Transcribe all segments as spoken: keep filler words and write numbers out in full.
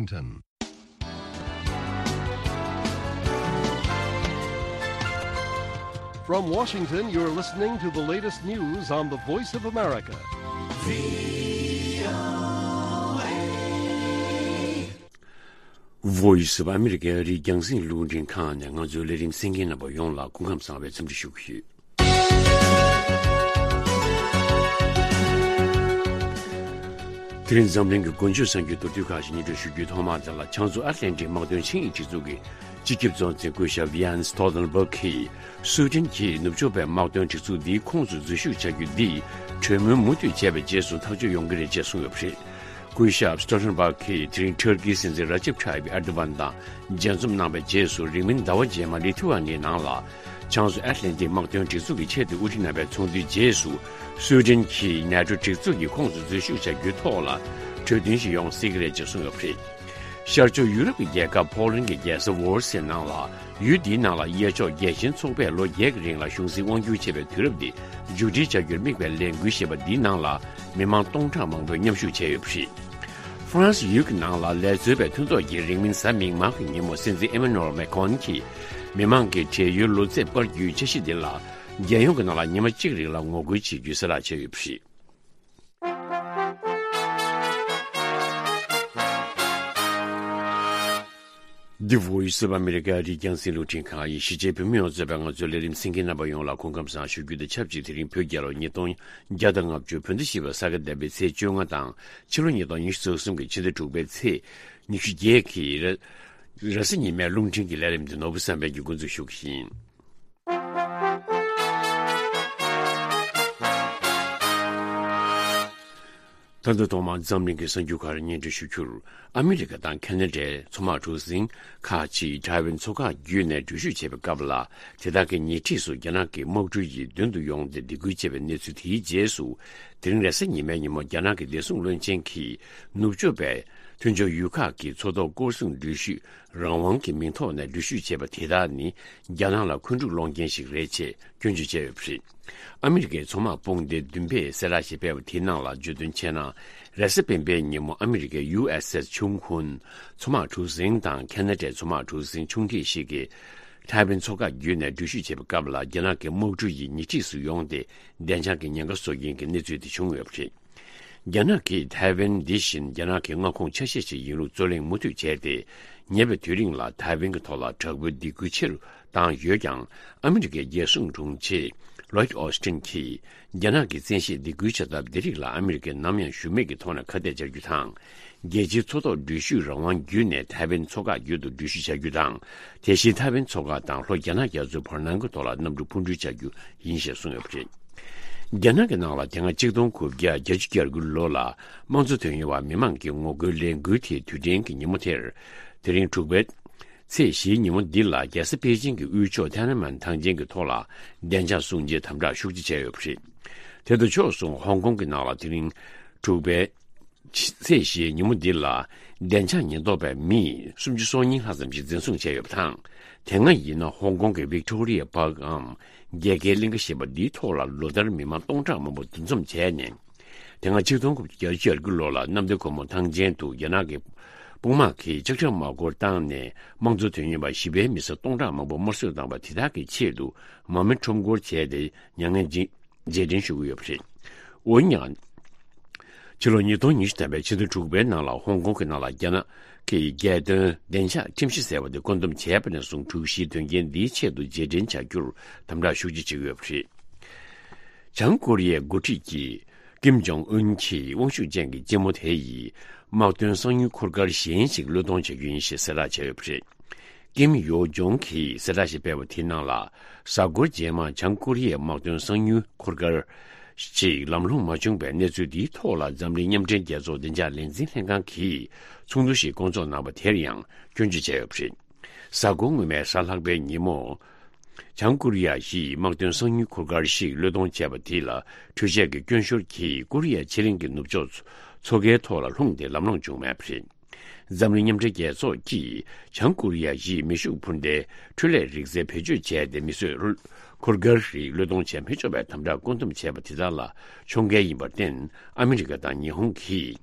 Washington. From Washington, you're listening to the latest news on the Voice of America. Voice of America རིགས་རྒྱང་སྲིང་རླུང་འཕྲིན་ཁང་ནས་ང་ཚོའི་ལས་རིམ་གསན་མཁན་རྣམ་པ་ཡོངས་ལ་སྐུ་ཁམས་བཟང་བའི་འཚམས་འདྲི་ཞུ་གི་ཡོད། དེ་རིང་འཛམ་གླིང་གི་འགོ་བརྗོད་གསར་འགྱུར་མདོར་བསྡུས་ཁག་ཅིག་སྙན་སྒྲོན་ཞུ་རྒྱུའི་ཐོག་མ་དེ་ལ། བྱང་མཚོ་ཨཊ་ལན་ཊིག་དམག་དོན་ཆིངས་ཡིག་སྒྲིག་འཛུགས་ཀྱི་སྤྱི་ཁྱབ་གཙོ་འཛིན་སྐུ་ཞབས་Jens Stoltenberg གིས། སུའེ་ཏེན་གྱིས་ནུབ་ཕྱོགས་པའི་དམག་དོན་སྒྲིག་འཛུགས་འདིའི་ཁོངས་སུ་འཛུལ་ཞུགས་བྱ་རྒྱུ་འདིས་གྲོས་མོལ་མུ་མཐུད་བྱས་པའི་རྗེས་སུ་ཐག་གཅོད་ཡོང་གི་རེད་ཅེས་གསུངས་ཡོད་པ་རེད། སྐུ་ཞབས་སི་ཏོལ་ཊེན་སྦག་གིས་དེ་རིང་ཊར་ཀིའི་སྲིད་འཛིན་ར་ཇེབ་ཐ་ཡིབ་ཨེར་དོ་གྷན་དང་མཇལ་འཛོམས་གནང་བའི་རྗེས་སུ། རིང་མིན་ཟླ་བ་རྗེས་མ་ལི་ཐུ་ཝ་ནིའི་ནང་ལ་བྱང་མཚོ་ཨེཊ་ལན་ཏིག་དམག་དོན་སྒྲིག་འཛུགས་ཀྱི་ཆེད་དུ་དབུ་ཁྲིད་རྣམ་པའི་ཚོགས་འདུའི་རྗེས་སུ། སུའེ་ཏེན་གྱིས་ནེ་ཊོ་སྒྲིག་འཛུགས་ཀྱི་ཁོངས་སུ་འཛུལ་ཞུགས་བྱ་རྒྱུའི་ཐོག་ལ་གྲོས་མཐུན་ཞིག་ཡོང་སྲིད་ཀྱི་རེད་ཅེས་གསུངས་ཡོད་པ་རེད། ཤར་ཕྱོགས་ཡུ་རོབ་ཀྱི་རྒྱལ་ཁབ་ཕོ་ལན་གྱི་རྒྱལ་ས་ཝོར་སེ་ནང་ལ། ཡུལ་འདིའི་ནང་ལ་གཡས་ཕྱོགས་རྒྱལ་ཞེན་ཚོགས་པས་ལོ་བརྒྱད་ཀྱི་རིང་ལ་གཞུང་སྲིད་དབང་སྒྱུར་བྱས་པའི་དུས་རབས་འདི་མཇུག་སྒྲིལ་བྱ་རྒྱུར་དམིགས་པའི་ལས་འགུལ་ཞེས་པ་འདིའི་ནང་ལ་མི་མང་སྟོང་ཕྲག་མང་པོས་མཉམ་ཞུགས་བྱས་ཡོད་པ་རེད། ཧྥ་རན་སི་ཡུལ་གྱི་ནང་ལ་ལས་རྩོལ་བའི་མཐུན་ཚོགས་ཀྱིས་རིང་མིན་གཟའ་མིག་དམར་གྱི་ཉིན་མོ་སྲིད་འཛིན་ཨེ་མ་ནུ་ཨེལ་མེ་ཁོན་གྱིས་མི་མང་གི་བགྲེས་ཡོལ་ལོ་ཚད་སྤར་རྒྱུའི་འཆར་གཞི་འདི་ལ་རྒྱལ་ཡོངས་ཀྱི་ནང་ལ་ཉི་མ་གཅིག་རིང་ལ་ངོ་རྒོལ་བྱེད་རྒྱུའི་གསལ་བསྒྲགས་བྱས་ཡོད་པ་རེད། འདི་Voice of America རིགས་རྒྱང་སྲིང་རླུང་འཕྲིན་ཁང་ཡིན། གཞིས་བྱེས་བོད་མི་ཡོངས་གཙོས་པའི་ང་ཚོའི་ལས་རིམ་གསན་མཁན་རྣམ་པ་ཡོངས་ལ་སྐུ་ཁམས་བཟང་ཞུ་རྒྱུ་དང་ཆབས་ཅིག་དེ་རིང་བོད་རྒྱལ་ལོ་ཉིས་སྟོང་བརྒྱ་དང་ལྔ་བཅུ་བོད་ཟླ་བཞི་པའི་ས་ག་ཟླ་བའི་ཚེས་བཅོ་ལྔ་དང་ཕྱི་ལོ་ཉིས་སྟོང་ཉི་ཤུ་རྩ་གསུམ་གྱི་ཕྱི་ཟླ་དྲུག་པའི་ཚེས་ཉི་ཤུ་བརྒྱད་ཀྱི་རེས་གཟའ་ཉི་མའི་རླུང་འཕྲིན་གྱི་ལས་རིམ་འདི་ནོར་བུ་བསམ་འཕེལ་གྱིས་འགོ་འཛུགས་ཞུ་གི་ཡིན། ད་ལྟ་ཐོག་མར་འཛམ་གླིང་གི་གསར་འགྱུར་ཁག་རེ་སྙན་སྒྲོན་ཞུ་རྒྱུར། ཨ་མི་རི་ཀ་དང་ཁེ་ན་ཌའི་མཚོ་དམག་གྲུ་གཟིངས་ཁག་ཅིག་ཐའེ་ཝན་མཚོ་འགག་བརྒྱུད་ནས་འགྲུལ་བཞུད་བྱེད་པའི་སྐབས་ལ། དེ་དག་གི་ཉེ་འཁྲིས་སུ་རྒྱ་ནག་གི་དམག་གྲུ་ཡིས་མདུན་དུ་ཡོང་སྟེ་སྡིགས་སྐུལ་བྱས་པའི་གནས་ཚུལ་དེའི་རྗེས་སུ། དེ་རིང་རེས་གཟའ་ཉི་མའི་ཉིན་མོ་རྒྱ་ནག་གི་བདེ་སྲུང་བློན་ཆེན་གྱིས་ནུབ་ཕྱོགས་པའི་མཐུན་ཕྱོགས་ཡུལ་ཁག་གི་མཚོ་ཐོག་སྐོར་སྲུང་འགྲུལ་བཞུད་རང་དབང་གི་མིང་ཐོག་ནས་འགྲུལ་བཞུད་བྱས་པ་དེ་དག་ནི་རྒྱ་ནག་ལ་འཁོན་འཁྲུག་སློང་མཁན་ཞིག་རེད་ཅེས་སྐྱོན་བརྗོད་བྱས་ཡོད་པ་རེད། ཨ་མི་རི་ཀའི་མཚོ་དམག་དཔུང་སྡེ་བདུན་པས་གསལ་བསྒྲགས་ཤིག་སྤེལ་བ་དེའི་ནང་ལ་བརྗོད་དོན་བྱས་ན། རེས་གཟའ་སྤེན་པའི་ཉིན་མོ་ཨ་མི་རི་ཀའི་ཡུ་ཨེས་ཨེས་ཆུང་ཁུན་མཚོ་དམག་གྲུ་གཟིངས་དང་ཁེ་ན་ཌའི་མཚོ་དམག་གྲུ་གཟིངས་ཆུང་འདྲིས་ཤིག་གིས་ཐའེ་ཝན་མཚོ་འགག་བརྒྱུད་ནས་འགྲུལ་བཞུད་བྱེད་པའི་སྐབས་ལ། རྒྱ་ནག་གི་དམག་གྲུ་ཡིས་ཉེ་འཁྲིས་སུ་ཡོང་སྟེ་བདེ་འཇགས་ཀྱི་ཉེན་ཁ་བཟོ་མཁན་གྱི་གནས་ཚུལ་དེ་བྱུང་ཡོད་པ་རེད། རྒྱ་ནག་གིས་ཐའེ་ཝན་འདི་བཞིན་རྒྱ་ནག་གི་མངའ་ཁོངས་ཆ་ཤས་ཤིག་ཡིན་ལུགས་རྩོད་གླེང་མུ་མཐུད་བྱས་ཏེ། ཉེ་བའི་དུས་རིང་ལ་ཐའེ་ཝན་གྱི་ཐོག་ལ་དྲག་པོའི་སྡིགས་སྐུལ་ཆེ་རུ་བཏང་ཡོད་ཀྱང་། ཨ་མི་རི་ཀའི་རྒྱལ་སྲུང་དྲུང་ཆེ་ལོའིད་ཨོ་སི་ཊིན་གྱིས། རྒྱ་ནག་གི་བཙན་ཤེད་སྡིགས་སྐུལ་བྱ་ཐབས་འདི་རིགས་ལ་ཨ་མི་རི་ཀས་ནམ་ཡང་ཞུམ་མེད་ཀྱི་ཐོག་ནས་ཁ་གཏད་བཅག་རྒྱུ་དང་། རྒྱལ་སྤྱིའི་མཚོ་ཐོག་འགྲུལ་བཞུད་རང་དབང་བརྒྱུད་ནས་ཐའེ་ཝན་མཚོ་འགག་བརྒྱུད་དུ་འགྲུལ་བཞུད་བྱ་རྒྱུ་དང་། དེ་བཞིན་ཐའེ་ཝན་མཚོ་འགག་དང་ལྷོ་རྒྱ་ནག་རྒྱ་མཚོའི་བར་སྣང་གི་ཐོག་ལ་གནམ་གྲུ་འཕུར་འགྲུལ་བྱ་རྒྱུ་ཡིན་ཞེས་གསུངས་ཡོད་པ་རེད། རྒྱ་ནག་གི་ནང་ལ་དེ་སྔ་ཆིག་སྟོང་དགུ་བརྒྱ་བརྒྱད་ཅུ་གྱ་དགུ་ལོ་ལ་དམངས་གཙོ་དོན་གཉེར་བ་མི་མང་གི་ངོ་རྒོལ་ལས་འགུལ་དེའི་དུས་དྲན་གྱི་ཉིན་མོ་དེར། དེ་རིང་དྲུག་པའི་ཚེས་བཞིའི་ཉིན་མོ་འདི་ལ་རྒྱལ་ས་པེ་ཅིང་གི་དབུས་ཕྱོགས་ཐེན་ཨན་མན་ཐང་ཆེན་གྱི་ཐོག་ལ་བདེ་འཇགས་སྲུང་བརྩིའི་དམ་དྲག་ཤུགས་ཆེ་བྱས་ཡོད་པ་རེད། དེ་དང་ཕྱོགས་མཚུངས་ཧོང་ཀོང་གི་ནང་ལ་དེ་རིང་དྲུག་པའི་ཚེས་བཞིའི་ཉིན་མོ་འདི་ལ་བདེ་འཇགས་ཉེན་རྟོག་པས་མི་སུམ་ཅུ་སོ་གཉིས་ལྷག་ཙམ་ཞིག་འཛིན་བཟུང་བྱས་ཡོད་པ་དང་། དེ་སྔ་ཡིན་ན་ཧོང་ཀོང་གི་ཝིག་ཊོ་རི་ཡ་པཱག་གམ་རྒྱལ་ཁའི་གླིང་ག་ཞེས་པ་འདིའི་ཐོག་ལ་ལོ་ལྟར་མི་མང་སྟོང་ཕྲག་མང་པོ་འདུ་འཛོམས་བྱས་ནས། དེ་སྔ་ཆིག་སྟོང་དགུ་བརྒྱ་བརྒྱད་ཅུ་གྱ་དགུ་ལོ་ལ་གནམ་བདེ་སྒོ་མོ་ཐང་ཆེན་དུ་རྒྱ་ནག་གི་དཔུང་དམག་གིས་ལྕགས་ཁྲབ་དམག་སྐོར་བཏང་ནས་དམངས་གཙོ་དོན་གཉེར་བ་བཞི་པའི་མི་སེར་སྟོང་ཕྲག་མང་པོ་དམར་གསོད་བཏང་བ་དེ་དག་གི་ཆེད་དུ་མ་མི་ཁྲོམ་སྐོར་བྱས་ཏེ་མྱ་ངན་ཅིང་རྗེས་དྲན་ཞུ་གི་ཡོད་པ་རེད། འོན་ཀྱང་། ཕྱི་ལོ་ཉིས་སྟོང་ཉི་ཤུ་ཐམ་པའི་ཕྱི་ཟླ་དྲུག་པའི་ནང་ལ་ཧོང་ཀོང་གི་ནང་ལ་རྒྱ་ནག་གི་རྒྱལ་དོན་བདེ་འཇགས་ཁྲིམས་གཞི་ཟེར་བ་དེ་བཀོད་འདོམས་བྱས་པ་ནས་བཟུང་དྲུག་བཞིའི་དོན་རྐྱེན་འདིའི་ཆེད་དུ་རྗེས་དྲན་བྱ་རྒྱུར་དམ་དྲག་ཤུགས་ཆེ་བྱེད་ཀྱི་ཡོད་པ་རེད། བྱང་ཀོ་རི་ཡའི་འགོ་ཁྲིད་ཀྱིས་ཀིམ་ཇོང་ཨུན་གྱི་དབང་ཤུགས་ཅན་གྱི་སྤྱི་མོ་དེ་ཡིས་དམག་དོན་གསང་ཉུལ་འཁོར་སྐར་གཞན་ཞིག་བློས་གཏོང་བྱ་རྒྱུ་ཡིན་ཞེས་གསལ་བསྒྲགས་བྱས་ཡོད་པ་རེད། ཀིམ་ཡོ་ཇོང་གིས་གསལ་བསྒྲགས་ཤིག་སྤེལ་བ་དེའི་ནང་ལ། གཟའ་འཁོར་རྗེས་མ་བྱང་ཀོ་རི་ཡའི་དམག་དོན་གསང་ཉུལ་འཁོར་སྐར་ཞིག་ལམ་ལྷོང་མ་བྱུང་བའི་གནས་ཚུལ་འདིའི་ཐོག་ལ་འཛམ་གླིང་མཉམ་འབྲེལ་རྒྱལ་ཚོགས་བདེ་འཇགས་ལས་འཛིན་ལྷན་ཁང་གིས་ཚོགས་འདུ་ཞིག་བསྐོང་ཚོགས་གནང་བ་དེར་ཡང་སྐྱོན་བརྗོད་བྱས་ཡོད་པ་རེད། གཟའ་འཁོར་སྔོན་མའི་གཟའ་ལྷག་པའི་ཉིན་མོ། བྱང་ཀོ་རི་ཡ་ཡིས་དམག་དོན་གསང་ཉུལ་འཁོར་སྐར་ཞིག་བློས་གཏོང་བྱས་པ་དེ་ལ་འཕྲུལ་ཆས་ཀྱི་སྐྱོན་ཤོར་གྱིས་ཀོ་རི་ཡ་ཕྱེད་གླིང་གི་ནུབ་ཕྱོགས་མཚོ་ཁའི་ཐོག་ལ་ལྷུང་སྟེ་ལམ་ལྷོང་བྱུང་མེད་པ་རེད། འཛམ་གླིང་མཉམ་འབྲེལ་རྒྱལ་ཚོགས་ཀྱིས་བྱང་ཀོ་རི་ཡ་ཡིས་མེ་ཤུགས་འཕུར་མདའི་འཕྲུལ་ལས་རིག་རྩལ་བེད་སྤྱོད་བྱས་ཏེ་མེ་གསོད་འཁོར་སྐར་རིགས་བློས་གཏོང་བྱས་མི་ཆོག་པའི་དམ་དྲག་བཀོད་འདོམས་བྱས་པ་དེ་དག་ལ་ཕྱོགས་འགལ་ཡིན་པར་བརྟེན། ཨ་མི་རི་ཀ་དང་ཉི་ཧོང་གིས་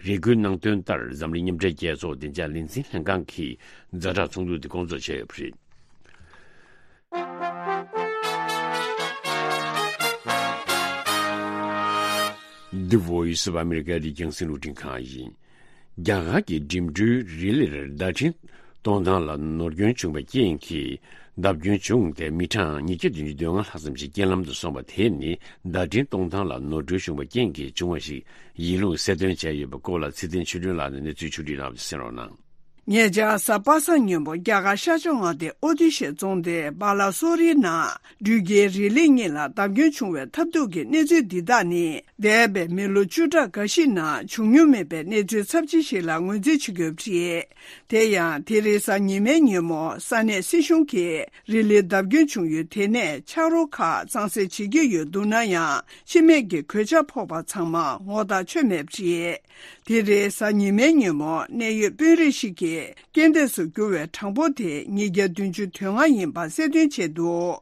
རེ་སྐུལ་གནང་དོན་ལྟར། འཛམ་གླིང་མཉམ་འབྲེལ་རྒྱལ་ཚོགས་བདེ་འཇགས་ལས་འཛིན་ལྷན་ཁང་གིས་ཛ་དྲག་ཚོགས་འདུ་དེ་སྐོང་ཚོགས་བྱས་ཡོད་པ་རེད། The Voice of America རི་རྒྱང་སྲིན་རླུང་འཕྲིན་ཁང་ཡིན། རྒྱ་གར་གྱི་འགྲིམ་འགྲུལ་རི་ལིར་བརྡ་འཕྲིན་གཏོང་སྟངས་ལ་ནོར་སྐྱོན་བྱུང་བའི་རྐྱེན་གྱིས། བརྡབ་སྐྱོན་བྱུང་སྟེ་མི་གྲངས་ཉིས་བརྒྱ་བདུན་ཅུ་དོན་ལྔ་ལྷག་ཙམ་ཞིག་རྐྱེན་ལམ་དུ་སོང་བ་དེ་ནི་བརྡ་འཕྲིན་གཏོང་སྟངས་ལ་ནོར་འཁྲུལ་བྱུང་བའི་རྐྱེན་གྱིས་བྱུང་བ་ཞིག་ཡིན་ལུགས་གསལ་སྟོན་བྱས་ཡོད་པའི་སྐོར་ལ་ཚེ་བརྟན་ཆོས་སྒྲོན་ལགས་ནས་གནས་ཚུལ་ཕྱོགས་བསྒྲིགས་གནང་བ་དེ་གསན་རོགས་གནང་། ཉེ་ཆར་གཟའ་པ་སངས་ཉིན་མོ་རྒྱ་གར་ཤར་ཕྱོགས་མངའ་སྡེ་ཨོ་རྡི་ཤའི་རྫོང་སྡེ་སྦ་ལ་སོ་རིའི་ནང་འགྲུལ་སྐྱེལ་རི་ལི་གཉིས་ལ་བརྡབ་སྐྱོན་བྱུང་བའི་ཐབས་སྡུག་གི་གནས་ཚུལ་འདི་དག་ནི། འདས་པའི་མི་ལོ་བཅུ་ཕྲག་འགའ་ཞིག་ནང་བྱུང་མྱོང་མེད་པའི་གནས་ཚུལ་ཚབས་ཆེ་ཞིག་ལ་ངོས་འཛིན་བྱེད་དགོས་པ་རེད། དེ་ཡང་དེ་རིང་གཟའ་ཉི་མའི་ཉིན་མོ་ས་གནས་སྲིད་གཞུང་གིས་རི་ལི་བརྡབ་སྐྱོན་བྱུང་ཡུལ་དེ་ནས་ཆག་རོ་ཁག་གཙང་སེལ་བྱེད་ཀྱི་ཡོད་འདུག་ན་ཡང་། ཤི་རྨས་ཀྱི་གོད་ཆག་ཕོག་པ་ཚང་མ་ངོ་ཐག་ཆོད་མེད་པ་རེད། དེ་རིང་གཟའ་ཉི་མའི་ཉིན་མོ་གནད་ཡོད་དཔོན་རིགས་ཤིག་གིས་རྐྱེན་འདས་སུ་གྱུར་བའི་གྲངས་འབོར་དེ་ཉིས་བརྒྱ་བདུན་ཅུ་དོན་ལྔ་ཡིན་པ་གསལ་སྟོན་བྱས་འདུག་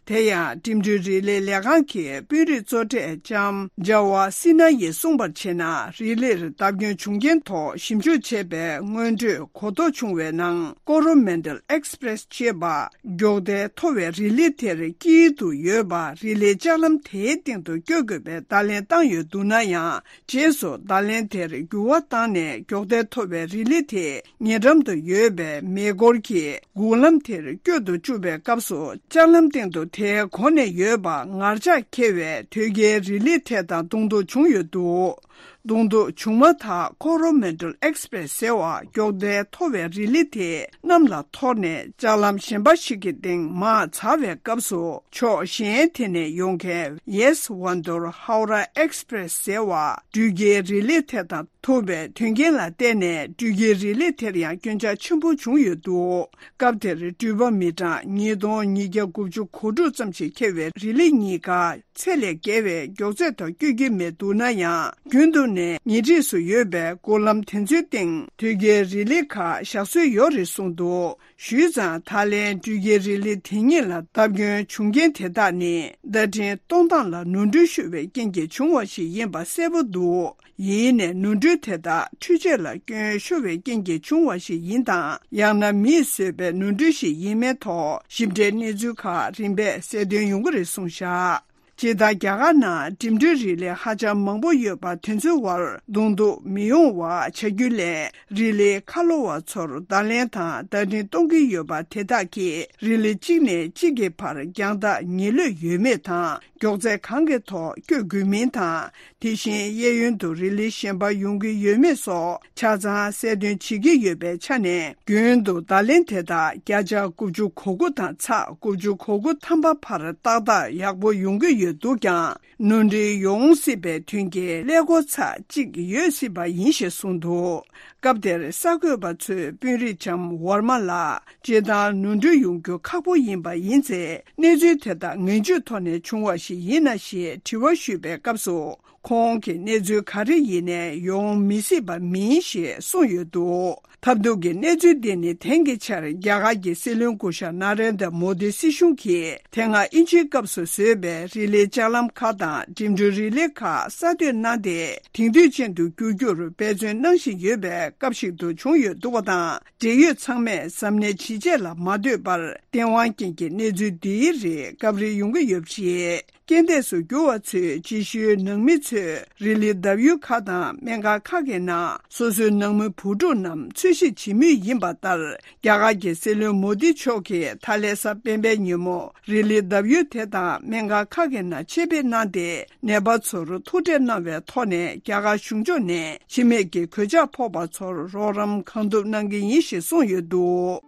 དེ་ཡང་འགྲིམ་འགྲུལ་རི་ལིའི་ལས་ཁང་གི་དཔོན་རིགས་གཙོ་གྲས་ལྕམ་ཇ་ཝ་སི་ན་ཡིས་གསུངས་པར་བྱས་ན། རི་ལིར་བརྡབ་སྐྱོན་བྱུང་རྐྱེན་ཐོག་ཞིབ་འཇུག་བྱས་པའི་སྔོན་འགྲོས་གོ་རྟོགས་བྱུང་བའི་ནང་། ཀོ་རོ་མན་ཌལ་ཨེགས་པི་རེ་སི་ཅེས་པ་མགྱོགས་དལ་མཐོ་བའི་རི་ལི་དེར་དཀྱིལ་དུ་ཡོད་པ་རི་ལིའི་ལྕགས་ལམ་དེའི་སྟེང་དུ་སྐྱོད་དགོས་པའི་བརྡ་ལན་བཏང་ཡོད་འདུག་ན་ཡང་། རྗེས་སུ་བརྡ་ལན་དེར་འགྱུར་བ་བཏང་ནས། མགྱོགས་དལ་མཐོ་བའི་རི་ལི་དེ་ཉེ་འགྲམ་དུ་ཡོད་པའི་མེ་འཁོར་གྱིས་འགུག་ལམ་དེར་བསྐྱོད་དུ་བཅུག་པའི་སྐབས་སུ། ལྕགས་ལམ་སྟེང་དུ་དེའི་གོ་ནས་ཡོད་པ་ངར་ལྕགས་འཁེལ་བས་དོས་སྐྱེལ་རི་ལི་དེ་དང་གདོང་ཐུག་བྱུང་ཡོད་འདུག་གདོང་ཐུག་བྱུང་མ་ཐག་ཀོ་རོ་མན་ཌལ་ཨེགས་པི་རེ་སི་ཟེར་བ་མགྱོགས་དལ་མཐོ་བའི་རི་ལི་དེ་གནམ་ལ་འཐོར་ནས། ལྕགས་ལམ་གཞན་པ་ཞིག་གི་སྟེང་མར་འཛེགས་པའི་སྐབས་སུ། ཕྱོགས་གཞན་དེ་ནས་ཡོང་མཁན་ཡེས་ཝན་དུར་ཧའོ་ར་ཨེགས་པི་རེ་སི་ཟེར་བ་འགྲུལ་སྐྱེལ་རི་ལི་དེ་དང་ཐུག་པའི་དོན་རྐྱེན་ལ་བརྟེན་ནས། འགྲུལ་སྐྱེལ་རི་ལི་དེར་ཡང་སྐྱོན་ཆག་ཆེན་པོ་བྱུང་ཡོད་འདུག་སྐབས་དེར་འགྲུལ་པ་མི་གྲངས་ཉིས་སྟོང་ཉིས་བརྒྱ་དགུ་བཅུ་གོ་དྲུག་ཙམ་ཞིག་འཁྱེར་བའི་རི་ལི་གཉིས་ཀ་ཚད་ལས་བརྒལ་བའི་མགྱོགས་ཚད་ཐོག་སྐྱོད་ཀྱི་མེད་འདུག་ན་ཡང་། རྒྱུན་དུ་ནས་ཉེ་འཁྲིས་སུ་ཡོད་པའི་འགུག་ལམ་དེ་ཚོའི་སྟེང་དོས་སྐྱེལ་རི་ལི་ཁག་བཞག་སྲོལ་ཡོད་རེད་གསུངས་འདུག་ཞུས་ཙང་། ད་ལན་འགྲུལ་སྐྱེལ་རི་ལི་དེ་གཉིས་ལ་བརྡབ་སྐྱོན་བྱུང་རྐྱེན་དེ་དག་ནི། བརྡ་འཕྲིན་གཏོང་སྟངས་ལ་ནོར་འཁྲུལ་ཤོར་བའི་རྐྱེན་གྱིས་བྱུང་བ་ཞིག་ཡིན་པ་གསལ་པོ་འདུག་ཡིན་ནའི་ནོར་འཁྲུལ་དེ་དག་འཕྲུལ་ཆས་ལ་སྐྱོན་ཤོར་བའི་རྐྱེན་གྱིས་བྱུང་བ་ཞིག་ཡིན་དང་། ཡང་ན་མིས་བཟོས་པའི་ནོར་འཁྲུལ་ཞིག་ཡིན་མིན་ཐོག་ཞིབ་ཕྲའི་གནས་ཚུལ་ཁག་རིམ་པས་གསལ་སྟོན་ཡོང་གི་རེད་གསུངས་བཞག་སྤྱིར་བཏང་རྒྱ་གར་ནང་འགྲིམ་འགྲུལ་རི་ལི་ཧ་ཅང་མང་པོ་ཡོད་པ་དེ་ཚོའི་བར་གདོང་ཐུག་མི་ཡོང་བ་བྱ་རྒྱུ་ལས། རི་ལིའི་ཁ་ལོ་བ་ཚོར་བརྡ་ལན་དང་བརྡ་འཕྲིན་གཏོང་གི་ཡོད་པ་དེ་དག་གིས་རི་ལི་གཅིག་ནས་གཅིག་གི་བར་རྒྱང་ཐག་ཉེ་ལོས་ཡོད་མེད་དང་། མགྱོགས་ཚད་གང་གི་ཐོག་སྐྱོད་དགོས་མིན་དང་། དེ་བཞིན་གཡས་གཡོན་དུ་རི་ལི་གཞན་པ་ཡོང་གི་ཡོད་མེད་སོགས་ཆ་ཚང་གསལ་སྟོན་བྱེད་ཀྱི་ཡོད་པའི་ཆ་ནས། རྒྱུན་དུ་བརྡ་ལན་དེ་དག་བརྒྱ་ཆ་དགུ་བཅུ་གོ་དགུ་དང་ཚེག་དགུ་བཅུ་གོ་དགུ་ཐམ་པ་བར་ཏག་ཏག་ཡག་པོ་ཡོང་གི་ཡོད་འདུག་ཀྱང་། ནོར་འཁྲུལ་ཡོང་སྲིད་པའི་དོན་རྐྱེན་ཀླད་ཀོར་ཚ་གཅིག་ཡོད་སྲིད་པ་ཡིན་ཞེས་གསུངས་འདུག་སྐབས་དེར་གསར་འགོད་པ་ཚོས་དཔོན་རིགས་ལྕམ་ཝར་མ་ལགས། སྤྱིར་བཏང་ནོར་འཁྲུལ་ཡོང་རྒྱུ་ཁག་པོ་ཡིན་པ་ཡིན་ཚེ། གནས་ཚུལ་དེ་དག་ངན་ཇུས་ཐོག་ནས་བྱུང་བ་ཞིག་ཡིན་ན་ཞེས་དྲི་བ་ཞུས་པའི་སྐབས་སུ། ཁོང་གིས་གནས་ཚུལ་ག་རེ་ཡིན་ནའི་ཡོང་མི་སྲིད་པ་མིན་ཞེས་གསུངས་ཡོད་འདུག་ཐབས་སྡུག་གི་གནས་ཚུལ་འདི་ནི་དེང་གི་ཆར་རྒྱ་གར་གྱི་སྲིད་བློན་སྐུ་ཞབས་ན་རེན་དྲ་མོ་དི་སྲིད་གཞུང་གིས་དེ་སྔ་དབྱིན་ཇིའི་སྐབས་སུ་བཟོས་པའི་རི་ལིའི་ལྕགས་ལམ་ཁག་དང་འགྲིམ་འགྲུལ་རི་ལི་ཁག་གསར་གཏོད་གནང་སྟེ། དེང་དུས་ཅན་དུ་བསྒྱུར་རྒྱུར་འབད་བརྩོན་གནང་བཞིན་ཡོད་པའི་སྐབས་ཤིག་ཏུ་བྱུང་ཡོད་འདུག་པ་དང་། འབྲེལ་ཡོད་ཚང་མས་གཟབ་ནན་ཇི་བྱས་ལ་མ་ལྟོས་པར། བསྟན་དབང་ཅན་གྱི་གནས་ཚུལ་འདིའི་རིགས་སྐབས་རེ་ཡོང་གི་ཡོད་པ་རེད། རྐྱེན་འདས་སུ་གྱུར་བ་ཚོས་རྗེས་ཤུལ་ནང་མི་ཚོས་རི་ལི་བརྡབ་ཡུལ་ཁག་དང་སྨན་ཁང་ཁག་གི་ནང་སོ་སོའི་ནང་མི་བུ་ཕྲུག་རྣམས་འཚོལ་ཞིབ་བྱེད་མུས་ཡིན་པ་ལྟར། རྒྱ་གར་གྱི་སྲིད་བློན་མོ་དི་མཆོག་གིས་ད་ལན་གཟའ་སྤེན་པའི་ཉིན་མོ་རི་ལི་བརྡབ་ཡུལ་དེ་དང་སྨན་ཁང་ཁག་གི་ནང་ཆེད་ཕེབས་གནང་སྟེ། ནད་པ་ཚོར་ཐུག་འཕྲད་གནང་བའི་ཐོག་ནས། རྒྱ་གར་གཞུང་ཕྱོགས་ནས་ཤི་རྨས་ཀྱི་གོད་ཆག་ཕོག་པ་ཚོར་རོགས་རམ་གང་ཐུབ་གནང་གི་ཡིན་ཞེས་གསུངས་ཡོད་འདུག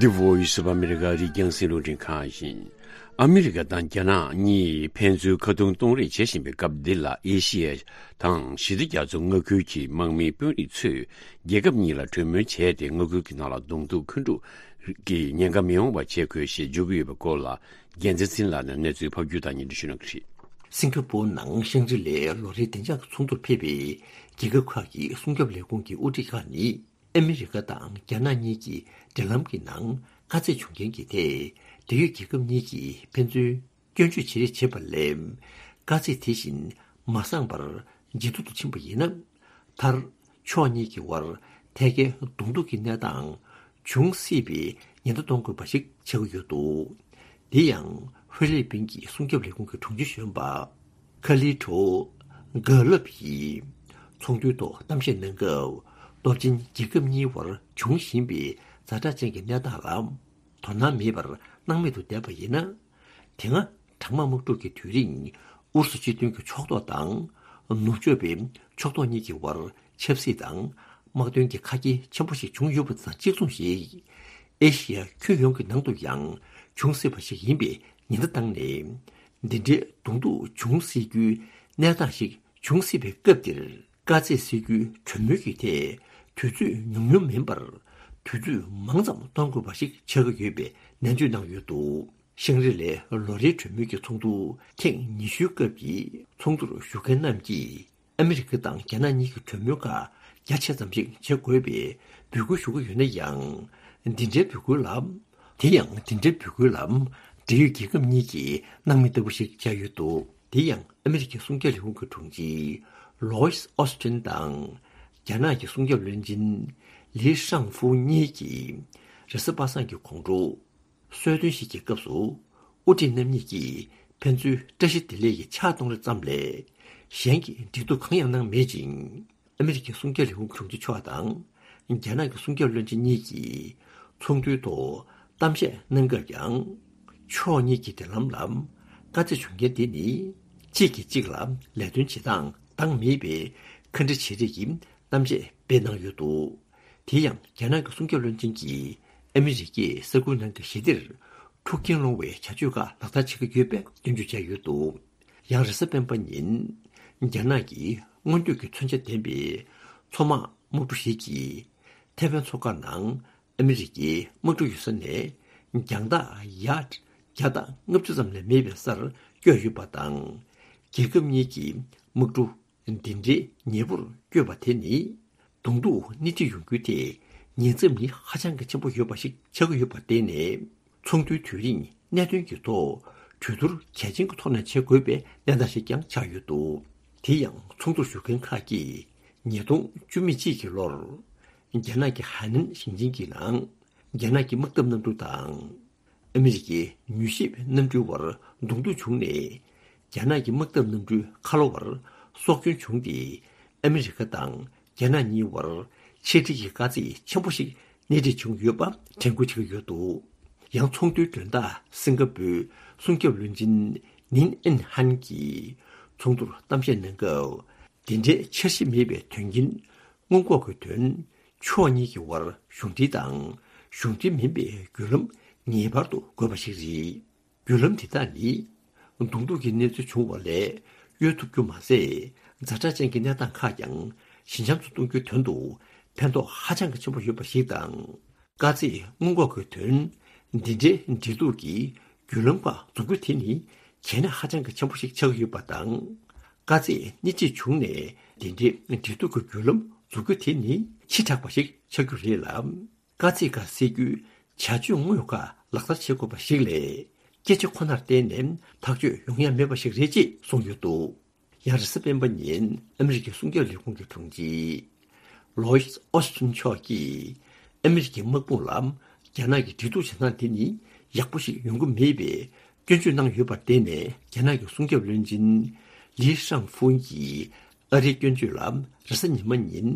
The Voice of America རི་རྒྱང་སྲིད་བློན་ཁང་ཡིན། ཨ་མི་རི་ཀ་དང་རྒྱ་ནག་གཉིས་ཕན་ཚུན་ཁ་རྡུང་གཏོང་རེས་བྱེད་བཞིན་པའི་སྐབས་འདི་ལ། ཨེ་ཤི་ཡ་དང་ཞི་བདེ་རྒྱ་མཚོ་མངའ་ཁུལ་གྱི་དམག་མིའི་དཔོན་རིགས་ཚོས་རྒྱལ་ཁབ་གཉིས་ལ་གྲོས་མོལ་བྱས་ཏེ། མངའ་ཁུལ་གྱི་ནང་ལ་གདོང་ཐུག་འཁོན་འཁྲུག་གི་ཉེན་ཁ་མི་ཡོང་བ་བྱེད་དགོས་ཞེས་བརྗོད་ཀྱི་ཡོད་པའི་སྐོར་ལ། རྒྱལ་མཚན་ཚེ་རིང་ལགས་ནས་གནས་ཚུལ་ཕབ་སྒྱུར་དང་སྙན་སྒྲོན་ཞུ་གནང་གི་རེད། སིང་ག་པོར་ནང་ཤང་ཀྲི་ལའི་ལོ་རེའི་བདེ་འཇགས་ཀྱི་ཚོགས་འདུར་ཕེབས་པའི་རྒྱལ་ཁབ་ཁག་གི་སྲུང་སྐྱོབ་ལས་ཁུངས་ཀྱི་དབུ་ཁྲིད་ཁག་ནི། ཨ་མི་རི་ཀ་དང་རྒྱ་ནག་གཉིས་ཀྱི་འབྲེལ་ལམ་གྱི་ནང་དཀའ་ཚེགས་བྱུང་རྐྱེན་གྱི་ཐད། འབྲེལ་ཡོད་རྒྱལ་ཁབ་གཉིས་ཀྱིས་ཕན་ཚུན་སྐྱོན་བརྗོད་བྱེད་རེས་བྱེད་པ་ལས། དཀའ་ཚེགས་དེ་བཞིན་མ་སངས་པར་ཇེ་སྡུག་ཏུ་ཕྱིན་པ་ཡིན་ན། མཐར་ཕྱོགས་གཉིས་ཀྱི་དབར་ཐད་ཀའི་གདོང་ཐུག་གི་གནས་སྟངས་འབྱུང་སྲིད་པའི་ཉེན་བརྡ་གཏོང་དགོས་པ་ཞིག་ཆགས་ཀྱི་ཡོད་འདུག། འདི་ཡང་ཧྥི་ལི་པིན་གྱི་སྲུང་སྐྱོབ་ལས་ཁུངས་ཀྱི་དྲུང་ཆེ་གཞོན་པ་ཁ་ལི་ཁྲོ་གྷ་ལབ་ཡིས་ཚོགས་འདུའི་ཐོག་གཏམ་བཤད་གནང་སྐབས། སྟོབས་ཆེན་རྒྱལ་ཁབ་གཉིས་དབར་འབྱུང་བཞིན་པའི་ཛ་དྲག་ཅན་གྱི་གནས་སྟངས་ལ་དོ་སྣང་མེད་པར་སྣང་མེད་དུ་བསྡད་པ་ཡིན་ན། དེ་སྔ་གྲང་དམག་དམག་འཁྲུག་གི་དུས་རིང་ཨུ་རུ་སུ་སྤྱི་མཐུན་གྱི་ཕྱོགས་གཏོགས་དང་ནུབ་ཕྱོགས་པའི་ཕྱོགས་གཏོགས་གཉིས་ཀྱི་དབར་ཆབ་སྲིད་དང་དམག་དོན་གྱི་ཁ་གྱེས་ཆེན་པོ་ཞིག་བྱུང་ཡོད་པ་དང་གཅིག་མཚུངས་ཤིག། ཨེ་ཤི་ཡ་ཁྱོན་ཡོངས་ཀྱི་ནང་དུ་ཡང་འབྱུང་སྲིད་པ་ཞིག་ཡིན་པའི་ཉེན་བརྡ་བཏང་ནས། འདི་འདྲའི་གདོང་ཐུག་འབྱུང་སྲིད་རྒྱུའི་གནས་སྟངས་ཤིག་འབྱུང་སྲིད་པའི་སྐབས་འདིར། དཀའ་ཚེགས་སེལ་རྒྱུའི་གྲོས་མོལ་གྱི་ཐད་དུས་ཚོད་ཉུང་ཉུང་མིན་པར། དུས་ཚོད་མང་ཙམ་གཏོང་དགོས་པ་ཞིག་ཆགས་ཀྱི་ཡོད་པའི་ནན་བརྗོད་གནང་ཡོད་འདུག། ཤང་རི་ལའི་ལོ་རེའི་གྲོས་མོལ་གྱི་ཚོགས་འདུ་ཐེངས་ཉི་ཤུའི་སྐབས་ཀྱི་ཚོགས་འདུར་ཞུགས་མཁན་རྣམས་ཀྱིས། ཨ་མི་རི་ཀ་དང་རྒྱ་ནག་གཉིས་ཀྱི་གྲོས་མོལ་ཁག་རྒྱ་ཆེ་ཙམ་ཞིག་བྱེད་དགོས་པའི་འབོད་སྐུལ་ཞུ་གི་ཡོད་ན་ཡང་། འདི་འདྲའི་འབོད་སྐུལ་ལ། དེ་ཡང་འདི་འདྲའི་འབོད་སྐུལ་ལ། འབྲེལ་ཡོད་རྒྱལ་ཁབ་གཉིས་ཀྱིས་སྣང་མེད་ལྟ་བུ་ཞིག་བྱས་ཡོད་འདུག། དེ་ཡང་ཨ་མི་རི་ཀའི་སྲུང་སྐྱོབ་ལས་ཁུངས་ཀྱི་དྲུང་ཆེ་ལོའིས་ཨོ་སི་ཊིན་དང་། རྒྱ་ནག་གི་སྲུང་སྐྱོབ་བློན་ཆེན་ལི་ཧྲང་ཧྥུའུ་གཉིས་ཀྱིས་རེས་གཟའ་པ་སངས་ཀྱི་དགོང་དྲོ། གསོལ་སྟོན་ཞིག་གི་སྐབས་སུ། དབུ་ཁྲིད་རྣམ་གཉིས་ཀྱིས་ཕན་ཚུན་བཀྲ་ཤིས་བདེ་ལེགས་ཀྱི་ཕྱག་གཏོང་རེས་ཙམ་ལས། གཞན་གྱི་འབྲེལ་གཏུག་གང་ཡང་གནང་མེད་ཅིང་། ཨ་མི་རི་ཀའི་སྲུང་སྐྱོབ་ལས་ཁུངས་དྲུང་ཆེ་མཆོག་དང་། རྒྱ་ནག་གི་སྲུང་སྐྱོབ་བློན་ཆེན་གཉིས་ཀྱིས་ཚོགས་འདུའི་ཐོག་གཏམ་བཤད་གནང་སྐབས་ཀྱང་། ཕྱོགས་གཉིས་ཀྱི་འབྲེལ་ལམ་ལ་དཀའ་ཚེགས་བྱུང་རྐྱེན་དེ་ནི། གཅིག་གིས་གཅིག་ལ་ལས་དོན་བྱེད་སྟངས་འདང་མེད་པའི་ཁ་འདྲི་བྱེད་རེས་ཀྱི་གཏམ་བཤད་སྤེལ་གནང་ཡོད་འདུག། དེ་ཡང་རྒྱ་ནག་གི་སྲུང་སྐྱོབ་བློན་ཆེན་གྱིས་ཨ་མི་རི་ཀས་ས་ཁུལ་ནང་གི་ཞི་བདེར་འཁྲུག་རྐྱེན་སློང་བའི་བྱ་སྤྱོད་ཁག་ལག་བསྟར་བྱེད་ཀྱི་ཡོད་པའི་སྐྱོན་བརྗོད་བྱས་ཡོད་འདུག། ཡང་རེས་གཟའ་སྤེན་པ་ཉིན། རྒྱ་ནག་གི་སྔོན་སྐྱོད་ཀྱི་མཚོན་ཆ་ལྡན་པའི་མཚོ་དམག་དམག་གྲུ་ཞིག་གིས་ཐེ་ཝན་མཚོ་ཁ་ནང་ཨ་མི་རི་ཀའི་དམག་གྲུ་ཡོད་ས་ནས་རྒྱང་ཐག་ཡར་བརྒྱ་དང་ལྔ་བཅུ་ཙམ་ལས་མེད་པའི་སར་བསྐྱོད་ཡོད་པ་དང་། རྒྱལ་ཁབ་གཉིས་ཀྱི་དམག་གྲུ་འདི་འདྲའི་ཉེ་པོར་བསྐྱོད་པ་དེ་ནི། གདོང་ཐུག་སྣེ་ཁྲིད་ཡོང་རྒྱུའི་ཐད་ཉེན་ཚབས་ནི་ཧ་ཅང་གི་ཆེན་པོ་ཡོད་པ་ཞིག་ཆགས་ཀྱི་ཡོད་པར་བརྟེན་ནས། ཚོགས་འདུའི་དུས་རིང་གནད་དོན་གྱི་ཐོག་གྲོས་བསྡུར་གལ་ཆེན་གྱི་ཐོག་ནས་བྱེད་དགོས་པའི་གནས་སྟངས་ཤིག་ཀྱང་ཆགས་ཡོད་འདུག། དེ་ཡང་ཚོགས་འདུར་ཞུགས་མཁན་ཁག་གིས་ཉིས་སྟོང་བཅུ་མེད་གཅིག་གི་ལོར། རྒྱ་ནག་གི་ཧའེ་ནན་ཞིང་ཆེན་གྱི་ནང་རྒྱ་ནག་གི་དམག་འཐབ་གནམ་གྲུ་དང་། ཨ་མི་རི་ཀའི་མྱུལ་ཞིབ་གནམ་གྲུའི་བར་གདོང་ཐུག་བྱུང་ནས། རྒྱ་ནག་གི་དམག་འཐབ་གནམ་གྲུའི་ཁ་ལོ་བར་སྲོག་སྐྱོན་བྱུང་སྟེ། ཨ་མི་རི་ཀ་དང་རྒྱ་ནག་གཉིས་བར་ཆེད་ཁྲིད་ཀྱི་དཀའ་ཚེགས་ཆེན་པོ་ཞིག་སྣེ་ཁྲིད་བྱུང་ཡོད་པ་དྲན་སྐུལ་བྱེད་ཀྱི་ཡོད་འདུག། ཡང་ཚོགས་འདུའི་མགྲོན་བདག་སིང་ག་པོའི་སྲུང་སྐྱོབ་བློན་ཆེན་ནིན་ཨིན་ཧན་གྱིས་ཚོགས་འདུར་གཏམ་བཤད་གནང་སྐབས། འདི་འདྲའི་འཆར་གཞི་མེད་པའི་དོན་རྐྱེན། སྔོན་འགོག་གི་དོན། ཕྱོགས་གཉིས་ཀྱི་དབར་གཞུང་འབྲེལ་དང་གཞུང་འབྲེལ་མིན་པའི་བརྒྱུད་ལམ་ངེས་པར་དུ་དགོས་པ་ཞིག་རེད། བརྒྱུད་ལམ་དེ་དག་ནི། གདོང་ཐུག་གི་གནས་ཚུལ་བྱུང་བ་ལས་གཡོལ་ཐུབ་རྒྱུ་མ་ཟད། ཛ་དྲག་ཅན་གྱི་གནས་སྟངས་ཁག་ཀྱང་ཞི་འཇམ་དུ་གཏོང་རྒྱུའི་དོན་དུ་ཕན་ཐོགས་ཧ་ཅང་གི་ཆེན་པོ་ཡོད་པ་ཞིག་དང་། དཀའ་ཚེགས་སྔོན་འགོག་གི་དོན། འདི་འདྲའི་འབྲེལ་གཏུག་གི་བརྒྱུད་ལམ་ཁག་འཛུགས་རྒྱུ་དེ་ནི་གལ་གནད་ཧ་ཅང་གི་ཆེན་པོ་ཞིག་ཆགས་ཀྱི་ཡོད་པ་དང་། དཀའ་ཚེགས་སྣེ་ཁྲིད་བྱུང་ནས་འདི་འདྲའི་འབྲེལ་གཏུག་གི་བརྒྱུད་ལམ་འཛུགས་རྒྱུ་དེ་ནི་ཕྱི་དྲགས་པ་ཞིག་ཆགས་རྒྱུ་རེད་ལ། དཀའ་ཚེགས་ཁག་སེལ་རྒྱུའི་བྱ་སྤྱོད་དངོས་ཁག་ལག་བསྟར་བྱེད་དགོས་པ་ཞིག་ལས། སྐད་ཆ་ཁོ་ནར་བརྟེན་ནས་ཐག་གཅོད་ཡོང་ཡ་མེད་པ་ཞིག་རེད་ཅེས་གསུངས་ཡོད་འདུག། ཡང་རེས་གཟའ་སྤེན་པ་ཉིན་ཨ་མི་རི་ཀའི་སྲུང་སྐྱོབ་ལས་ཁུངས་ཀྱི་དྲུང་ཆེ་ལོའིས་ཨོ་སི་ཊིན་མཆོག་གིས། ཨ་མི་རི་ཀའི་དམག་དཔུང་ལ་རྒྱ་ནག་གི་འབྲེལ་གཏུག་བྱེད་སྟངས་དེ་ནི་ཡག་པོ་ཞིག་ཡོང་གི་མེད་པའི་སྐྱོན་བརྗོད་གནང་ཡོད་པར་བརྟེན་ནས། རྒྱ་ནག་གི་སྲུང་སྐྱོབ་བློན་ཆེན་ལི་ཧྲང་ཧྥུན་གྱིས་ཨ་རིའི་སྐྱོན་བརྗོད་ལ་རེས་གཟའ་ཉི་མ་ཉིན་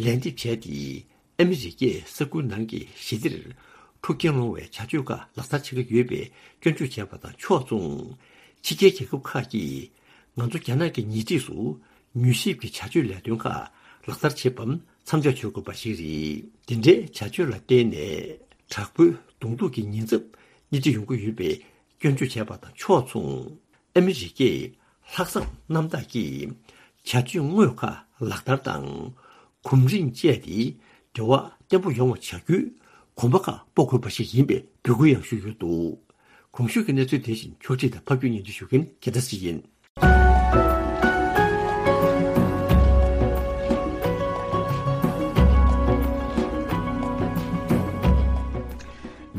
ལན་འདེབས་བྱས་ཏེ། ཨ་མི་རི་ཀས་ས་ཁུལ་ནང་གི་ཞི་བདེར་འཁྲུག་རྐྱེན་སློང་བའི་བྱ་སྤྱོད་ཁག་ལག་བསྟར་བྱེད་ཀྱི་ཡོད་པའི་སྐྱོན་བརྗོད་བྱས་པ་དང་ཕྱོགས་མཚུངས། ཕྱི་རྒྱལ་རྒྱལ་ཁབ་ཁག་གིས་ང་ཚོ་རྒྱ་ནག་གི་ཉེ་འཁྲིས་སུ་མྱུལ་ཞིབ་ཀྱི་བྱ་སྤྱོད་ལས་དོན་ཁག་ལག་བསྟར་བྱེད་པར་མཚམས་འཇོག་བྱེད་དགོས་པ་ཞིག་རེད། འདི་འདྲའི་བྱ་སྤྱོད་ལ་བརྟེན་ནས་དྲག་པོའི་གདོང་ཐུག་གི་ཉེན་ཚབས་སྣེ་ཁྲིད་ཡོང་གི་ཡོད་པའི་སྐྱོན་བརྗོད་བྱས་པ་དང་ཕྱོགས་མཚུངས། ཨ་མི་རི་ཀས་ལྷག་བསམ་རྣམ་དག་གིས་བྱ་སྤྱོད་དངོས་ཁག་ལག་བསྟར་དང་། གོམ་རིམ་བཅས་ཏེ་འབྲེལ་བ་བརྟན་པོ་ཡོང་བ་བྱ་རྒྱུའི་གོམ་པ་ཁག་སྤོ་དགོས་པ་ཞིག་ཡིན་པའི་འབོད་སྐུལ་ཡང་ཞུས་ཡོད་འདུག། གོང་ཞུས་ཀྱི་གནས་ཚུལ་དེ་བཞིན་ཕྱོགས་སྒྲིག་དང་ཕབ་སྒྱུར་སྙན་སྒྲོན་ཞུ་མཁན་རྒྱལ་མཚན་སྲིད་ཡིན།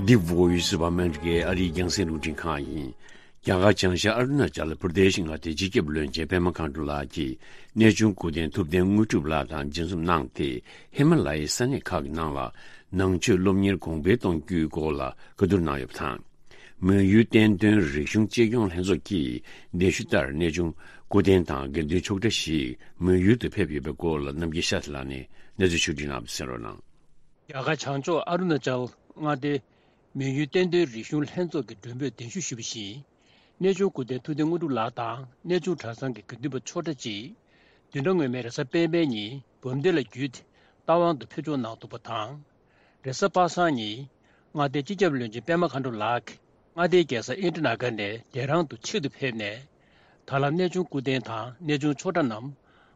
འདི་བོ་ཡི་སི་བ་མན་གྱི་ཨ་རིའི་རྒྱང་སྲིང་རླུང་འཕྲིན་ཁང་ཡིན། རྒྱ་གར་བྱང་ཤར་ཨ་རུ་ན་ཅལ་པར་དེ་ཤི་མངའ་སྡེའི་སྤྱི་ཁྱབ་བློན་ཆེན་པད་མ་མཁའ་འགྲོ་ལགས་ཀྱིས་གནས་ཆུང་སྐུ་རྟེན་ཐུབ་བསྟན་དངོས་གྲུབ་ལགས་དང་མཇལ་འཛོམས་གནང་སྟེ། ཧི་མ་ལ་ཡའི་ས་གནས་ཁག་གི་ནང་ལ་ནང་ཆོས་སློབ་གཉེར་གོང་འཕེལ་གཏོང་རྒྱུའི་སྐོར་ལ་བཀའ་བསྡུར་གནང་ཡོད་པ་དང་། མོན་ཡུལ་བསྟན་དོན་རིག་གཞུང་གཅེས་སྐྱོང་ལྷན་ཚོགས་ཀྱིས་གདན་ཞུ་ལྟར་གནས་ཆུང་སྐུ་རྟེན་དང་དགེ་འདུན་ཆོས་གྲྭ་ཞིག་མོན་ཡུལ་དུ་ཕེབས་ཡོད་པའི་སྐོར་ལ་རྣམ་རྒྱལ་ཤཱསྟྲི་ལགས་ནས་གནས་ཚུལ་ཕྱོགས་སྒྲིག་གནང་བ་གསན་རོགས་གནང་། རྒྱ་གར་བྱང་ཕྱོགས་ཨ་རུ་ན་ཅལ་མངའ་སྡེའི་མོན་ཡུལ་བསྟན་དོན་རིག་གཞུང་ལྷན་ཚོགས་ཀྱི་མགྲོན་འབོད་གདན་ཞུ་ཞུས་པ་བཞིན། གནས་ཆུང་སྐུ་རྟེན་ཐུབ་བསྟན་དངོས་གྲུབ་ལགས་དང་གནས་ཆུང་གྲྭ་ཚང་གི་དགེ་འདུན་པ་ཆོས་གྲྭ་གཅིག་བདུན་ཕྲག་སྔོན་མའི་རེས་གཟའ་སྤེན་པའི་ཉིན་བམ་སྡེ་ལ་བརྒྱུད་དེ་རྟ་དབང་དུ་ཕེབས་འབྱོར་གནང་འདུག་པ་དང་། རེས་གཟའ་པ་སངས་ཉིན་མངའ་སྡེའི་སྤྱི་ཁྱབ་བློན་ཆེན་པད་མ་མཁའ་འགྲོ་ལགས་ཀྱིས་མངའ་སྡེའི་རྒྱལ་ས་ཨིན་ཌི་ན་གར་ནས་ལྡེ་རང་དུ་ཆེད་དུ་ཕེབས་ནས། ད་ལམ་གནས་ཆུང་སྐུ་རྟེན་དང་གནས་ཆུང་ཆོས་གྲྭ་རྣམས་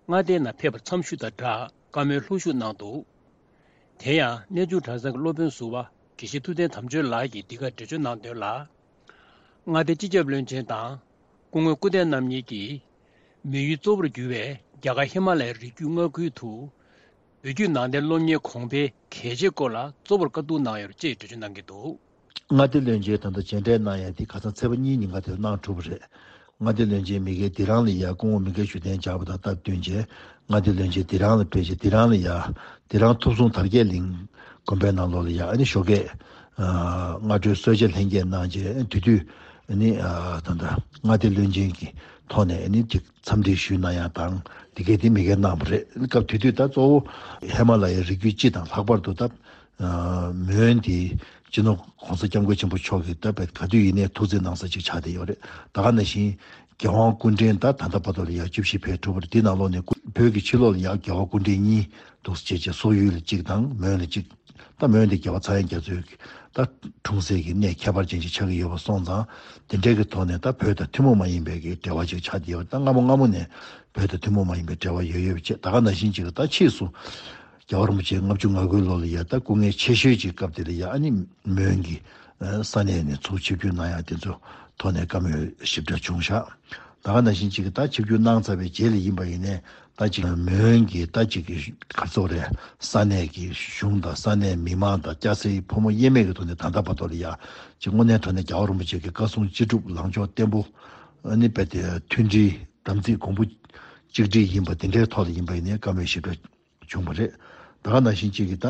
མངའ་སྡེའི་ནང་ཕེབས་པར་འཚམས་ཞུ་དང་སྦྲགས་བཀའ་མོལ་ལྷུག་ཞུ་གནང་འདུག་དེ་ཡང་གནས་ཆུང་གྲྭ་ཚང་གི་སློབ་དཔོན་ཟུར་པ་དགེ་བཤེས་ཐུབ་བསྟན་དམ་ཆོས་ལགས་ཀྱིས་འདི་གར་འགྲེལ་བརྗོད་གནང་དོན་ལ། མངའ་སྡེའི་སྤྱི་ཁྱབ་བློན་ཆེན་དང་སྐུ་ངོ་སྐུ་རྟེན་རྣམ་གཉིས་ཀྱིས་མོན་ཡུལ་གཙོ་བོར་གྱུར་བའི་རྒྱ་གར་ཧི་མ་ལ་ཡའི་རི་རྒྱུད་མངའ་ཁུལ་དུ། བོད་བརྒྱུད་ནང་བསྟན་སློབ་གཉེར་གོང་འཕེལ་གལ་ཆེའི་སྐོར་ལ་གཙོ་བོར་བཀའ་བསྡུར་གནང་ཡོད་ཅེས་འགྲེལ་བརྗོད་གནང་གི་འདུག་མངའ་སྡེ་བློན་ཆེན་ད་ལྟ་མཇལ་འཕྲད་གནང་ཡ་དེ་ཁ་སང་ཚེས་པ་གཉིས་ཉིན་ཀ་དེར་གནང་གྲུབ་པ་རེད། མངའ་སྡེ་བློན་ཆེན་མི་སྒེར་དེ་རང་ལ་ཡ་སྐུ་ངོ་མི་སྒེར་ཞུ་གཏན་འཇགས་པ་དང་སྟབས་བསྟུན་བྱས། མངའ་སྡེ་བློན་ཆེན་དེ་རང་ལ་ཕེབས་བྱས་དེ་རང་ལ་ཡ། དེ་རང་ཐུབ་བསྲུང་དར་རྒྱས་གླིང་དགོན་པའི་ནང་ལོགས་ལ་ཡ་ཨ་ནི་ཞོགས་ཀས། སྔ་དྲོའི་གསོལ་ཇ་ལྷན་རྒྱས་གནང་རྗེས་དེ་དུས་ཨ་ནི་ད་ལྟ་མངའ་སྡེ་བློན་ཆེན་གྱི་ཐོག་ནས་ཨ་ནི་ཅིག་འཚམས་འདྲི་ཞུས་གནང་ཡ་དང་དེ་གས་དེ་མི་སྒེར་གནང་བ་རེད། སྐབས་དེ་དུས་ད་གཙོ་བོ་ཧི་མ་ལ་ཡའི་རི་རྒྱུད་སྤྱི་དང་ལྷག་པར་དུ་ད། མོན་དེ་སྤྱི་ནོར་༸གོང་ས་༸སྐྱབས་མགོན་ཆེན་པོ་མཆོག་གིས་ད་བེད་ག་དུས་ཡིན་ནའི་ཐུགས་བརྩེ་གནང་ས་ཅིག་ཆགས་བསྡད་ཡོད་རེད། ད་ག་ནང་བཞིན་རྒྱལ་དབང་སྐུ་ཕྲེང་ད་ད་ལྟ་བར་དུ་ལ་ཡ་བཅུ་བཞི་ཕེབས་གྲུབ་པ་རེད། དེ་ནང་ལོགས་ནས་བོད་ཀྱི་ཕྱི་ལོགས་ལ་ཡ་རྒྱལ་བ་སྐུ་ཕྲེང་གཉིས་འདུག་སེ་བྱས་བྱས་སོག་ཡུལ་ལ་གཅིག་དང་མོན་ལ་གཅིག་ད་མོན་དེ་རྒྱལ་བ་ཚངས་དབྱངས་རྒྱ་མཚོས་ད་འཁྲུངས་སའི་གི་གནས་ཁྱད་པར་ཅན་ཅིག་ཆགས་ཀྱི་ཡོད་པ་སོང་ཙང་དེ་འདྲའི་གི་ཐོག་ནས་ད་བོད་དང་ཐུན་མོང་མ་ཡིན་པའི་གི་འབྲེལ་བ་ཅིག་ཆགས་བསྡད་ཡོད་རེད། ད་སྔ་མོ་སྔ་མོ་ནས་བོད་དང་ཐུན་མོང་མ་ཡིན་པའི་འབྲེལ་བ་ཡོད་ཡོད་པ་བྱས་ད་ག་ནང་བཞིན་ཅིག་ད་ཕྱིས་སུ། རྒྱལ་བ་རིན་པོ་ཆེ་ལྔ་བཅུ་ང་དགུའི་ལོ་ལ་ཡ་ད་སྐུ་ངལ་ཆེ་ཤོས་ཀྱི་སྐབས་དེ་ལ་ཡ་ཨ་ནི་མོན་གྱི་ས་གནས་ནས་ཚུར་ཆིབས་བསྒྱུར་གནང་ཡ་དེ་ཚོ་ཐོག་ནས་བཀའ་མོལ་ཞིབ་ཕྲ་བྱུང་ཤག་ད་ག་ནང་བཞིན་ཅིག་ད་ཆིབས་བསྒྱུར་གནང་ཚར་བའི་རྗེས་ལ་ཡིན་པ་ཡིན་ནའི་ད་ཅིག་མོན་གྱི་ད་ཅིག་གི་ག་ཚོད་རེད། ས་གནས་ཀྱི་གཞུང་དང་ས་གནས་མི་མང་དང་སྐྱ་སེར་ཕོ་མོ་དབྱེར་མེད་ཀྱི་ཐོག་ནས་ད་ལྟ་བར་དུ་ལ་ཡ་ཅིག་དངོས་གནས་དྲང་གནས་རྒྱལ་བ་རིན་པོ་ཆེ་གི་བཀའ་གསུང་ཅི་སྒྲུབ་ལངས་ཕྱོགས་བརྟན་པོ་ཨ་ནི་རྦད་དེ་མཐུན་སྒྲིལ་དམ་ཚིག་གོང་བུ་གཅིག་སྒྲིལ་ཡིན་པ་དེ་འདྲའི་ཐོག་ལ་ཡིན་པ་ཡིན་ནའི་བཀའ་མོལ་ཞིབ་ཕྲ་བྱུང་བ་རེད། ད་ག་ནང་བཞིན་གཅིག་གིས་ད་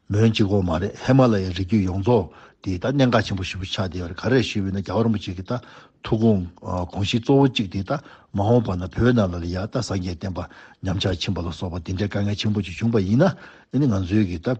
མོན་གཅིག་པོ་མ་རེད། ཧི་མ་ལ་ཡའི་རི་རྒྱུད་ཡོངས་རྫོགས་དེ་ད་གནད་འགག་ཆེན་པོ་ཞེ་པོ་ཆགས་བསྡད་ཡོད་རེད། ག་རེ་ཞུས་པ་ཡིན་ན་རྒྱལ་བ་རིན་པོ་ཆེ་གི་ད་ཐུགས་དགོངས་དགོངས་གཞི་གཙོ་བོ་གཅིག་དེ་ད་མ་འོངས་པ་ན་བོད་ནང་ལ་ཡ་ད་སངས་རྒྱས་བསྟན་པ་ཉམས་ཆག་ཕྱིན་པ་ལ་སོགས་པ་དེ་འདྲའི་དཀའ་ངལ་ཆེན་པོ་ཅིག་བྱུང་པ་ཡིན་ན་ཨ་ནི་ང་ཚོའི་གི་ད་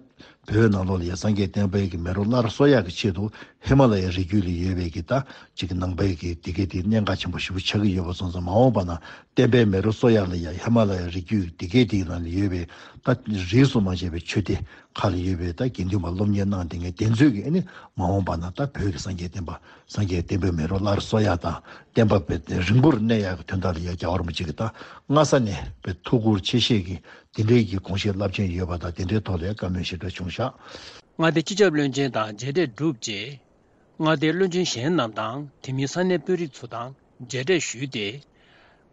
བོད་ནང་ལོགས་ལ་ཡ་སངས་རྒྱས་བསྟན་པའི་གི་མེ་རོ་སླར་གསོ་ཡག་གི་ཆེད་དུ་ཧི་མ་ལ་ཡའི་རི་རྒྱུད་ལ་ཡོད་པའི་གི་ད་ཅིག་ནང་པའི་གི་དེ་གའི་དེ་གནད་འགག་ཆེན་པོ་ཞེ་པོ་ཆགས་ཀྱི་ཡོད་པ་སོང་ཙང་མ་འོངས་པ་ན་བསྟན་པའི་མེ་རོ་གསོ་ཡག་ལ་ཡ་ཧི་མ་ལ་ཡའི་རི་རྒྱུད་དེ་གའི་དེའི་ནང་ལ་ཡོད་པའི་ད་རིས་སུ་མ་ཆད་པའི་ཆོས་སྡེ་ཁག་ལ་ཡོད་པའི་ད་དགེ་འདུན་པ་སློབ་གཉེར་གནང་བསྡད་མཁན་དེ་ཚོས་ཀྱིས་ཨ་ནི་མ་འོངས་པ་ན་ད་བོད་ཀྱི་སངས་རྒྱས་བསྟན་པ་སངས་རྒྱས་བསྟན་པའི་མེ་རོ་སླར་གསོ་ཡག་དང་བསྟན་པ་དཔེ་རིང་པོར་གནས་ཡག་གི་དོན་དག་ལ་ཡ་རྒྱལ་བ་རིན་པོ་ཆེ་གིས་ད་སྔ་ས་ནས་དཔེ་ཐུགས་ཁུར་ཆེ་བཞེས་ཀྱིས་དེ་འདྲའི་གི་དགོངས་བཞེད་རླབས་ཆེན་ཡོད་པ་དང་དེ་འདྲའི་ཐོག་ལ་བཀའ་མོལ་ཞིབ་ཕྲ་བྱུང་ཤག་མངའ་སྡེ་སྤྱི་ཁྱབ་བློན་ཆེན་དང་མཇལ་འཕྲད་གྲུབ་རྗེས། མངའ་སྡེའི་བློན་ཆེན་གཞན་རྣམས་དང་དེ་མིན་ས་གནས་དཔོན་རིགས་ཚོ་དང་མཇལ་འཕྲད་ཞུས་ཏེ།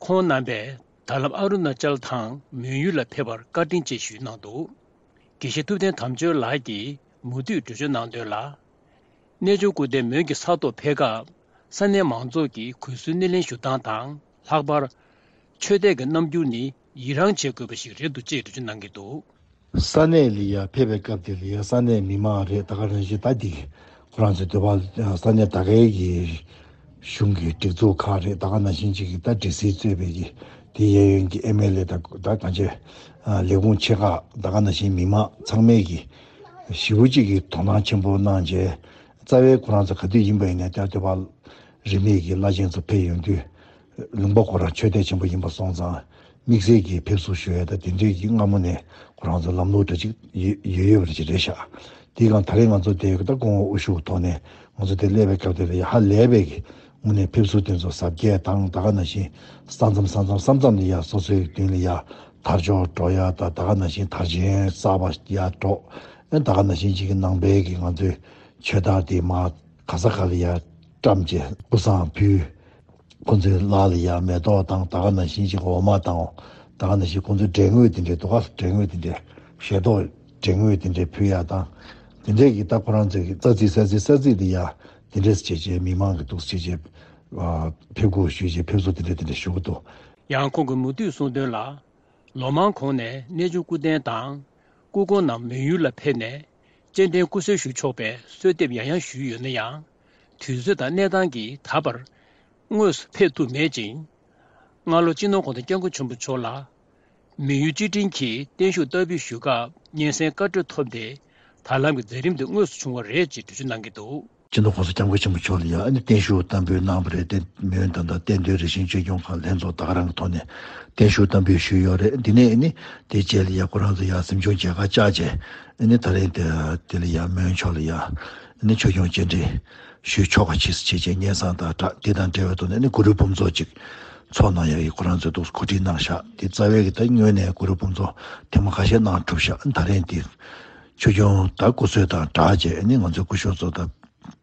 ཁོང་རྣམ་པས་ད་ལམ་ཨ་རུ་ན་ཅལ་དང་མོན་ཡུལ་ལ་ཕེབས་པར་བཀའ་དྲིན་ཆེ་ཞུས་གནང་འདུག་དགེ་བཤེས་ཐུབ་བསྟན་དམ་ཆོས་ལགས་ཀྱིས་མུ་མཐུད་འགྲེལ་བརྗོད་གནང་དོན་ལ། གནས་ཆུང་སྐུ་རྟེན་མོན་གྱི་ས་ཐོག་ཕེབས་སྐབས་ས་གནས་མང་ཚོགས་ཀྱིས་གུས་བསུའི་སྣེ་ལེན་ཞུ་སྟངས་དང་ལྷག་པར། ཆོས་དད་ཀྱི་རྣམ་འགྱུར་ནི་ཡི་རངས་བྱེད་དགོས་པ་ཞིག་རེད་འདུག་ཅེས་འགྲེལ་བརྗོད་གནང་གི་འདུག་ས་གནས་ལ་ཡ་ཕེབས་པའི་སྐབས་དེ་ལ་ཡ་ས་གནས་མི་མང་རེད། ད་ག་ནང་བཞིན་ད་འདི་ཁོ་རང་ཚོའི་འདོད་པ་ས་གནས་ད་གའི་གི་གཞུང་གི་སྒྲིག་འཛུགས་ཁག་རེད། ད་ག་ནང་བཞིན་ཅིག་གི་ད་སྒྲིག་སྲིད་གཙོས་པའི་གི་དེ་གཡས་གཡོན་གྱི་ཨེམ་ཨེལ་ཨེ་དང་ད་གང་ཅི་ལས་ཁུངས་ཆེ་ཁག་ད་ག་ནང་བཞིན་མི་མང་ཚང་མས་གི་ཞེ་པོ་ཅིག་གི་དོ་སྣང་ཆེན་པོ་གནང་རྗེས་རྩ་བའི་ཁོ་རང་ཚོ་ག་དུས་ཡིན་པ་ཡིན་ན་ད་འདོད་པ་རིས་མེད་ཀྱི་བླ་ཆེན་ཚོ་ཕེབས་ཡོང་དུས། ལུང་པ་ཁོ་རང་ཆོས་དད་ཆེན་པོ་ཡིན་པ་སོང་ཙང་དམིགས་བསལ་གྱིས་ཕེབས་བསུ་ཞུ་ཡས་དང་དེ་འདྲའི་གི་སྔ་མོ་ནས་ཁོ་རང་ཚོ་ལམ་ལུགས་འདྲ་ཅིག་ཡོད་ཡོད་ཡོད་པ་ཅིག་རེད་ཤག་དེའི་སྒང་ད་རེས་ང་ཚོ་དེ་ད་སྐུ་ངོ་དབུ་བཞུགས་ཐོག་ནས་ང་ཚོ་དེ་སླེབས་པའི་སྐབས་དེ་ལ་ཡ་ཧ་ལས་པའི་གི་དངོས་གནས་ཕེབས་བསུ་དེ་ཚོ་གཟབ་རྒྱས་དང་ད་ག་ནང་བཞིན་ས་མཚམས་ས་མཚམས་ས་མཚམས་ལ་ཡ་སོ་སོའི་མདུན་ལ་ཡ་དར་ལྕོག་སྒྲོག་ཡ་དང་ད་ག་ནང་བཞིན་དར་ཆེན་གསར་པ་ཡ་སྒྲོག་ཨེ་ད་ག་ནང་བཞིན་ཅིག་གི་ནང་པའི་གི་ང་ཚོའི་ཆོས་དར་དེ་མར་ག་ས་ག་ལ་ཡ་བཀྲམ་བྱས་སྐུ་བསང་ཕུལ། ཁོ་ཚོའི་ལག་ལ་ཡ་མེ་ཏོག་དང་ད་ག་ནང་བཞིན་ཅིག་འོ་མ་དང་ད་ག་ནང་བཞིན་ཁོ་ཚོའི་འབྲས་དངོས་དེ་འདྲའི་འདུག་ག་འབྲས་དངོས་དེ་འདྲའི་ཞལ་ཏོག་འབྲས་དངོས་དེ་འདྲའི་ཕུལ་ཡ་དང་ དེ་འདྲས་ཀྱི་ད་ཁོ་རང་ཚོའི་གི་རྩ་རྩིས་ས་རྩིས་ས་རྩིས་དེ་ཡ་དེ་འདྲས་བྱས་བྱས་མི་མང་གི་འདུག་བྱས་བྱས་ཨ་ཕེབས་སྒུག་ཞུས་བྱས་ཕེབས་བསུ་དེ་འདྲས་དེ་འདྲས་ཞུ་གི་འདུག། ཡང་ཁོང་གིས་མུ་མཐུད་གསུངས་དོན་ལ། ལོ་མང་གོང་ནས་གནས་ཆུང་སྐུ་རྟེན་དང་། སྐུ་གོང་རྣམས་མོན་ཡུལ་ལ་ཕེབས་ནས་སྤྱན་འདྲེན་སྐུ་གསོལ་ཞུ་ཆོག་པའི་གསོལ་འདེབས་ཡང་ཡང་ཞུས་ཡོད་ན་ཡང་། དུས་ཚོད་དང་གནས་སྟངས་ཀྱིས་ད་བར་དངོས་སུ་ཕེབས་ཐུབ་མེད་ཅིང་། སྔ་ལོ་སྤྱི་ནོར་༸གོང་ས་༸སྐྱབས་མགོན་ཆེན་པོ་མཆོག་ལ་མོན་ཡུལ་སྤྱི་བྲིངས་ཀྱིས་བརྟན་བཞུགས་བསྟར་འབུལ་ཞུ་སྐབས་སྙན་སེང་བཀའ་འཁྲོལ་ཐོབ་སྟེ། ད་ལམ་གྱི་མཛད་རིམ་དེ་དངོས་སུ་བྱུང་བ་རེད་ཅེས་འགྲེལ་བརྗོད་གནང་གི་འདུག། སྤྱི་ནོར་༸གོང་ས་༸སྐྱབས་མགོན་ཆེན་པོ་མཆོག་ལ་ཡང་ཨ་ནི་བརྟན་བཞུགས་བསྟར་འབུལ་གནང་བ་རེད་དེ། མོན་ད་ལྟ་རྟེན་མདུན་རིག་ཞིང་བཅོས་སྐྱོང་ཁང་ལྷན་ཚོགས་ད་ག་རང་གི་ཐོག་ནས་བརྟན་བཞུགས་བསྟར་འབུལ་ཞུས་ཡོད་རེད། འདི་ནས་ཨ་ནི་དེ་རྗེས་ལ་ཡ་ཁོ་རང་ཚོ་ཡ་གཟིམ་ཆུང་མཇལ་ཁ་བཅར་རྗེས་ཨ་ནི་ད་རེས་དེ་དེ་ལ་ཡ་མོན་ཕྱོགས་ལ་ཡ་ཨ་ནི་ཆོས་སྐྱོང་སྤྱན་འདྲེན་ཞུས་ཆོག་ག་ཕྱིས་སུ་བྱས་རྗེས་སྙན་སེང་དང་སྦྲགས་དེ་དང་འབྲེལ་བའི་ཐོག་ནས་ཨ་ནི་གུ་རུ་འབུམ་ཚོགས་ཅིག་ཚོགས་གནང་ཡག་གི་ཁོ་རང་ཚོས་འདུག་གོ་སྒྲིག་གནང་བཞག། དེ་རྩ་བའི་གི་ད་སྔོན་ནས་གུ་རུ་འབུམ་ཚོགས་ཐེངས་མ་ཁ་ཤས་གནང་གྲུབ་བཞག། ད་རེས་འདི་ཆོས་སྐྱོང་ད་སྐུ་གསོལ་དང་སྦྲགས་རྗེས་ཨ་ནི་ང་ཚོའི་སྐུ་ཞབས་ཚོ་ད་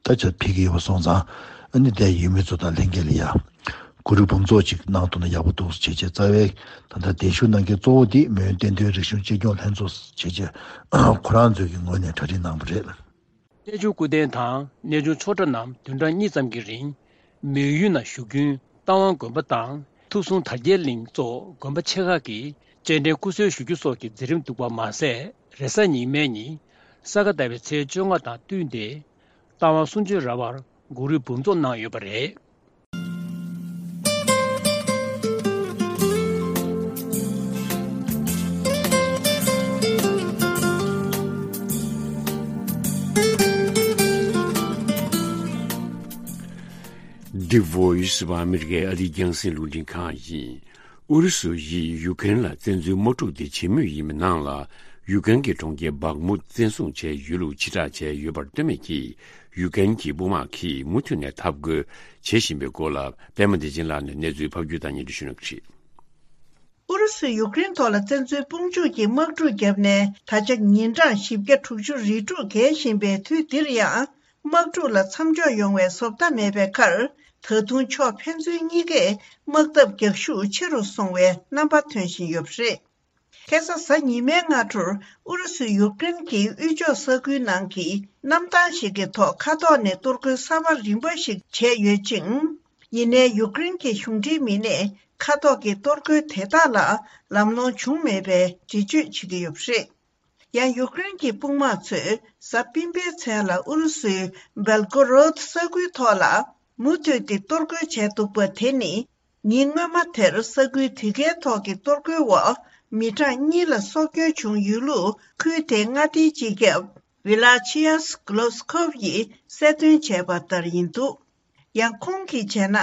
ད་ཆ་ཕེབས་ཀྱི་ཡོད་པ་སོང་ཙང་ཨ་ནི་དེ་ཡུལ་མི་ཚོ་དང་ལྷན་རྒྱས་ལ་ཡ་གུ་རུ་འབུམ་ཚོགས་ཅིག་གནང་ཐུབ་ན་ཡག་པོ་འདུག་བྱས་རྗེས་རྩ་བའི་ད་ལྟ་གདན་ཞུ་གནང་མཁན་གཙོ་བོ་དེ་མོན་བསྟན་དོན་རིག་གཞུང་གཅེས་སྐྱོང་ལྷན་ཚོགས་བྱས་རྗེས་ཁོ་རང་ཚོའི་གི་ངོས་ནས་གྲ་སྒྲིག་གནང་བ་རེད། གནས་ཆུང་སྐུ་རྟེན་དང་གནས་ཆུང་ཆོས་གྲྭ་རྣམས་བདུན་ཕྲག་གཉིས་ཙམ་གྱི་རིང་མོན་ཡུལ་ན་བཞུགས་རྒྱུན་རྟ་དབང་དགོན་པ་དང་ཐུགས་སྲུང་དར་རྒྱས་གླིང་སོགས་དགོན་པ་ཆེ་ཁག་གིས་སྤྱན་འདྲེན་སྐུ་གསོལ་ཞུ་རྒྱུ་སོགས་ཀྱི་མཛད་རིམ་འདུག་པ་མ་ཟད། རེས་གཟའ་ཉི་མའི་ཉིན་ས་ག་ཟླ་བའི་ཚེས་བཅོ་ལྔ་དང་བསྟུན་ཏེ་རྟ་དབང་གསུང་ཆོས་ར་བར་གུ་རུའི་འབུམ་ཚོགས་གནང་ཡོད་པ་རེད། The Voice of America ཨ་རིའི་རྒྱང་སྲིང་རླུང་འཕྲིན་ཁང་ཡིན། ཨུ་རུ་སུ་ཡིས་ཡུ་ཀེ་རེན་ལ་བཙན་འཛུལ་དམག་འཁྲུག་དེ་བྱེད་མུས་ཡིན་པའི་ནང་ལ། ཡུ་ཀེ་རེན་གྱི་གྲོང་ཁྱེར་སྦག་མུད་བཙན་བཟུང་བྱས་ཡོད་ལུགས་ཕྱིར་བསྒྲགས་བྱས་ཡོད་པར་ལྟོས་མེད་ཀྱིས། ཡུ་ཀེ་རེན་གྱི་དཔུང་དམག་གིས་མུ་མཐུད་ནས་འཐབ་རྒོལ་བྱེད་བཞིན་པའི་སྐོར་ལ། པད་མ་བདེ་ཆེན་ལགས་ནས་གནས་ཚུལ་ཕབ་སྒྱུར་དང་སྙན་སྒྲོན་ཞུ་གནང་གི་རེད། ཨུ་རུ་སུས་ཡུཀ་རེན་ཐོག་ལ་བཙན་འཛུལ་དཔུང་འཇུག་གི་དམག་འཁྲུག་བརྒྱབ་ནས་ད་ཆ་ཉིན་གྲངས་བཞི་བརྒྱ་དྲུག་ཅུ་རེ་དྲུག་བརྒལ་བཞིན་པའི་དུས་འདིར་ཡང་། དམག་འཁྲུག་ལ་མཚམས་འཇོག་ཡོང་བའི་བཟོ་ལྟ་མེད་པའི་ཁར། ད་དུང་ཕྱོགས་ཕན་ཚུན་གཉིས་ཀས་དམག་འཐབ་རྒྱག་ཤུགས་ཆེ་རུ་སོང་བའི་རྣམ་པ་ཐོན་བཞིན་ཡོད་པ་རེད། ཁ་སང་གཟའ་ཉི་མའི་སྔ་དྲོར་ཨུ་རུ་སུས་ཡུཀ་རེན་གྱི་དབུས་ཕྱོགས་ས་ཁུལ་ནང་གི་གནམ་ཐང་ཞིག་གི་ཐོག་མཁའ་ཐོག་ནས་གཏོར་རྒོལ་གསར་པ་རིམ་པ་ཞིག་བྱས་ཡོད་ཅིང་། ཡིན་ནའི་ཡུཀ་རེན་གྱི་གཞུང་འབྲེལ་མི་སྣས་མཁའ་ཐོག་གི་གཏོར་རྒོལ་དེ་དག་ལ་ལམ་ལྷོང་བྱུང་མེད་པའི་འགྲེལ་བརྗོད་བྱེད་ཀྱི་ཡོད་པ་རེད། ཡང་ཡུཀ་རེན་གྱི་དཔུང་དམག་ཚོས་གཟའ་སྤེན་པའི་མཚན་ལ་ཨུ་རུ་སུའི་སྦེལ་གོ་རོད་ས་ཁུལ་ཐོག་ལ་མུ་མཐུད་དེ་གཏོར་རྒོལ་བྱས་འདུག་པ་དེ་ནི། ཉིན་སྔོན་མ་དེར་ས་ཁུལ་དེ་གའི་ཐོག་གི་གཏོར་རྒོལ་འོག་མི་གྲངས་གཉིས་ལ་སྲོག་སྐྱོན་བྱུང་ཡོད་ལུགས་ཁུལ་དེའི་མངའ་སྡེའི་སྤྱི་ཁྱབ་ཝི་ལ་ཆི་ཡཱས་གློ་སི་ཁོབ་ཡིས་གསལ་སྟོན་བྱས་པ་ལྟར་ཡིན་འདུག། ཡང་ཁོང་གིས་བྱས་ན།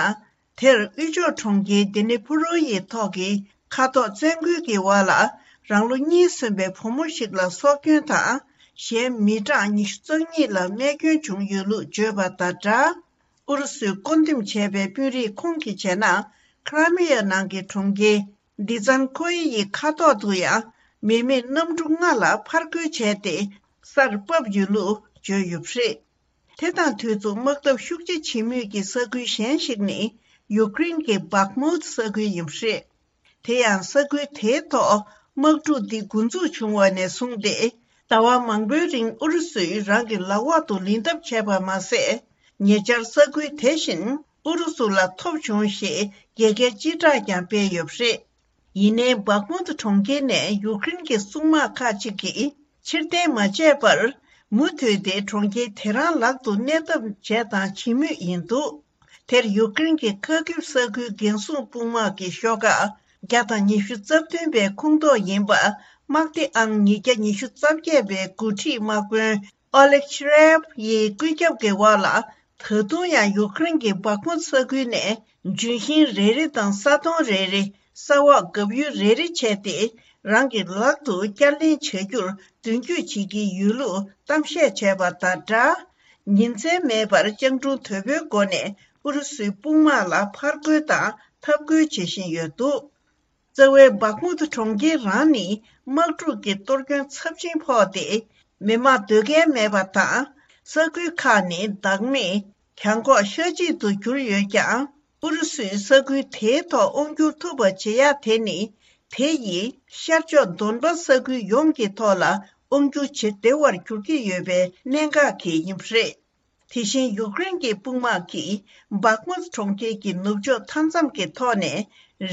དེར་དབུས་ཕྱོགས་གྲོང་ཁྱེར་དི་ནི་ཕུ་རོ་ཡི་ཐོག་གི་མཁའ་ཐོག་བཙན་རྒོལ་གྱི་འོག་ལ་རང་ལོ་གཉིས་སོན་པའི་བུ་མོ་ཞིག་ལ་སྲོག་སྐྱོན་དང་། གཞན་མི་གྲངས་ཉི་ཤུ་རྩ་གཉིས་ལ་རྨས་སྐྱོན་བྱུང་ཡོད་ལུགས་བརྗོད་པ་དང་སྦྲགས། ཨུ་རུ་སུས་བསྐོ་འདེམས་བྱས་པའི་དཔོན་རིགས་ཁོང་གིས་བྱས་ན། ཁ་ར་མི་ཡ་ནང་གི་གྲོང་ཁྱེར་དི་ཛན་ཁོའི་ཡི་མཁའ་ཐོག་ཏུ་ཡང་མི་མེད་གནམ་གྲུ་ལྔ་ལ་ཕར་རྒོལ་བྱས་ཏེ་སར་བབས་ཡོད་ལུགས་བརྗོད་ཡོད་པ་རེད། དེ་དང་དུས་མཚུངས་དམག་འཐབ་ཤུགས་ཆེ་བྱེད་མུས་ཀྱི་ས་ཁུལ་གཞན་ཞིག་ནི་ཡུཀ་རེན་གྱི་སྦག་མུད་ས་ཁུལ་ཡིན་པ་རེད། དེ་ཡང་ས་ཁུལ་དེའི་ཐོག་དམག་འཁྲུག་འདི་འགོ་འཛུགས་བྱུང་བ་ནས་བཟུང་སྟེ། ཟླ་བ་མང་པོའི་རིང་ཨུ་རུ་སུས་རང་གི་ལག་འོག་ཏུ་ལེན་ཐབས་བྱས་པ་མ་ཟད། ཉེ་ཆར་ས་ཁུལ་དེ་བཞིན་ཨུ་རུ་སུ་ལ་ཐོབ་བྱུང་ཞེས་རྒྱལ་ཁའི་སྤྱི་བསྒྲགས་ཀྱང་སྤེལ་ཡོད་པ་རེད། ཡིན་ནའི་སྦག་མུད་གྲོང་ཁྱེར་ནས་ཡུཀ་རེན་གྱི་སྲུང་དམག་ཁག་ཅིག་གིས་ཕྱིར་འཐེན་མ་བྱས་པར། མུ་མཐུད་དེ་གྲོང་ཁྱེར་དེ་རང་ལག་ཏུ་གནས་ཐབས་བྱས་དང་བྱེད་མུས་ཡིན་འདུག། དེར་ཡུཀ་རེན་གྱི་ཁ་ཁིབ་ས་ཁུལ་འགན་སྲུང་དཔུང་དམག་གི་ཤོག་ཁག་བརྒྱ་དང་ཉི་ཤུ་རྩ་བདུན་པའི་ཁོངས་གཏོགས་ཡིན་པ། དམག་སྡེ་ཨང་ཉིས་བརྒྱ་ཉི་ཤུ་རྩ་བརྒྱད་པའི་འགོ་ཁྲིད་དམག་དཔོན་ཨོ་ལེག་ཤི་རེབ་ཡི་བཀོད་ཁྱབ་ཀྱི་འོག་ལ། ད་དུང་ཡང་ཡུཀ་རེན་གྱི་སྦག་མུད་ས་ཁུལ་ནས་ལྗོན་ཤིང་རེ་རེ་དང་ས་དོང་རེ་རེ། ས་འོག་བརྒྱབ་ཡུལ་རེ་རེ་བྱས་ཏེ། རང་གི་ལག་ཏུ་བསྐྱར་ལེན་བྱ་རྒྱུར་མདུན་སྐྱོད་བྱེད་ཀྱི་ཡོད་ལུགས་གཏམ་བཤད་བྱས་པ་དང་སྦྲགས། ཉིན་མཚན་མེད་པར་སྤྱང་གྲུང་དོད་པོའི་སྒོ་ནས་ཨུ་རུ་སུའི་དཔུང་དམག་ལ་ཕར་རྒོལ་དང་འཐབ་རྒོལ་བྱེད་བཞིན་ཡོད་འདུག། རྩ་བའི་སྦག་མུད་གྲོང་ཁྱེར་རང་ནི་དམག་འཁྲུག་གི་གཏོར་སྐྱོན་ཚབས་ཆེན་ཕོག་སྟེ། མི་དམངས་སྡོད་མཁན་མེད་པ་དང་། ས་ཁུལ་ཁག་ནི་བདག་མེད། གྱང་ཁོག་ཤ་གཅིག་ཏུ་གྱུར་ཡོད་ཀྱང་། ཨུ་རུ་སུས་ས་ཁུལ་དེའི་ཐོག་དབང་བསྒྱུར་ཐུབ་པ་བྱེད་ཡག་དེ་ནི། དེ་ཡིས་ཤར་ཕྱོགས་དོན་པ་ས་ཁུལ་ཡོངས་ཀྱི་ཐོག་ལ་ དབང་སྒྱུར་བྱེད་བདེ་བར་འགྱུར་གྱི་ཡོད་པའི་གནད་འགག་གིས་ཡིན་པ་རེད། དེ་བཞིན་ཡུཀ་རེན་གྱི་དཔུང་དམག་གིས་སྦག་མུད་གྲོང་ཁྱེར་གྱི་ནུབ་ཕྱོགས་མཐའ་མཚམས་ཀྱི་ཐོག་ནས་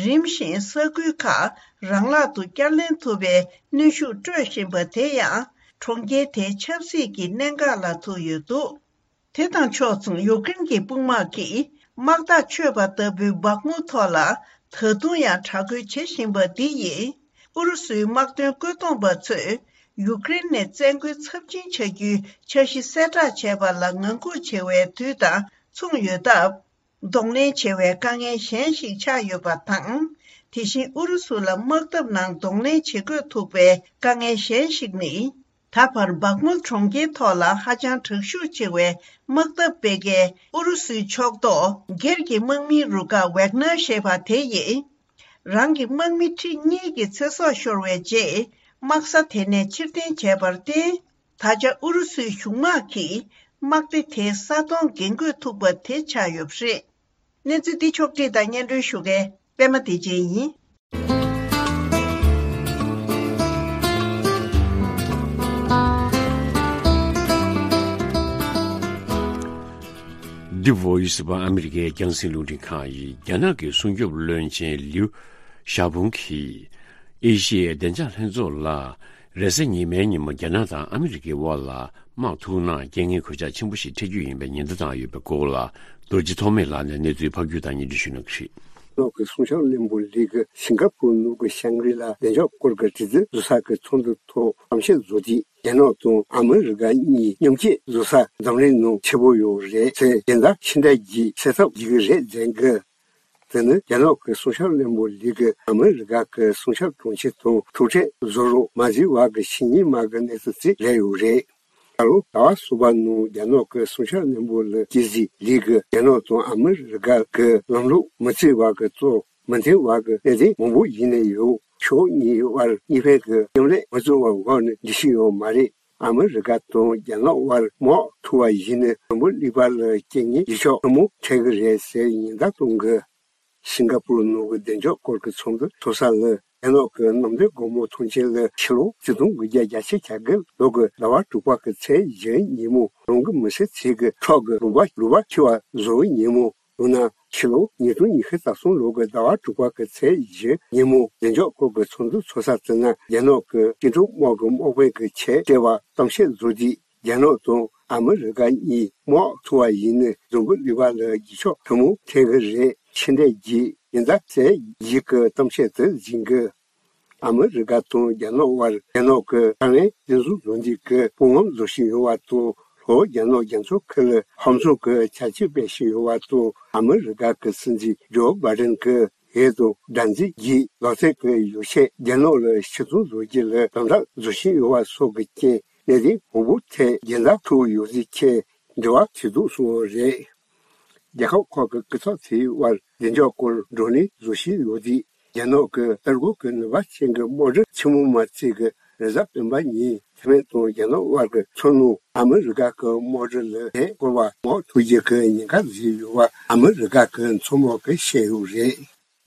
རིམ་བཞིན་ས་ཁུལ་ཁག་རང་ལག་ཏུ་བསྐྱར་ལེན་ཐུབ་པའི་གནོན་ཤུགས་སྤྲོད་བཞིན་པ་དེ་ཡང་གྲོང་ཁྱེར་དེའི་ཆབ་སྲིད་ཀྱི་གནད་འགག་ལ་ཐུག་ཡོད་འདུག་དེ་དང་ཕྱོགས་མཚུངས་ཡུཀ་རེན་གྱི་དཔུང་དམག་གིས་དམག་ཐག་ཆོད་པ་ལྟ་བུའི་སྦག་མུད་ཐོག་ལ་ད་དུང་ཡང་དྲག་རྒོལ་བྱེད་བཞིན་པ་འདི་ཡིས་ཨུ་རུ་སུའི་དམག་དོན་བཀོད་འདོམས་པ་ཚོས་ཡུཀ་རེན་ནས་བཙན་རྒོལ་ཚབས་ཆེན་བྱ་རྒྱུའི་འཆར་གཞི་གསལ་བསྒྲགས་བྱས་པ་ལ་ངང་སྒུག་བྱེད་པའི་དུས་དང་མཚུངས་ཡོད་སྟབས། གདོང་ལེན་བྱེད་པའི་དཀའ་ངལ་གཞན་ཞིག་ཆགས་ཡོད་པ་དང་། དེ་བཞིན་ཨུ་རུ་སུ་ལ་དམག་འཐབ་ནང་གདོང་ལེན་བྱེད་དགོས་ཐུག་པའི་དཀའ་ངལ་གཞན་ཞིག་ནི། ད་བར་སྦག་མུད་གྲོང་ཁྱེར་ཐོག་ལ་ཧ་ཅང་དྲག་ཤུགས་ཆེ་བའི་དམག་འཐབ་སྤེལ་མཁན་ཨུ་རུ་སུའི་ཕྱོགས་གཏོགས་སྒེར་གྱི་དམག་མིའི་རུ་ཁག་ཝེག་ནར་ཞེས་པ་དེ་ཡིས། རང་གི་དམག་མི་ཁྲི་གཉིས་ཀྱི་ཚེ་སྲོག་ཤོར་བའི་རྗེས། དམག་ས་དེ་ནས་ཕྱིར་འཐེན་བྱས་པར་བརྟེན། ད་ཆ་ཨུ་རུ་སུའི་གཞུང་དམག་གིས་དམག་སྡེ་དེའི་ས་སྟོང་འགན་འཁུར་ཐུབ་པ་དེ་ཆགས་ཡོད་པ་རེད། གནས་ཚུལ་འདི་ཕྱོགས་བསྒྲིགས་དང་སྙན་སྒྲོན་ཞུ་མཁན་པད་མ་བདེ་ཆེན་ཡིན། འདི་བོ་ཡི་སི་བ་ཨ་མི་རི་ཀའི་རྒྱང་སྲིང་རླུང་འཕྲིན་ཁང་ཡིན། རྒྱ་ནག་གི་སྲུང་སྐྱོབ་བློན་ཆེན་ལིའུ་ཞའོ་ཕུང་གིས། ཨེ་ཤི་ཡའི་བདེ་འཇགས་ལྷན་ཚོགས་ལ། རེས་གཟའ་ཉི་མའི་ཉིན་མོ་རྒྱ་ནག་དང་ཨ་མི་རི་ཀའི་དབར་ལ་དམག་ཐུག་ན་རྐྱེན་ངན་གོད་ཆག་ཆེན་པོ་ཞིག་འཕྲད་རྒྱུ་ཡིན་པའི་ཉེན་བརྡ་བཏང་ཡོད་པའི་སྐོར་ལ། རྡོ་རྗེ་ཐོགས་མེད་ལགས་ནས་གནས་ཚུལ་ཕབ་སྒྱུར་དང་སྙན་སྒྲོན་ཞུ་གནང་གི་རེད། ནོག་གི་སྲུང་སྐྱོབ་བློན་པོ་ལི་གི་སིང་ག་པུར་ནང་གི་ཤང་རི་ལ་བདེ་འཇགས་སྐོར་གྱི་དྲི་རྩད་བཟོ་ས་གི་ཚོགས་འདུ་ཐོག་གཏམ་བཤད་བཟོ་དུས། རྒྱ་ནག་དང་ཨ་མི་རི་ཀ་གཉིས་མཉམ་གཅིག་བཟོ་ས་འཛམ་གླིང་ནང་ཆེ་པོ་ཡོད་རེད་ཟེར། སྦྱིན་བདག་ཕྱི་འབྲེལ་གྱིས་སེལ་ཐབས་བྱེད་ཀྱི་རེད་ཟེར་གི། དེ་ནི་རྒྱ་ནག་གི་སྲུང་སྐྱོབ་བློན་པོ་ལི་གིས་ཨ་མི་རི་ཀ་གི་སྲུང་སྐྱོབ་དྲུང་ཆེ་དང་ཐུག་འཕྲད་བཟོ་རོགས་མ་བྱས་པ་གི་ཕྱི་ཉིན་མ་གི་གནས་ཚུལ་ཅིག་རེད་ཡོད་རེད། ད་ལོ་ཟླ་བ་གསུམ་པ་ནང་རྒྱ་ནག་གི་སྲུང་སྐྱོབ་བློན་པོ་ལི་ཅི་ཟི་ལི་གིས་རྒྱ་ནག་དང་ཨ་མི་རི་ཀ་གི་ལམ་ལུགས་མི་གཅིག་པ་གི་གཙོ་མི་མཐུན་པ་གི་གནད་དོན་མང་པོ་ཡིན་ནའི་ཡང་ཕྱོགས་གཉིས་བར་གཉིས་ཕན་གྱི་མཉམ་ལས་མ་བྱུང་བའི་འོག་ནས་འགྲིག་གི་ཡོད་མ་རེད། ཨ་མི་རི་ཀ་དང་རྒྱ་ནག་དབར་དམག་འཁྲུག་པ་ཡིན་ན་འཛམ་བུ་གླིང་པ་ལ་རྐྱེན་ངན་ཡི་ཤོག་ཐུན་མོང་འཕྲད་ཀྱི་རེད་ཟེར་ཉེན་བརྡ་གཏོང་གི། སིང་ག་པུར་ནང་གི་བདེ་འཇགས་སྐོར་གྱི་ཚོགས་འདུ་ཚོགས་ས་ལ་རྒྱ་ནག་གི་གནམ་བདེ་སྒོ་མོ་ཐོན་སྐྱེད་ལ་ཕྱི་ལོ་ཆིག་སྟོང་དགུ་བརྒྱ་བརྒྱད་ཅུ་གྱ་དགུ་ལོ་གི་ཟླ་བ་དྲུག་པ་གི་ཚེས་བཞི་ཉིན་མོ་རང་གི་མི་སེར་ཚོས་གི་ཁྲག་གི་ལུང་པ་ལུང་པ་འཁྱིལ་བ་བཟོ་བའི་ཉིན་མོ། ཡང་ན་ཕྱི་ལོ་ཉིས་སྟོང་ཉི་ཤུ་རྩ་གསུམ་ལོ་གི་ཟླ་བ་དྲུག་པ་གི་ཚེས་བཞི་ཉིན་མོ་བདེ་འཇགས་སྐོར་གྱི་ཚོགས་འདུ་ཚོགས་ས་དེ་ན་རྒྱ་ནག་གི་སྐྱིད་སྡུག་དམག་གི་དམག་དཔོན་གྱི་ཆེད་སྤྲད་པ་གཏམ་བཤད་བཟོ་དུས། རྒྱ་ནག་དང་ཨ་མི་རི་ཀ་གཉིས་དམག་འཁྲུག་པ་ཡིན་ན་འཛམ་བུ་གླིང་པ་ལ་འགྱུར་ཕྱོགས་ཐུན་མོང་འཕྲད་ཀྱི་རེད། ཕྱི་འབྲེལ་གྱིས་ཡིན་ད་ཟེར་ཡིག་གི་གཏམ་བཤད་དུ་འཛིན་གི། ཨ་མི་རི་ཀ་དང་རྒྱ་ནག་དབར་རྒྱ་ནག་གི་ཐའེ་ཝན་བཙན་བཟུང་བཟོ་འདྲ་གི་དཔུང་ལམ་བཟོ་བཞིན་ཡོད་པ་དང་། ལྷོ་རྒྱ་ནག་རྒྱ་མཚོ་ཁུལ་ལ་ཧམ་བཟུང་གི་བྱ་སྤྱོད་སྤེལ་བཞིན་ཡོད་པ་དང་། ཨ་མི་རི་ཀ་གི་སྲིད་འཛིན་ཇོ་བྷའི་ཌེན་གྱི་འོས་བསྡུ་དགྲར་འཛིན་གྱི་ལག་རྩལ་གྱི་ཡོ་བྱད་རྒྱ་ནག་ལ་ཕྱིར་ཚོང་བཟོ་རྒྱུ་ལ་དམ་དྲག་བཟོ་བཞིན་ཡོད་པ་སོགས་ཀྱི་རྐྱེན། གནད་དོན་མང་པོ་ཐད་རྒྱལ་ཟླ་ཐུག་ཡོད་ཚུལ་ཆེད་འབྲེལ་བ་བྱེད་འདུག་གསུངས་པ་རེད། རྒྱལ་ཁབ་ཁག་གི་སྐུ་ཚབ་ཚོའི་དབར་བདེ་འཇགས་སྐོར་བགྲོ་གླེང་བཟོ་བཞིན་ཡོད་དུས། རྒྱ་ནག་གི་ཨ་རི་གི་ནུས་པ་ཅན་གྱི་དམག་གྲུ་ཆེན་མོ་མ་ཚད་ཀྱི་རེས་གཟའ་སྤེན་པ་ཉིན་ཐའེ་ཝན་དང་རྒྱ་ནག་དབར་གྱི་མཚོ་ནང་ཨ་མི་རི་ཀ་གི་དམག་གྲུ་ལ་འདྲེ་བསྐོར་བ་དམག་འཁྲུག་རྒྱུ་གི་ཉེན་ཁ་བཟོས་ཡོད་པ་ཨ་མི་རི་ཀ་གི་མཚོ་དམག་གིས་བཤད་ཡོད་རེད།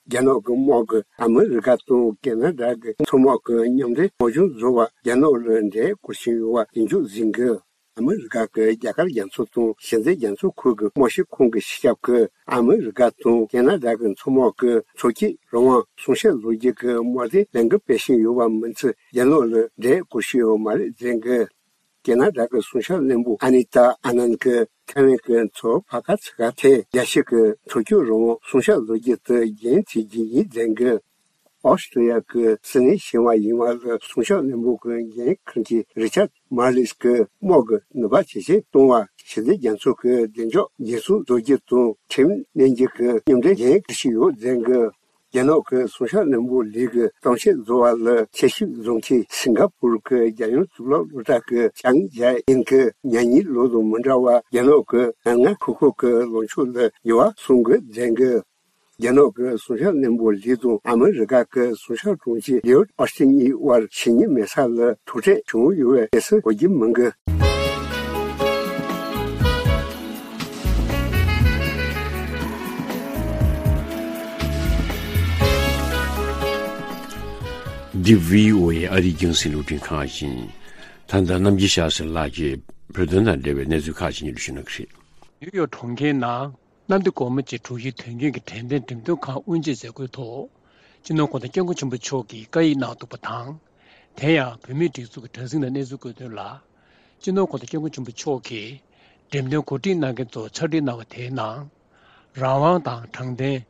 རྒྱ་ནག་གི་དམག་གིས་ཨ་མི་རི་ཀ་དང་ཀེ་ན་ཌ་གི་མཚོ་དམག་གི་མཉམ་འབྲེལ་དམག་སྦྱོང་བཟོ་བར་རྒྱ་ནག་ལ་འདྲེ་བསྐོར་བཞིན་ཡོད་པ་ཡིན་རྒྱུ་གཟིགས་འགོད། ཨ་མི་རི་ཀ་གི་རྒྱ་གར་རྒྱ་མཚོ་དང་ཞི་བདེ་རྒྱ་མཚོ་ཁུལ་གྱི་དམག་སྤྱི་ཁོངས་ཀྱི་སྤྱི་ཁྱབ་ཀྱིས་ཨ་མི་རི་ཀ་དང་ཀེ་ན་ཌ་གི་མཚོ་དམག་གིས་མཚོ་སྐྱོད་རང་དབང་སྲུང་བྱ་ལོ་རྒྱུས་ཀྱི་དམག་དོན་ལས་འགུལ་སྤེལ་བཞིན་ཡོད་པ་མིན་ཚེ་རྒྱ་ནག་ལ་འདྲེ་བསྐོར་བཞིན་ཡོད་མ་རེད་ཟེར་གི། ཀེ་ན་ཌ་གི་སྲུང་སྐྱོབ་བློན་པོ་ཨ་ནི་ཏཱ་ཨ་ནན་གྱིས་ཐའེ་ཝན་གྱི་མཚོ་ཕ་ཁ་ཚི་ཁ་ཐེ་རྒྱལ་སྤྱི་གི་མཚོ་སྐྱོད་རང་དབང་སྲུང་བྱ་ལོ་རྒྱུས་དེ་འགན་འཁྱེར་རྒྱུ་ཡིན་ཟེར་གི། ཨོ་སི་ཀྲི་ཡ་གི་སིད་ནི་ཞིང་བ་ཡིན་བ་ལ་སྲུང་སྐྱོབ་བློན་པོ་གི་འགན་འཁུར་མཁན་རི་ཆར་མར་ལིས་ཀྱིས་དམག་གི་ནུས་པ་ཇེ་ཆེར་གཏོང་བ། ཞི་བདེ་རྒྱ་མཚོ་གི་བདེ་འཇགས་འགན་སྲུང་བཟོ་རྒྱུ་དང་ཁྲིམས་གནོན་རྒྱུ་གི་མཉམ་འབྲེལ་འགན་འཁུར་བཞིན་ཡོད་ཟེར་གི། རྒྱ་ནག་གི་སྲུང་སྐྱོབ་བློན་པོ་ལི་གི་གཏམ་བཤད་བཟོ་བ་ལ་ཆེད་ཞུགས་བཟོ་མཁན་སིང་ག་པུར་གྱི་རྒྱལ་ཡོངས་གཙུག་ལག་སློབ་གྲྭ་གི་ལྕམ་ཇའི་ཨིན་གྱིས་ཉེ་གཉིས་ལོ་དང་མི་འདྲ་བར་རྒྱ་ནག་གི་ནང་ཁུལ་ཁུལ་གྱི་ལངས་ཕྱོགས་ལ་འགྱུར་བ་སོང་དགོས་ཟེར་གི། རྒྱ་ནག་གི་སྲུང་སྐྱོབ་བློན་པོ་ལི་དང་ཨ་མི་རི་ཀ་གི་སྲུང་སྐྱོབ་དྲུང་ཆེ་ལིའུ་ཨོ་སི་ཊིན་གཉིས་དབར་ཕྱི་ཉིན་མེ་ས་ལ་ཐུག་འཕྲད་བྱུང་ཡོད་པའི་གནས་ཚུལ་གོ་རྒྱུ་མི་འདུག་འདི་བྷི་ཨོ་ཨེ་ཨ་རིའི་རྒྱང་སྲིང་རླུང་འཕྲིན་ཁང་ཡིན། ད་ལྟ་རྣམ་རྒྱལ་ཤཱསྟྲི་ལགས་ཀྱིས་བོད་དོན་དང་འབྲེལ་བའི་གནས་ཚུལ་ཁག་ཅིག་སྙན་སྒྲོན་ཞུ་གནང་གི་རེད། ནིའུ་ཡོག་གྲོང་ཁྱེར་ནང་གནམ་བདེ་སྒོ་མོ་ཆེའི་དྲུག་བཞིའི་དུས་རྒྱུན་གྱི་འགྲེམས་སྟོན་འགྲེམས་སྟོན་ཁང་དབུ་འབྱེད་མཛད་སྒོའི་ཐོག་སྤྱི་ནོར་༸གོང་ས་༸སྐྱབས་མགོན་ཆེན་པོ་མཆོག་གིས་བཀའ་ཡིག་གནང་འདུག་པ་དང་། དེ་ཡང་བོད་མིའི་སྒྲིག་འཛུགས་ཀྱི་དྲ་ཚིགས་ནང་གནས་ཚུལ་བཀོད་དོན་ལ། སྤྱི་ནོར་༸གོང་ས་༸སྐྱབས་མགོན་ཆེན་པོ་མཆོག་གིས་འགྲེམས་སྟོན་གོ་སྒྲིག་གནང་མཁན་ཚོར་ཕྱག་བྲིས་གནང་བ་དེའི་ནང་། རང་དབང་དང་དྲང་བདེན།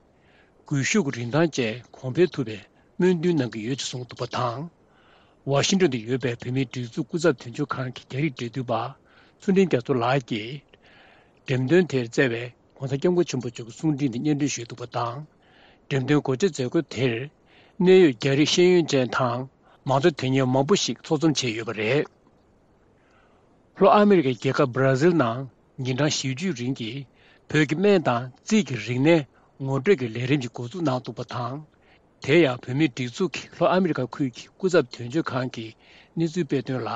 སྒུལ་ཤུགས་ཀྱི་རིན་ཐང་བཅས་གོང་འཕེལ་ཐུབ་པའི་སྨོན་འདུན་གནང་གི་ཡོད་ཅེས་གསུངས་འདུག་པ་དང་། ཝ་ཤིང་ཏོན་དུ་ཡོད་པའི་བོད་མིའི་སྒྲིག་འཛུགས་སྐུ་ཚབ་དོན་གཅོད་ཁང་གི་རྒྱ་རིགས་འབྲེལ་མཐུད་པ་ཚུལ་ཁྲིམས་རྒྱ་མཚོ་ལགས་ཀྱིས། འགྲེམས་སྟོན་དེར་བསྩལ་བའི་༸གོང་ས་༸སྐྱབས་མགོན་ཆེན་པོ་མཆོག་གི་གསུང་འཕྲིན་དེ་སྙན་སྒྲོན་ཞུས་འདུག་པ་དང་། འགྲེམས་སྟོན་གོ་སྒྲིག་མཛད་སྒོ་དེར། གནད་ཡོད་རྒྱ་རིགས་ཤེས་ཡོན་ཅན་དང་མང་གཙོ་དོན་གཉེར་མང་པོ་ཞིག་ཚོགས་འཛོམས་བྱས་ཡོད་པ་རེད། ལྷོ་ཨ་མི་རི་ཀའི་རྒྱལ་ཁབ་སྦྲ་ཟིལ་ནང་ཉིན་གྲངས་བཞི་བཅུའི་རིང་གི་བོད་ཀྱི་སྨན་དང་རྩིས་ཀྱི་རིག་གནས་ངོ་སྤྲོད་ཀྱི་ལས་རིམ་ཞིག་འགོ་འཛུགས་གནང་འདུག་པ་དང་། དེ་ཡང་བོད་མིའི་སྒྲིག་འཛུགས་ཀྱི་ལྷོ་ཨ་མི་རི་ཀ་ཁུལ་གྱི་སྐུ་ཚབ་དོན་གཅོད་ཁང་གིས་གནས་ཚུལ་སྤེལ་དོན་ལ།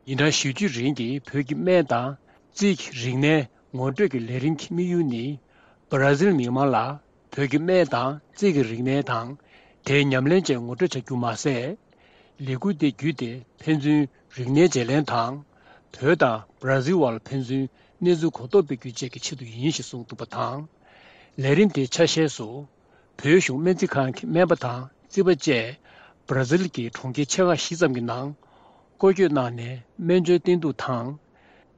ཉིན་གྲངས་བཞི་བཅུའི་རིང་གི་བོད་ཀྱི་སྨན་དང་རྩིས་ཀྱི་རིག་གནས་ངོ་སྤྲོད་ཀྱི་ལས་རིམ་གྱི་དམིགས་ཡུལ་ནི། སྦྲ་ཟིལ་མི་མང་ལ་བོད་ཀྱི་སྨན་དང་རྩིས་ཀྱི་རིག་གནས་དང་། དེའི་ཉམས་ལེན་བཅས་ངོ་སྤྲོད་བྱ་རྒྱུ་མ་ཟད། ལས་འགུལ་དེ་བརྒྱུད་དེ་ཕན་ཚུན་རིག་གནས་བརྗེ་ལེན་དང་། བོད་དང་སྦྲ་ཟིལ་བར་ལ་ཕན་ཚུན་གནས་ཚུལ་གོ་རྟོགས་སྤེལ་རྒྱུ་བཅས་ཀྱི་ཆེད་དུ་ཡིན་ཞེས་གསུངས་འདུག་པ་དང་། ལས་རིམ་དེའི་ཆ་ཤས་སུ། བོད་གཞུང་སྨན་རྩིས་ཁང་གི་སྨན་པ་དང་རྩིས་པ་བཅས་སྦྲ་ཟིལ་གྱི་གྲོང་ཁྱེར་ཆེ་ཁག་བཞི་ཙམ་གྱི་ནང་སྐོར་སྐྱོད་གནང་ནས་སྨན་བཅོས་བསྟེན་གཏུག་དང་།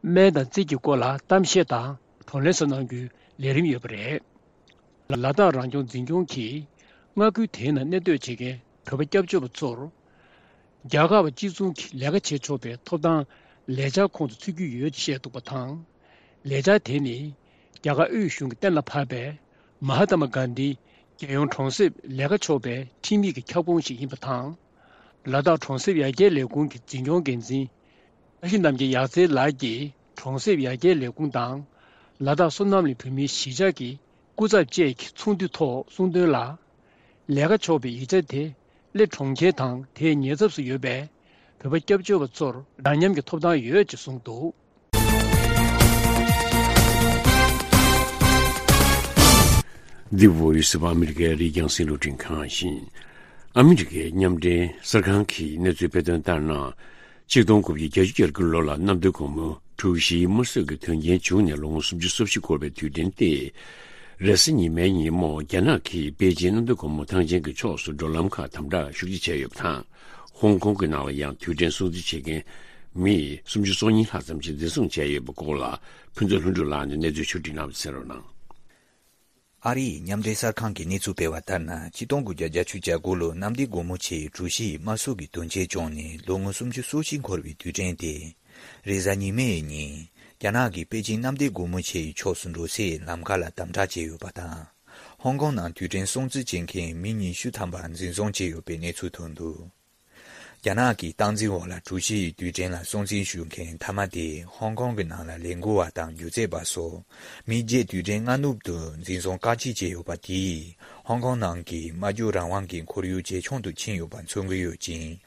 སྨན་དང་རྩིས་ཀྱི་སྐོར་ལ་གཏམ་བཤད་དང་བགྲོ་གླེང་སོགས་གནང་རྒྱུའི་ལས་རིམ་ཡོད་པ་རེད། ལ་དྭགས་རང་སྐྱོང་འཛིན་སྐྱོང་གིས་མངའ་ཁུལ་དེའི་ནང་གནས་སྡོད་བྱེད་མཁན་བོད་པ་སྐྱབས་བཅོལ་བ་ཚོར། རྒྱ་གར་བ་གཅིག་མཚུངས་ཀྱི་ལས་ཀ་བྱེད་ཆོག་པའི་ཐོབ་ཐང་ལས་འཆར་ཁོངས་སུ་ཚུད་ཀྱི་ཡོད་ཅེས་བཤད་འདུག་པ་དང་། ལས་འཆར་དེ་ནི་རྒྱ་གར་དབུས་གཞུང་གིས་གཏན་ལ་ཕབ་པའི་མ་ཧ་ཏ་མ་གྷན་དྷི་རྒྱལ་ཡོངས་གྲོང་གསེབ་ལས་ཀ་ཆོག་པའི་ཁྲིམས་ཡིག་གི་ཁྱབ་ཁོངས་ཤིག་ཡིན་པ་དང་། ལ་དྭགས་གྲོང་གསེབ་ཡར་རྒྱས་ལས་ཁུངས་ཀྱི་འཛིན་སྐྱོང་འགན་འཛིན་བཀྲ་ཤིས་རྣམ་རྒྱལ་ཡག་རྩེ་ལགས་ཀྱིས་གྲོང་གསེབ་ཡར་རྒྱས་ལས་ཁུངས་དང་། ལ་དྭགས་སོ་ནམ་གླིང་བོད་མིའི་གཞིས་ཆགས་ཀྱི་སྐུ་ཚབ་བཅས་ཀྱི་ཚོགས་འདུའི་ཐོག་གསུངས་དོན་ལ། ལས་ཀ་ཆོག་པའི་ཡིག་ཆ་དེ་གླེ་གྲོང་ཁྱེར་དང་དེའི་ཉེ་ཚབ་སུ་ཡོད་པའི་བོད་པ་སྐྱབས་བཅོལ་བ་ཚོར་འདྲ་མཉམ་གྱི་ཐོབ་ཐང་ཡོད་ཅེས་གསུངས་འདུག། འདི་Voice of America རི་རྒྱང་སྲིད་བློན་ཁང་ཡིན། ཨ་མི་རི་ཀའི་མཉམ་འབྲེལ་གསར་ཁང་གིས་གནས་ཚུལ་སྤེལ་དོན་ལྟར་ན། ཆིག་སྟོང་དགུ་བརྒྱ་བརྒྱད་ཅུ་གྱ་དགུ་ལོ་ལ་གནམ་བདེ་སྒོ་མོ་གྲུ་བཞིའི་དམར་གསོད་ཀྱི་དོན་རྐྱེན་བྱུང་ནས་ལོ་ངོ་སུམ་ཅུ་སོ་བཞི་འཁོར་བའི་དུས་དྲན་ཏེ། རེས་གཟའ་ཉི་མའི་ཉིན་མོ་རྒྱ་ནག་གིས་པེ་ཅིན་གནམ་བདེ་སྒོ་མོ་ཐང་ཆེན་གྱི་ཕྱོགས་སུ་འགྲོ་ལམ་ཁག་དམ་དྲག་ཤུགས་ཆེ་བྱས་ཡོད་པ་དང་། ཧོང་ཀོང་གི་ནང་ལ་ཡང་དུས་དྲན་སྲུང་བརྩི་བྱེད་མཁན་མི་སུམ་ཅུ་སོ་གཉིས་ལྷག་ཙམ་ཞིག་འཛིན་བཟུང་བྱས་ཡོད་པའི་སྐོར་ལ་ཕུན་ཚོགས་ལྷུན་གྲུབ་ལགས་ནས་གནས་ཚུལ་ཕྱོགས་སྒྲིག་གནང་བ་གསན་རོགས་གནང་། ཨ་རིའི་མཉམ་འབྲེལ་གསར་ཁང་གིས་གནས་ཚུལ་སྤེལ་བ་ལྟར་ན། ཆིག་སྟོང་དགུ་བརྒྱ་བརྒྱད་ཅུ་གྱ་དགུ་ལོར་གནམ་བདེ་སྒོ་མོ་ཆེའི་གྲུ་བཞིའི་དམར་གསོད་ཀྱི་དོན་རྐྱེན་བྱུང་ནས་ལོ་ངོ་སུམ་ཅུ་སོ་བཞི་འཁོར་བའི་དུས་དྲན་དེ། རེས་གཟའ་ཉི་མའི་ཉིན། རྒྱ་ནག་གིས་པེ་ཅིན་གནམ་བདེ་སྒོ་མོ་ཆེའི་ཕྱོགས་སུ་འགྲོ་སའི་ལམ་ཁ་ལ་དམ་དྲག་བྱས་ཡོད་པ་དང་། ཧོང་ཀོང་ནང་དུས་དྲན་སྲུང་བརྩི་བྱེད་མཁན་མི་ཉི་ཤུ་ཐམ་པ་འཛིན་བཟུང་བྱས་ཡོད་པའི་གནས་ཚུལ་ཐོན་འདུག། རྒྱ་ནག་གི་སྟངས་འཛིན་འོག་ལ་གྲུ་བཞི་ཡི་དུས་དྲན་ལ་སྲུང་བརྩི་ཞུ་མཁན་མཐའ་མ་དེ་ཧོང་ཀོང་གི་ནང་ལ་ལས་འགུལ་བ་དང་སྒྱུ་རྩལ་པ་སོགས་མི་བརྒྱད་དུས་དྲན་སྔ་ནུབ་ཏུ་འཛིན་བཟུང་བཀག་སྐྱིལ་བྱས་ཡོད་པ་དེས་ཧོང་ཀོང་ནང་གི་སྨྲ་བརྗོད་རང་དབང་གི་ཁོར་ཡུག་ཇེ་ཆུང་དུ་ཕྱིན་ཡོད་པ་མཚོན་གྱི་ཡོད་ཅིང་།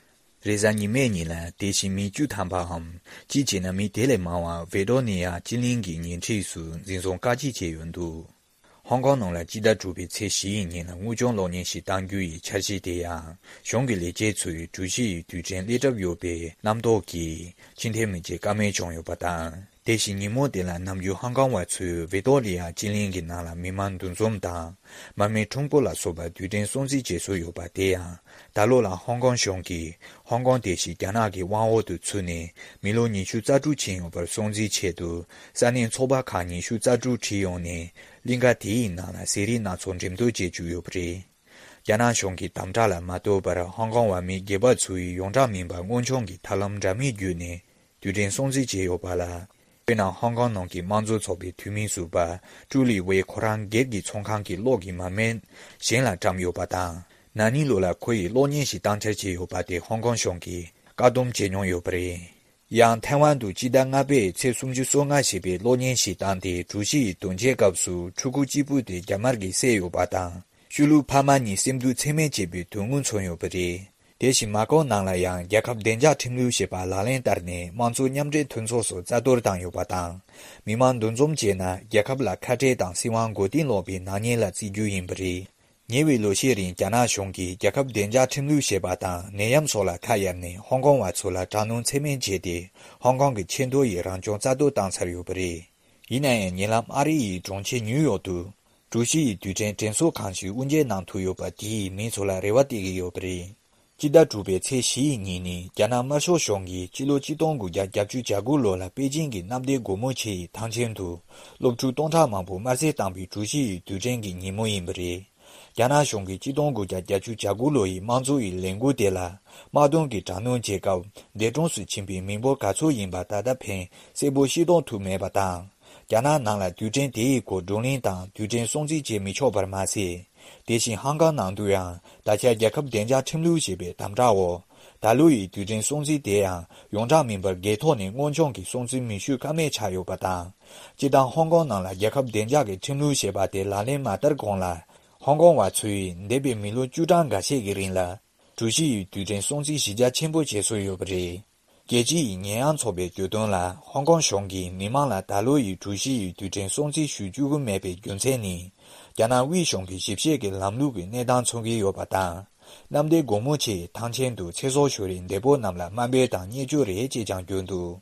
རེས་གཟའ་ཉི་མའི་ཉིན་ལ་དེ་བཞིན་མི་བཅུ་ཐམ་པའམ་སྤྱི་བྱས་ན་མི་དེ་ལས་མང་བ་ཝེ་ཏོ་ནི་ཡ་སྤྱི་གླིང་གི་ཉེ་འཁྲིས་སུ་འཛིན་བཟུང་བཀག་སྐྱིལ་བྱས་ཡོད་འདུག། ཧོང་ཀོང་ནང་ལ་སྤྱི་ཟླ་དྲུག་པའི་ཚེས་བཞི་ཡི་ཉིན་ལ་དངོས་བྱུང་གློག་བརྙན་ཞིག་བཏང་རྒྱུ་ཡི་འཆར་གཞི་དེ་ཡང་གཞུང་གི་ལས་བྱེད་ཚོས་གྲུ་བཞི་ཡི་དུས་དྲན་སླེབས་གྲབས་ཡོད་པའི་རྣམ་རྟོག་གིས་ཕྱིར་འཐེན་མི་བྱེད་ཀ་མེད་བྱུང་ཡོད་པ་དང་། དེ་བཞིན་ཉིན་མོ་དེ་ལ་ནམ་རྒྱུན་ཧོང་ཀོང་བ་ཚོས་ཝི་ཏོ་རི་ཡ་སྤྱི་གླིང་གི་ནང་ལ་མི་མང་འདུ་འཛོམས་དང་མར་མེ་ཁྲོམ་སྐོར་ལ་སོགས་པ་དུས་དྲན་སྲུང་བརྩི་བྱེད་སྲོལ་ཡོད་པ་དེ་ཡང་ད་ལོ་ལ་ཧོང་ཀོང་གཞུང་གིས་ཧོང་ཀོང་དེ་བཞིན་རྒྱ་ནག་གི་དབང་འོག་ཏུ་ཚུད་ནས་མི་ལོ་ཉི་ཤུ་རྩ་དྲུག་ཕྱིན་ཡོད་པར་སྲུང་བརྩིའི་ཆེད་དུ་ས་གནས་ཚོགས་པ་ཁག་ཉི་ཤུ་རྩ་དྲུག་ཁྲིད་ཡོང་ནས་གླིང་ག་དེའི་ནང་ལ་ཟས་རིགས་སྣ་ཚོགས་འགྲེམས་སྟོན་བྱེད་བཅུག་ཡོད་པ་རེད། རྒྱ་ནག་གཞུང་གི་དམ་དྲག་ལ་མ་ལྟོས་པར་ཧོང་ཀོང་བ་མི་སྒེར་པ་ཚོའི་ཡོངས་གྲགས་མིན་པ་དངོས་བྱུང་གི་ཐབས་ལམ་འདྲ་མིན་བརྒྱུད་ནས་དུས་དྲན་སྲུང་བརྩི་བྱས་ཡོད་པ་ལ། དཔེར་ན་ཧོང་ཀོང་ནང་གི་དམངས་གཙོ་ཚོགས་པའི་འཐུས་མི་ཟུར་པ་ཀྲུའུ་ལི་ཝེ་ཁོ་རང་སྒེར་གྱི་ཚོང་ཁང་གི་གློག་གི་མར་མེ་གཞན་ལ་བཀྲམ་ཡོད་པ་དང་། ན་ནིང་ལོ་ལ་ཁོ་ཡིས་གློག་བརྙན་ཞིག་བཏང་འཕྲལ་བྱས་ཡོད་པ་དེ་ཧོང་ཀོང་གཞུང་གིས་བཀག་སྡོམ་བྱས་མྱོང་ཡོད་པ་རེད། ཡང་ཐའེ་ཝན་དུ་སྤྱི་ཟླ་ལྔ་པའི་ཚེས་སུམ་ཅུ་སོ་ལྔ་ཞེས་པའི་གློག་བརྙན་ཞིག་བཏང་སྟེ་གྲུ་བཞི་ཡི་དོན་རྐྱེན་སྐབས་སུ་ཕྲུ་གུ་གཅིག་པུ་དེ་རྒྱ་དམར་གྱིས་བསད་ཡོད་པ་དང་། ཤུལ་ལུས་ཕ་མ་གཉིས་སེམས་སྡུག་ཚད་མེད་བྱས་པའི་དོན་དངོས་མཚོན་ཡོད་པ་རེད། དེ་བཞིན་མ་ཀའོ་ནང་ལ་ཡང་རྒྱལ་ཁབ་བདེ་འཇགས་ཁྲིམས་ལུགས་ཞེས་པ་ལག་ལེན་བསྟར་ནས་དམངས་གཙོ་མཉམ་འབྲེལ་མཐུན་ཚོགས་སུ་རྩ་གཏོར་བཏང་ཡོད་པ་དང་། མི་མང་འདུ་འཛོམས་བྱས་ན་རྒྱལ་ཁབ་ལ་ཁ་བྲལ་དང་སྲིད་དབང་མགོ་རྟིང་སློག་པའི་ནག་ཉེས་ལ་བརྩི་རྒྱུ་ཡིན་པ་རེད། ཉེ་བའི་ལོ་ཤས་རིང་རྒྱ་ནག་གཞུང་གིས་རྒྱལ་ཁབ་བདེ་འཇགས་ཁྲིམས་ལུགས་ཞེས་པ་དང་ནད་ཡམས་སོགས་ལ་ཁ་གཡར་ནས་ཧོང་ཀོང་བ་ཚོ་ལ་དྲག་གནོན་ཚད་མེད་བྱས་ཏེ། ཧོང་ཀོང་གི་ཆེས་མཐོ་ཡི་རང་སྐྱོང་རྩ་གཏོར་བཏང་ཚར་ཡོད་པ་རེད། ཡིན་ན་ཡང་ཉེ་ལམ་ཨ་རི་ཡི་གྲོང་ཁྱེར་ཉིའུ་ཡོག་ཏུ། གྲུ་བཞི་ཡི་དུས་དྲན་དྲན་གསོ་ཁང་ཞིག་དབུ་འབྱེད་གནང་ཐུབ་ཡོད་པ་དེས་མི་ཚོ་ལ་རེ་བ་སྟེར་གྱི་ཡོད་པ་རེད། སྤྱི་ཟླ་དྲུག་པའི་ཚེས་བཞི་ཡི་ཉིན་ནི་རྒྱ་ནག་དམར་ཤོག་གཞུང་གིས་སྤྱི་ལོ་ཆིག་སྟོང་དགུ་བརྒྱ་བརྒྱད་ཅུ་གྱ་དགུ་ལོ་ལ་པེ་ཅིང་གི་གནམ་བདེ་སྒོ་མོ་ཆེ་ཡི་ཐང་ཆེན་དུ་སློབ་ཕྲུག་སྟོང་ཕྲག་མང་པོ་དམར་གསོད་བཏང་པའི་གྲུ་བཞི་ཡི་དུས་དྲན་གྱི་ཉིན་མོ་ཡིན་པ་རེད། རྒྱ་ནག་གཞུང་གིས་ཆིག་སྟོང་དགུ་བརྒྱ་བརྒྱད་ཅུ་གྱ་དགུ་ལོ་ཡི་དམངས་གཙོ་ཡི་ལས་འགུལ་དེ་ལ་དམག་དོན་གྱི་དྲག་གནོན་བྱེད་སྐབས་འདས་གྲོངས་སུ་ཕྱིན་པའི་མི་འབོར་ག་ཚོད་ཡིན་པ་ད་ལྟ་ཕན་གསལ་པོ་ཤེས་རྟོགས་ཐུབ་མེད་པ་དང་། རྒྱ་ནག་ནང་ལ་དུས་དྲན་དེའི་སྐོར་བགྲོ་གླེང་དང་དུས་དྲན་སྲུང་བརྩི་བྱེད་མི་ཆོག་པར་མ་ཟད། དེ་བཞིན་ཧང་ཀང་ནང་དུ་ཡང་ད་ཆ་རྒྱལ་ཁབ་བདེ་འཇགས་ཁྲིམས་ལུགས་ཞེས་པའི་དམ་དྲག་འོག་ད་ལོ་ཡི་དུས་དྲན་སྲུང་བརྩི་དེ་ཡང་ཡོངས་གྲགས་མིན་པར་སྒེར་ཐོག་ནས་སྔོན་བྱུང་གི་སྲུང་བརྩི་མི་ཞུ་ཀ་མེད་ཆགས་ཡོད་པ་དང་། སྤྱིར་བཏང་ཧོང་ཀོང་ནང་ལ་རྒྱལ་ཁབ་བདེ་འཇགས་ཀྱི་ཁྲིམས་ལུགས་ཞེས་པ་དེ་ལག་ལེན་མ་བསྟར་གོང་ལ། ཧོང་ཀོང་བ་ཚོས་འདས་པའི་མི་ལོ་བཅུ་གྲངས་འགའ་ཤས་ཀྱི་རིང་ལ། གྲུ་བཞི་ཡི་དུས་དྲན་སྲུང་བརྩི་གཞི་རྒྱ་ཆེན་པོ་བྱེད་སྲོལ་ཡོད་པ་རེད། རྒྱལ་སྤྱི་ཡི་ཉེས་ཡངས་ཚོགས་པའི་བརྗོད་དོན་ལ་ཧོང་ཀོང་གཞུང་གིས་མི་མང་ལ་ད་ལོ་ཡི་གྲུ་བཞི་ཡི་དུས་དྲན་སྲུང་བརྩི་ཞུ་བཅུག་གི་མེད་པའི་རྒྱུ་མཚན་ནི། རྒྱ་ནག་དབུས་གཞུང་གི་ཞིབ་བཤེར་གྱི་ལམ་ལུགས་ཀྱི་གནས་སྟངས་མཚོན་གྱི་ཡོད་པ་དང་། གནམ་བདེ་སྒོ་མོ་ཆེའི་ཐང་ཆེན་དུ་ཚེ་སྲོག་ཤོར་བའི་འདས་པོ་རྣམས་ལ་དམའ་འབེབས་དང་བརྙས་བཅོས་རེད་ཅེས་ཀྱང་བརྗོད་འདུག་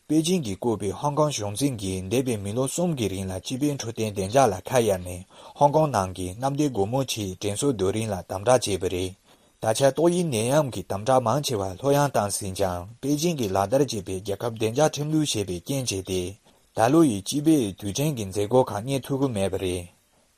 པེ་ཅིང་གིས་བསྐོས་པའི་ཧོང་ཀོང་གཞུང་འཛིན་གྱིས་འདས་པའི་མི་ལོ་གསུམ་གྱི་རིང་ལ་སྤྱི་པའི་འཕྲོད་བསྟེན་བདེ་འཇགས་ལ་ཁ་གཡར་ནས་ཧོང་ཀོང་ནང་གི་གནམ་བདེ་སྒོ་མོ་ཆེའི་དྲན་གསོའི་རྡོ་རིང་ལ་དམ་དྲག་བྱས་པ་རེད། ད་ཆ་ཏོག་དབྱིབས་ནད་ཡམས་ཀྱི་དམ་དྲག་མང་ཆེ་བ་ལྷོད་ཡངས་བཏང་ཟིན་ཀྱང་པེ་ཅིང་གིས་ལག་བསྟར་བྱས་པའི་རྒྱལ་ཁབ་བདེ་འཇགས་ཁྲིམས་ལུགས་ཞེས་པའི་རྐྱེན་བྱས་ཏེ། ད་ལོ་ཡི་སྤྱི་པའི་དུས་དྲན་གྱི་མཛད་སྒོ་ཁག་གཉེར་ཐུབ་ཀྱི་མེད་པ་རེད།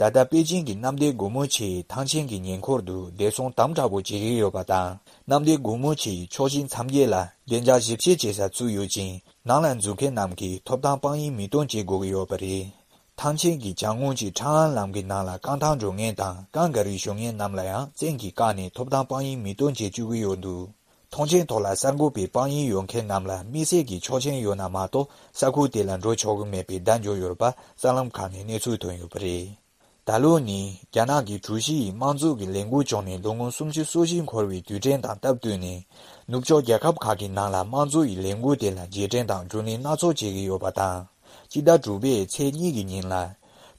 ད་ལྟ་པེ་ཅིང་གི་གནམ་བདེ་སྒོ་མོ་ཆེའི་ཐང་ཆེན་གྱི་ཉེ་འཁོར་དུ་བདེ་སྲུང་དམ་དྲག་པོ་བྱེད་ཀྱི་ཡོད་པ་དང་། གནམ་བདེ་སྒོ་མོ་ཆེའི་ཕྱོགས་བཞི་མཚམས་བརྒྱད་ལ་བདེ་འཇགས་ཞིབ་བཤེར་བྱེད་ས་བཙུགས་ཡོད་ཅིང་། ནང་ལ་འཛུལ་མཁན་རྣམས་ཀྱིས་ཐོབ་ཐང་དཔང་ཡིག་མི་སྟོན་བྱེད་དགོས་ཀྱི་ཡོད་པ་རེད། ཐང་ཆེན་གྱི་གྱང་ངོས་ཀྱི་ཁྲང་ཨན་ལམ་གྱི་ནང་ལ་རྐང་ཐང་འགྲོ་མཁན་དང་རྐང་ག་རི་གཞོན་སྐྱེས་རྣམས་ལ་ཡང་བཙན་གྱིས་བཀག་ནས་ཐོབ་ཐང་དཔང་ཡིག་མི་སྟོན་བྱེད་བཅུག་གི་ཡོད་འདུག་མཐོང་མཆན་ཐོག་ལ་གསར་འགོད་པའི་དཔང་ཡིག་ཡོད་མཁན་རྣམས་ལ་དམིགས་བསལ་གྱི་ཆོག་མཆན་ཡོད་ན་མ་གཏོགས་ས་ཁུལ་དེ་ལ་འགྲོ་ཆོག་གི་མེད་པའི་བརྡ་འབྱོར་ཡོད་པ་གསར་ལམ་ཁག་ནས་གནས་ཚུལ་ཐོན་ཡོད་པ་རེད། ད་ལོ་ནི་རྒྱ་ནག་གི་གྲུ་བཞི་ཡི་དམངས་གཙོ་གི་ལས་འགུལ་བྱུང་ནས་ལོ་ངོ་སུམ་ཅུ་སོ་བཞི་འཁོར་བའི་དུས་དྲན་དང་སྟབས་བསྟུན་ནས། ནུབ་ཕྱོགས་རྒྱལ་ཁབ་ཁག་གི་ནང་ལ་དམངས་གཙོ་ཡི་ལས་འགུལ་དེ་ལ་རྗེས་དྲན་དང་བགྲོ་གླེང་སྣ་ཚོགས་བྱེད་ཀྱི་ཡོད་པ་དང་། སྤྱི་ཟླ་དྲུག་པའི་ཚེས་གཉིས་ཀྱི་ཉིན་ལ།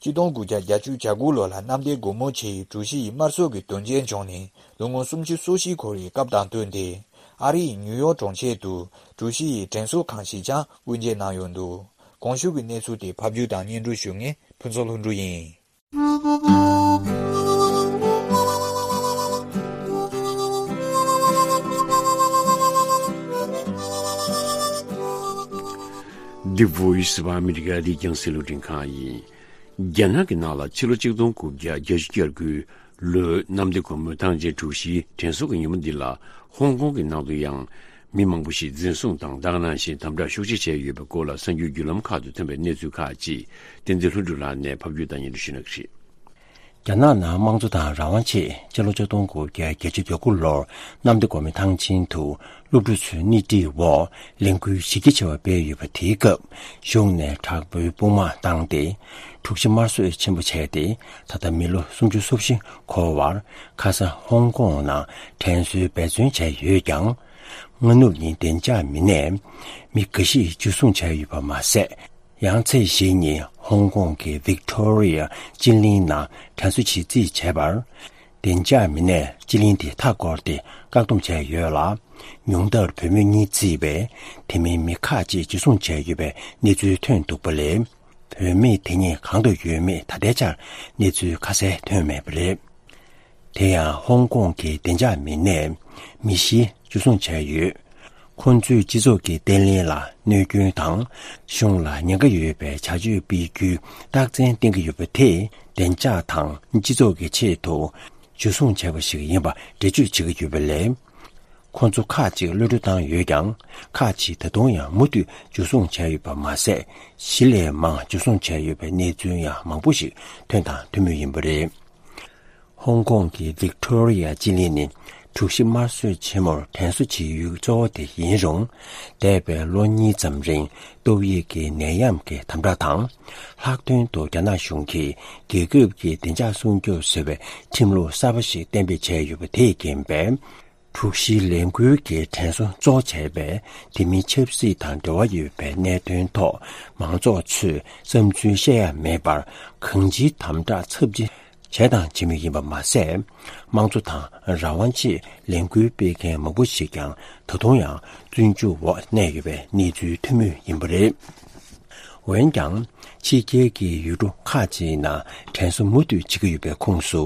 ཆིག་སྟོང་དགུ་བརྒྱ་བརྒྱད་ཅུ་གྱ་དགུ་ལོ་ལ་གནམ་བདེ་སྒོ་མོ་ཆེའི་གྲུ་བཞི་ཡི་དམར་གསོད་ཀྱི་དོན་རྐྱེན་བྱུང་ནས་ལོ་ངོ་སུམ་ཅུ་སོ་བཞི་འཁོར་བའི་སྐབས་དང་བསྟུན་ཏེ། ཨ་རི་ཡི་ནིའུ་ཡོག་གྲོང་ཁྱེར་དུ་གྲུ་བཞི་ཡི་དྲན་གསོ་ཁང་ཞིག་ཀྱང་དབུ་འབྱེད་གནང་ཡོད་འདུག་གོང་ཞུས་ཀྱི་གནས་ཚུལ་དེ་ཕབ་སྒྱུར་དང་སྙན་སྒྲོན་ཞུ་མཁན་ཕུན་ཚོགས་ལྷུན་གྲུབ་ཡིན། The Voice of America འདི་རྒྱང་སྲིང་རླུང་འཕྲིན་ཁང་ཡིན། རྒྱ་ནག་གི་ནང་ལ་ཕྱི་ལོ་ཆིག་སྟོང་དགུ་བརྒྱ་བརྒྱད་ཅུ་གྱ་དགུའི་ལོའི་གནམ་བདེ་སྒོ་མོའི་ཐང་ཆེན་གྲུ་བཞིའི་དྲན་གསོ་གི་ཉིན་མོ་འདི་ལ་ཧོང་ཀོང་གི་ནང་དུ་ཡང་མི་མང་པོ་ཞིག་འཛིན་བཟུང་དང་ད་ག་ནང་བཞིན་དམ་དྲག་ཤུགས་ཆེ་བྱས་ཡོད་པའི་སྐོར་ལ་གསར་འགྱུར་བརྒྱུད་ལམ་ཁག་ཏུ་ཐོན་པའི་གནས་ཚུལ་ཁག་ཅིག་བསྟན་འཛིན་ལྷུན་གྲུབ་ལགས་ནས་ཕབ་སྒྱུར་དང་སྙན་སྒྲོན་ཞུ་གནང་གི་རེད། རྒྱ་ནག་ནང་དམངས་གཙོ་དང་རང་དབང་ཆེད་སྤྱི་ལོ་ཆིག་སྟོང་དགུ་བརྒྱ་བརྒྱད་ཅུ་གྱ་དགུ་ལོར་གནམ་བདེ་སྒོ་མོའི་ཐང་ཆེན་དུ་སློབ་ཕྲུག་ཚོའི་སྣེ་ཁྲིད་འོག་ལས་འགུལ་གཞི་རྒྱ་ཆེ་བ་སྤེལ་ཡོད་པ་དེའི་སྐབས་གཞུང་ནས་དྲག་པོའི་དཔུང་དམག་བཏང་སྟེ་འཁྲུག་ཆ་དམར་གསོད་ཆེན་པོ་བྱས་ཏེ་ད་ལྟ་མི་ལོ་སུམ་ཅུ་སོ་བཞི་འཁོར་བར་ཁ་ས་ཧོང་ཀོང་ནང་དྲན་གསོའི་འབད་བརྩོན་བྱས་ཡོད་ཀྱང་། སྔ་ནུབ་ཉིན་བདེ་འཇགས་མི་སྣས་མི་འགའ་ཞིག་འཇུ་བཟུང་བྱས་ཡོད་པ་མ་ཟད། ཡང་ཚེས་བཞི་ཉིན་ཧོང་ཀོང་གི་ཝིག་ཏོ་རི་ཡ་སྤྱི་གླིང་ནང་དྲན་གསོ་བྱེད་རྩིས་བྱས་པར། བདེ་འཇགས་མི་སྣས་སྤྱི་གླིང་དེ་མཐའ་བསྐོར་ཏེ་བཀག་སྡོམ་བྱས་ཡོད་ལ། ཉུང་མཐར་བུད་མེད་གཉིས་བརྩིས་པའི་དེ་མིན་མི་ཁག་ཅིག་འཇུ་བཟུང་བྱས་ཡོད་པའི་གནས་ཚུལ་ཐོན་འདུག་པ་ལས། བུད་མེད་དེ་གཉིས་གང་དུ་ཡོད་མེད་ད་ལྟའི་ཆར་གནས་ཚུལ་ཁ་གསལ་ཐོན་མེད་པ་རེད། དེ་ཡང་ཧོང་ཀོང་གི་བདེ་འཇགས་མི་སྣས་མི་བཞི་འཇུ་བཟུང་བྱས་ཡོད། ཁོང་ཚོས་སྤྱི་ཚོགས་ཀྱི་བརྟན་ལྷིང་ལ་གནོད་སྐྱོན་དང་གཞུང་ལ་ཉེན་ཁ་ཡོད་པའི་བྱ་སྤྱོད་སྤེལ་རྒྱུའི་རྟགས་མཚན་བསྟན་གྱི་ཡོད་པ་དེས་བདེ་འཇགས་དང་སྤྱི་ཚོགས་ཀྱི་ཆེད་དུ་འཇུ་བཟུང་བྱས་པ་ཞིག་ཡིན་པ་འགྲེལ་བརྗོད་བྱེད་ཀྱི་ཡོད་པ་ལས། ཁོང་ཚོ་ཁག་ཅིག་གློད་གྲོལ་བཏང་ཡོད་ཀྱང་། ཁག་ཅིག་ད་དུང་ཡང་མུ་མཐུད་འཇུ་བཟུང་བྱས་ཡོད་པ་མ་ཟད། བཞི་ལས་མང་འཇུ་བཟུང་བྱས་ཡོད་པའི་གནས་ཚུལ་ཡང་མང་པོ་ཞིག་ཐོན་དང་ཐོན་མུས་ཡིན་པ་རེད། ཧོང་ཀོང་གི་ཝིག་ཏོ་རི་ཡ་སྤྱི་གླིང་ནི་འཁྲུག་གཞི་དམར་གསོད་ཆེན་མོར་དྲན་གསོ་བྱེད་ཡུལ་གཙོ་བོ་དེ་ཡིན་རུང་། འདས་པའི་ལོ་གཉིས་ཙམ་རིང་ཏོག་དབྱིབས་ཀྱི་ནད་ཡམས་ཀྱི་དམ་དྲག་དང་། ལྷག་དོན་དུ་རྒྱ་ནག་གཞུང་གིས་རྒྱལ་ཁབ་ཀྱི་བདེ་འཇགས་སྲུང་སྐྱོབ་ཟེར་བའི་ཁྲིམས་ལུགས་གསར་པ་ཞིག་གཏན་འབེབས་བྱས་ཡོད་པ་དེས་རྐྱེན་པས། འཁྲུག་གཞིའི་ལས་འགུལ་གྱི་དྲན་གསོ་གཙོ་བྱས་པའི་དེ་མིན་ཆབ་སྲིད་དང་འབྲེལ་བ་ཡོད་པའི་གནད་དོན་ཐོག་མང་ཚོགས་ཚོས་བསམ་ཚུལ་བཤད་ཡ་མེད་པར་གང་ཅིའི་དམ་དྲག་ཚབས་ཆེ་ བྱས་དང་བྱེད་མུས་ཡིན་པ་མ་ཟད། དམངས་གཙོ་དང་རང་དབང་ཆེད་ལས་འགུལ་སྤེལ་མཁན་མང་པོ་ཞིག་ཀྱང་ད་དུང་ཡང་བཙོན་འཇུག་འོག་གནས་ཡོད་པའི་གནས་ཚུལ་ཐོན་མུས་ཡིན་པ་རེད། འོན་ཀྱང་། ཕྱི་རྒྱལ་གྱི་ཡུལ་གྲུ་ཁག་ཅིག་ནང་དྲན་གསོ་མུ་མཐུད་བྱེད་ཀྱི་ཡོད་པའི་ཁོངས་སུ།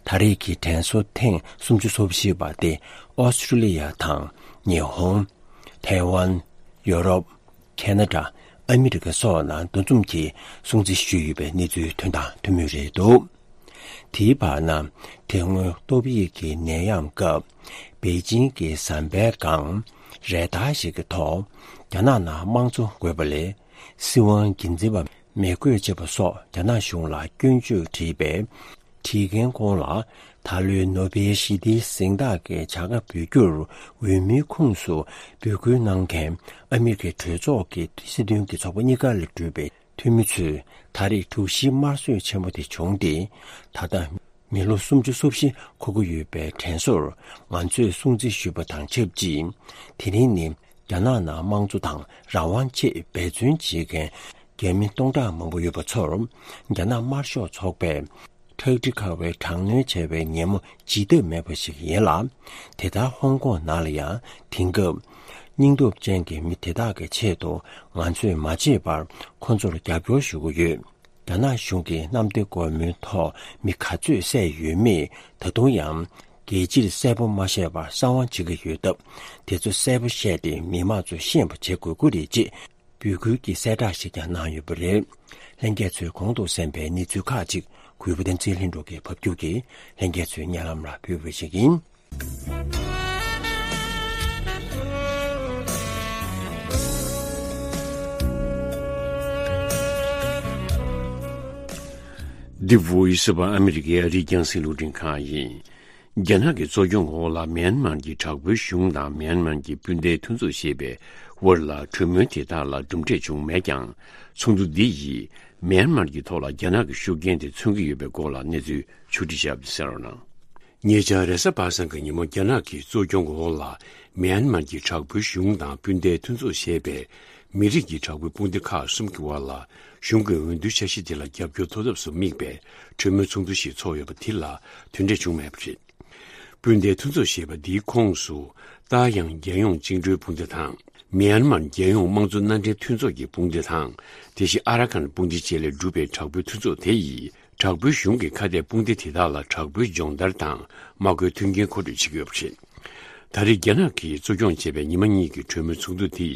ད་རེས་ཀྱི་དྲན་གསོ་ཐེངས་སུམ་ཅུ་སོ་བཞི་པ་དེ་ཨོ་སི་ཀྲི་ལི་ཡ་དང་ཉི་ཧོང་། ཐའེ་ཝན། ཡོ་རོབ། ཁེ་ན་ཌ། ཨ་མི་རི་ཀ་སོགས་ནང་འདུ་འཛོམས་ཀྱིས་སྲུང་བརྩི་ཞུས་ཡོད་པའི་གནས་ཚུལ་ཐོན་དང་ཐོན་མུས་རེད་འདུག་དེའི་བར་ན། དེ་སྔོན་ཏོག་དབྱིབས་ཀྱི་ནད་ཡམས་སྐབས། པེ་ཅིང་གི་ཟམ་པའི་སྒང་རེ་ཏཱ་ཞིག་གི་ཐོག་རྒྱ་ནག་ནང་དམངས་གཙོ་དགོས་པ་ལས། སྲིད་དབང་སྒེར་འཛིན་པ་མི་དགོས་ཅེས་པ་སོགས་རྒྱ་ནག་གཞུང་ལ་སྐྱོན་བརྗོད་བྲིས་པའི། བྲིས་མཁན་ཁོང་ལ་ད་ལོའི་ནོ་བེལ་ཞི་བདེའི་གཟེངས་རྟགས་ཀྱི་བྱ་དགའ་འབུལ་རྒྱུར་འོས་མིའི་ཁོངས་སུ་འབོད་སྐུལ་གནང་མཁན་ཨ་མི་རི་ཀའི་གྲོས་ཚོགས་ཀྱི་སྲིད་དོན་གྱི་ཚོགས་པ་གཉིས་ཀ་ལས་གྲུབ་པའི་འཐུས་མི་ཚོས་ད་རེས་དྲུག་བཞིའི་དམར་གསོད་ཆེན་པོ་དེ་བྱུང་སྟེ། ད་ལྟ་མི་ལོ་སུམ་ཅུ་སོ་བཞི་འཁོར་གྱི་ཡོད་པའི་དྲན་གསོར་ང་ཚོས་སྲུང་བརྩི་ཞུས་པ་དང་ཆབས་ཅིག་དེ་རིང་ནི། རྒྱ་ནག་ནང་དམངས་གཙོ་དང་རང་དབང་ཆེད་འབད་བརྩོན་བྱེད་མཁན་རྒྱ་མི་སྟོང་ཕྲག་མང་པོ་ཡོད་པ་ཚོར། རྒྱ་ནག་དམར་ཤོག་ཚོགས་པས་ཁྲག་དྲི་ཁ་བའི་དྲག་གནོན་བྱས་པའི་ཉིན་མོ་བརྗེད་ཐབས་མེད་པ་ཞིག་ཡིན་ལ། དེ་ལྟར་ཧོང་ཀོང་ནང་ལ་ཡང་དེང་སྐབས། སྙིང་སྟོབས་ཅན་གྱི་མི་དེ་དག་གི་ཆེད་དུ་ང་ཚོས་མ་བརྗེད་པར་ཁོ་ཚོར་རྒྱབ་སྐྱོར་ཞུ་གི་ཡོད། རྒྱ་ནག་གཞུང་གིས་གནམ་བདེ་སྒོ་མོའི་ཐོག་མི་ག་ཚོད་བསད་ཡོད་མེད་ད་དུང་ཡང་། རྒྱལ་སྤྱིར་གསལ་པོ་མ་བཤད་པར་གསང་བ་བྱེད་ཀྱི་ཡོད་སྟབས། དེ་ཚོ་གསལ་པོ་བཤད་དེ་མི་མང་ཚོ་ཤེས་པ་བྱེད་དགོས་ཀྱི་རེད་ཅེས་འབོད་སྐུལ་གྱི་གསལ་བསྒྲགས་ཤིག་ཀྱང་གནང་ཡོད་པ་རེད། ལྷན་རྒྱས་ཚོས་གོང་དུ་གསན་པའི་གནས་ཚུལ་ཁག་ཅིག་གུས་པ་བསྟན་འཛིན་ལྷུན་གྲུབ་ཀྱིས་ཕབ་སྒྱུར་གྱིས་ལྷན་རྒྱས་ཚོའི་སྙན་ལམ་ལ་ཕུལ་བ་ཞིག་ཡིན། The Voice of America ཨ་རིའི་རྒྱང་སྲིང་རླུང་འཕྲིན་ཁང་ཡིན། རྒྱ་ནག་གི་གཙོ་སྐྱོང་འོག་ལ་མིའན་མར་གྱི་དྲག་པོའི་གཞུང་དང་མིའན་མར་གྱི་སྤུན་ཟླའི་མཐུན་ཚོགས་ཞེས་པའི་དབར་ལ་གྲོས་མོལ་དེ་དག་ལ་གྲུབ་འབྲས་བྱུང་མེད་ཀྱང་། ཚོགས་འདུ་འདི་ཡིས་མིའན་མར་གྱི་ཐོག་ལ་རྒྱ་ནག་གི་ཤུགས་རྐྱེན་དེ་མཚོན་གྱི་ཡོད་པའི་སྐོར་ལ་གནས་ཚུལ་ཕྱོགས་སྒྲིག་བྱས་པ་གསན་རོགས་གནང་། ཉེ་ཆར་རེས་གཟའ་པ་སངས་ཀྱི་ཉིན་མོ་རྒྱ་ནག་གི་གཙོ་སྐྱོང་འོག་ལ་མིའན་མར་གྱི་དྲག་པོའི་གཞུང་དང་སྤུན་ཟླའི་མཐུན་ཚོགས་ཞེས་པའི་མི་རིགས་ཀྱི་དྲག་པོའི་དཔུང་སྡེ་ཁག་གསུམ་གྱི་དབར་ལ་གཞུང་གི་འོས་བསྡུ་འཆར་གཞི་དེ་ལ་རྒྱབ་སྐྱོར་ཐོབ་ཐབས་སུ་དམིགས་པའི་གྲོས་མོལ་ཚོགས་འདུ་ཞིག་ཚོགས་ཡོད་པ་དེ་ལ་དོན་འབྲས་བྱུང་མེད་པ་རེད། སྤུན་ཟླའི་མཐུན་ཚོགས་ཞེས་པ་འདིའི་ཁོངས་སུ་ཏཱ་དབྱང་རྒྱལ་ཡོངས་བཅིངས་འགྲོལ་དཔུང་སྡེ་དང་། མིའན་མར་རྒྱལ་ཡོངས་དམངས་གཙོ་མནའ་འབྲེལ་མཐུན་ཚོགས་ཀྱི་དཔུང་སྡེ་དང་། དེ་བཞིན་ཨ་ར་ཁན་དཔུང་སྡེ་བཅས་ལས་གྲུབ་པའི་དྲག་པོའི་མཐུན་ཚོགས་དེ་ཡིས། དྲག་པོའི་གཞུང་གི་ཁ་གཏད་དཔུང་སྡེ་དེ་དག་ལ་དྲག་པོའི་སྦྱོང་བརྡར་དང་དམག་མཁོའི་མཐུན་རྐྱེན་མཁོ་སྤྲོད་བྱེད་ཀྱི་ཡོད་པ་རེད། ད་རེས་རྒྱ་ནག་གིས་གཙོ་སྐྱོང་བྱས་པའི་ཉི་མ་གཉིས་ཀྱི་གྲོས་མོལ་ཚོགས་འདུ་དེ་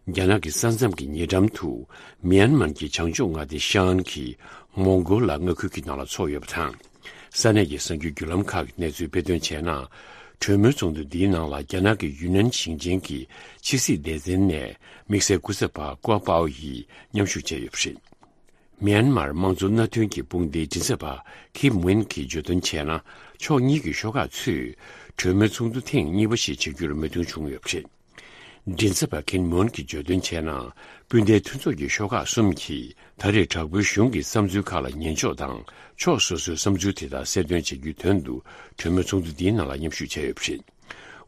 རྒྱ་ནག་གི་ས་མཚམས་ཀྱི་ཉེ་འགྲམ་དུ་མིའན་མར་གྱི་བྱང་ཕྱོགས་མངའ་སྡེ་ཤན་གྱི་མོང་གོ་ལ་མངའ་ཁུལ་གྱི་ནང་ལ་ཚོགས་ཡོད་པ་དང་། ས་གནས་ཀྱི་གསར་འགྱུར་བརྒྱུད་ལམ་ཁག་གིས་གནས་ཚུལ་སྤེལ་དོན་བྱས་ན། གྲོས་མོལ་ཚོགས་འདུ་འདིའི་ནང་ལ་རྒྱ་ནག་གི་ཡུན་ནན་ཞིང་ཆེན་གྱི་ཕྱི་སྲིད་སྡེ་ཚན་ནས་དམིགས་བསལ་སྐུ་ཚབ་པ་ཀོ་པའོ་ཡིས་མཉམ་ཞུགས་བྱས་ཡོད་པ་རེད། མིའན་མར་དམངས་གཙོ་མནའ་མཐུན་གྱི་དཔུང་སྡེའི་མགྲིན་ཚབ་པ་ཁིམ་ཝིན་གྱིས་བརྗོད་དོན་བྱས་ན། ཕྱོགས་གཉིས་ཀྱི་ཤོག་ཁག་ཚོས་གྲོས་མོལ་ཚོགས་འདུ་ཐེངས་གཉིས་པ་ཞིག་བྱེད་རྒྱུར་མོས་མཐུན་བྱུང་ཡོད་པ་རེད། མགྲིན་ཚབ་པ་ཁིམ་ཝིན་གྱིས་བརྗོད་དོན་བྱས་ན། སྤུན་ཟླའི་མཐུན་ཚོགས་ཀྱི་ཤོག་ཁག་གསུམ་གྱིས་ད་རེས་དྲག་པོའི་གཞུང་གི་བསམ་ཚུལ་ཁག་ལ་ཉན་ཕྱོགས་དང་། ཕྱོགས་སོ་སོའི་བསམ་ཚུལ་དེ་དག་གསལ་སྟོན་བྱེད་རྒྱུའི་དོན་དུ་གྲོས་མོལ་ཚོགས་འདུ་འདིའི་ནང་ལ་མཉམ་ཞུགས་བྱས་ཡོད་པ་རེད།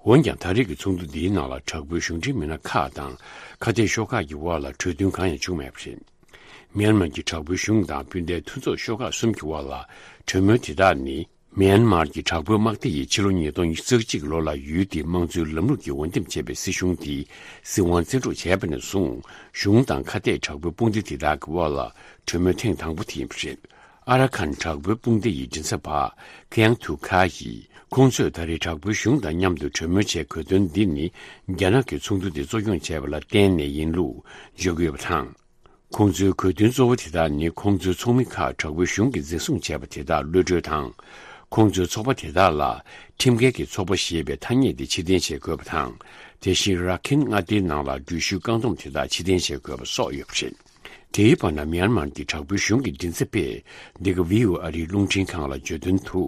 འོན་ཀྱང་། ད་རེས་ཀྱི་ཚོགས་འདུ་འདིའི་ནང་ལ་དྲག་པོའི་གཞུང་འབྲེལ་མི་སྣ་ཁག་དང་ཁ་གཏད་ཤོག་ཁག་གི་དབར་ལ་གྲོས་མཐུན་གང་ཡང་བྱུང་མེད་པ་རེད། མིའན་མར་གྱི་དྲག་པོའི་གཞུང་དང་སྤུན་ཟླའི་མཐུན་ཚོགས་ཤོག་ཁག་གསུམ་གྱི་དབར་ལ་གྲོས་མོལ་དེ་དག་ནི། མིའན་མར་གྱི་དྲག་པོའི་དམག་སྡེ་ཡིས་ཕྱི་ལོ་ཉིས་སྟོང་ཉི་ཤུ་རྩ་གཅིག་ལོ་ལ་ཡུལ་དེའི་དམངས་གཙོའི་ལམ་ལུགས་ཀྱིས་འོས་འདེམས་བྱས་པའི་སྲིད་གཞུང་དེ་སྲིད་དབང་བཙན་འཕྲོག་བྱས་པ་ནས་བཟུང་། གཞུང་དང་ཁ་གཏད་དྲག་པོའི་དཔུང་སྡེ་དེ་དག་གི་དབར་ལ་གྲོས་མོལ་ཐེངས་དང་པོ་དེ་ཡིན་པ་རེད། ཨ་ར་ཁན་དྲག་པོའི་དཔུང་སྡེ་ཡི་མགྲིན་ཚབ་པ་ཁེང་ཐུ་ཁ་ཡིས། ཁོང་ཚོས་ད་རེས་དྲག་པོའི་གཞུང་དང་མཉམ་དུ་གྲོས་མོལ་བྱེད་དགོས་དོན་འདི་ནི། རྒྱ་ནག་གིས་ཚོགས་འདུ་འདི་གཙོ་སྐྱོང་བྱས་པ་ལ་བརྟེན་ནས་ཡིན་ལུགས་བརྗོད་ཀྱི་ཡོད་པ་དང་། ཁོང་ཚོའི་དགོས་འདུན་གཙོ་བོ་དེ་དག་ནི། ཁོང་ཚོའི་ཚོགས་མི་ཁག་དྲག་པོའི་གཞུང་གིས་འཛིན་བཟུང་བྱས་པ་དེ་དག་གློད་གྲོལ་དང་། ཁོང་ཚོའི་ཚོགས་པ་དེ་དག་ལ་ཁྲིམས་འགལ་གྱི་ཚོགས་པ་ཞེས་པའི་ཐ་སྙད་དེ་ཕྱིར་འཐེན་བྱེད་དགོས་པ་དང་། དེ་བཞིན་ར་ཁིན་མངའ་སྡེའི་ནང་ལ་འགྲུལ་བཞུད་བཀག་སྡོམ་དེ་དག་ཕྱིར་འཐེན་བྱེད་དགོས་པ་སོགས་ཡོད་པ་རེད། དེའི་བར་ན། མིའན་མར་གྱི་དྲག་པོའི་གཞུང་གི་མགྲིན་ཚབ་པས་འདི་ག་བྷི་ཨོ་ཨེ་ཨ་རིའི་རླུང་འཕྲིན་ཁང་ལ་བརྗོད་དོན་དུ།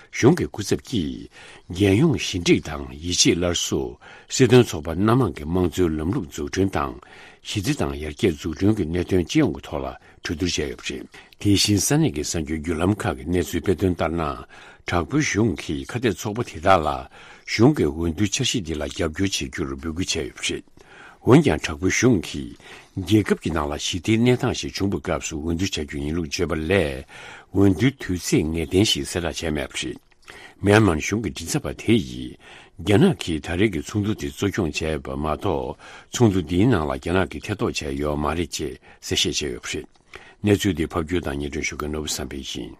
གཞུང་གི་སྐུ་ཚབ་ཀྱིས། རྒྱལ་ཡོངས་ཞི་འགྲིག་དང་ཡིད་ཆེས་སླར་གསོ། སྲིད་དོན་ཚོགས་པ་སྣ་མང་གི་དམངས་གཙོའི་ལམ་ལུགས་འཛུགས་སྐྲུན་དང་། གཞི་རྩ་དང་ཡར་རྒྱས་འཛུགས་སྐྲུན་གྱི་གནད་དོན་སྤྱི་ཡོངས་ཀྱི་ཐོག་ལ་གྲོས་བསྡུར་བྱས་ཡོད་པ་རེད། དེ་བཞིན་ས་གནས་ཀྱི་གསར་འགྱུར་བརྒྱུད་ལམ་ཁག་གིས་གནས་ཚུལ་སྤེལ་དོན་ལྟར་ན། དྲག་པོའི་གཞུང་གིས་ཁ་གཏད་ཚོགས་པ་དེ་དག་ལ། གཞུང་གི་འོས་བསྡུ་འཆར་གཞི་འདི་ལ་རྒྱབ་སྐྱོར་བྱེད་རྒྱུར་འབོད་སྐུལ་བྱས་ཡོད་པ་རེད། འོན་ཀྱང་དྲག་པོའི་གཞུང་གིས་རྒྱལ་ཁབ་ཀྱི་ནང་ལ་ཞི་བདེའི་གནས་སྟངས་ཤིག་བྱུང་བའི་སྐབས་སུ་འོས་བསྡུ་བྱ་རྒྱུ་ཡིན་ལུགས་བརྗོད་པ་ལས། འོས་བསྡུའི་དུས་ཚིགས་ངེས་གཏན་ཞིག་གསལ་བསྒྲགས་བྱས་མེད་པ་རེད། མྱན་མར་གཞུང་གི་མགྲིན་ཚབ་པ་དེ་ཡིས། རྒྱ་ནག་གིས་ད་རེས་ཀྱི་ཚོགས་འདུ་དེ་གཙོ་སྐྱོང་བྱས་པ་མ་གཏོགས། ཚོགས་འདུ་འདིའི་ནང་ལ་རྒྱ་ནག་གིས་ཐེ་གཏོགས་བྱས་ཡོད་མ་རེད་ཅེས་གསལ་བཤད་བྱས་ཡོད་པ་རེད། གནས་ཚུལ་འདི་ཕབ་སྒྱུར་དང་སྙན་སྒྲོན་ཞུ་མཁན་ནོར་བུ་བསམ་འཕེལ་ཡིན།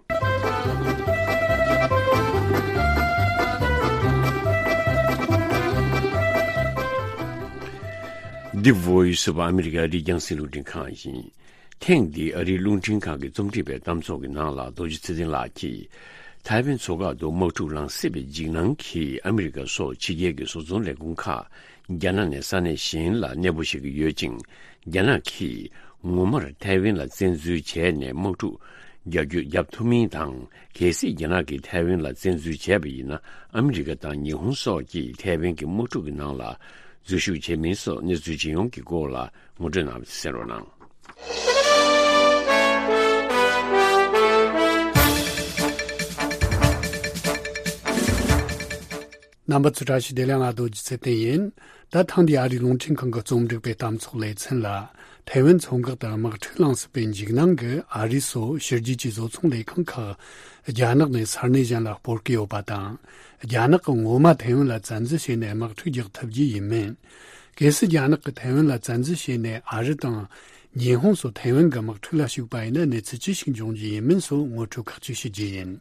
འདི་Voice of America ཨ་རིའི་རྒྱང་སྲིང་རླུང་འཕྲིན་ཁང་ཡིན། ཐེངས་འདིའི་ཨ་རིའི་རླུང་འཕྲིན་ཁང་གིས་རྩོམ་སྒྲིག་པའི་གཏམ་ཚོགས་ཀྱི་ནང་ལ་རྡོ་རྗེ་ཚེ་བརྟན་ལགས་ཀྱིས། ཐའེ་ཝན་མཚོ་འགག་ཏུ་དམག་འཁྲུག་ལངས་སྲིད་པའི་འཇིགས་སྣང་གིས་ཨ་མི་རི་ཀ་སོགས་ཕྱི་རྒྱལ་གྱི་བཟོ་ཚོང་ལས་ཁུངས་ཁག་རྒྱ་ནག་ནས་ས་གནས་གཞན་ལ་གནས་སྤོ་བྱེད་ཀྱི་ཡོད་ཅིང་། རྒྱ་ནག་གིས་ངོ་མར་ཐའེ་ཝན་ལ་བཙན་འཛུལ་བྱས་ནས་དམག་འཁྲུག་རྒྱག་རྒྱུ་བརྒྱབ་ཐུབ་མིན་དང་། གལ་སྲིད་རྒྱ་ནག་གིས་ཐའེ་ཝན་ལ་བཙན་འཛུལ་བྱས་པ་ཡིན་ན། ཨ་མི་རི་ཀ་དང་ཉི་ཧོང་སོགས་ཀྱིས་ཐའེ་ཝན་གྱི་དམག་འཁྲུག་གི་ནང་ལ་འཛུལ་ཞུགས་བྱེད་མིན་སོགས་གནས་ཚུལ་ཇི་ཡོང་གི་སྐོར་ལ་ངོ་སྤྲོད་གནང་བ་གསན་རོགས་གནང་། རྣམ་པ་ཚོ་བཀྲ་ཤིས་བདེ་ལེགས། ང་རྡོ་རྗེ་ཚེ་བརྟན་ཡིན། ད་ཐེངས་འདིའི་ཨ་རིའི་རླུང་འཕྲིན་ཁང་གི་རྩོམ་སྒྲིག་པའི་གཏམ་ཚོགས་ལེ་ཚན་ལ། ཐའེ་ཝན་མཚོ་འགག་ཏུ་དམག་འཁྲུག་ལངས་སྲིད་པའི་འཇིགས་སྣང་གིས་ཨ་རི་སོགས་ཕྱི་རྒྱལ་གྱི་བཟོ་ཚོང་ལས་ཁང་ཁག་རྒྱ་ནག་ནས་ས་གནས་གཞན་ལ་སྤོར་གྱི་ཡོད་པ་དང་། རྒྱ་ནག་གིས་ངོ་མ་ཐའེ་ཝན་ལ་བཙན་འཛུལ་བྱས་ནས་དམག་འཁྲུག་རྒྱག་ཐུབ་རྒྱུ་ཡིན་མིན། གལ་སྲིད་རྒྱ་ནག་གིས་ཐའེ་ཝན་ལ་བཙན་འཛུལ་བྱས་ནས་ཨ་རི་དང་། ཉི་ཧོང་སོགས་ཐའེ་ཝན་གྱི་དམག་འཁྲུག་ལ་ཞུགས་པ་ཡིན་ན་གནས་ཚུལ་ཅི་ཞིག་འབྱུང་རྒྱུ་ཡིན་མིན་སོགས་ངོ་སྤྲོད་ཁག་ཅིག་ཞུ་རྒྱུ་ཡིན།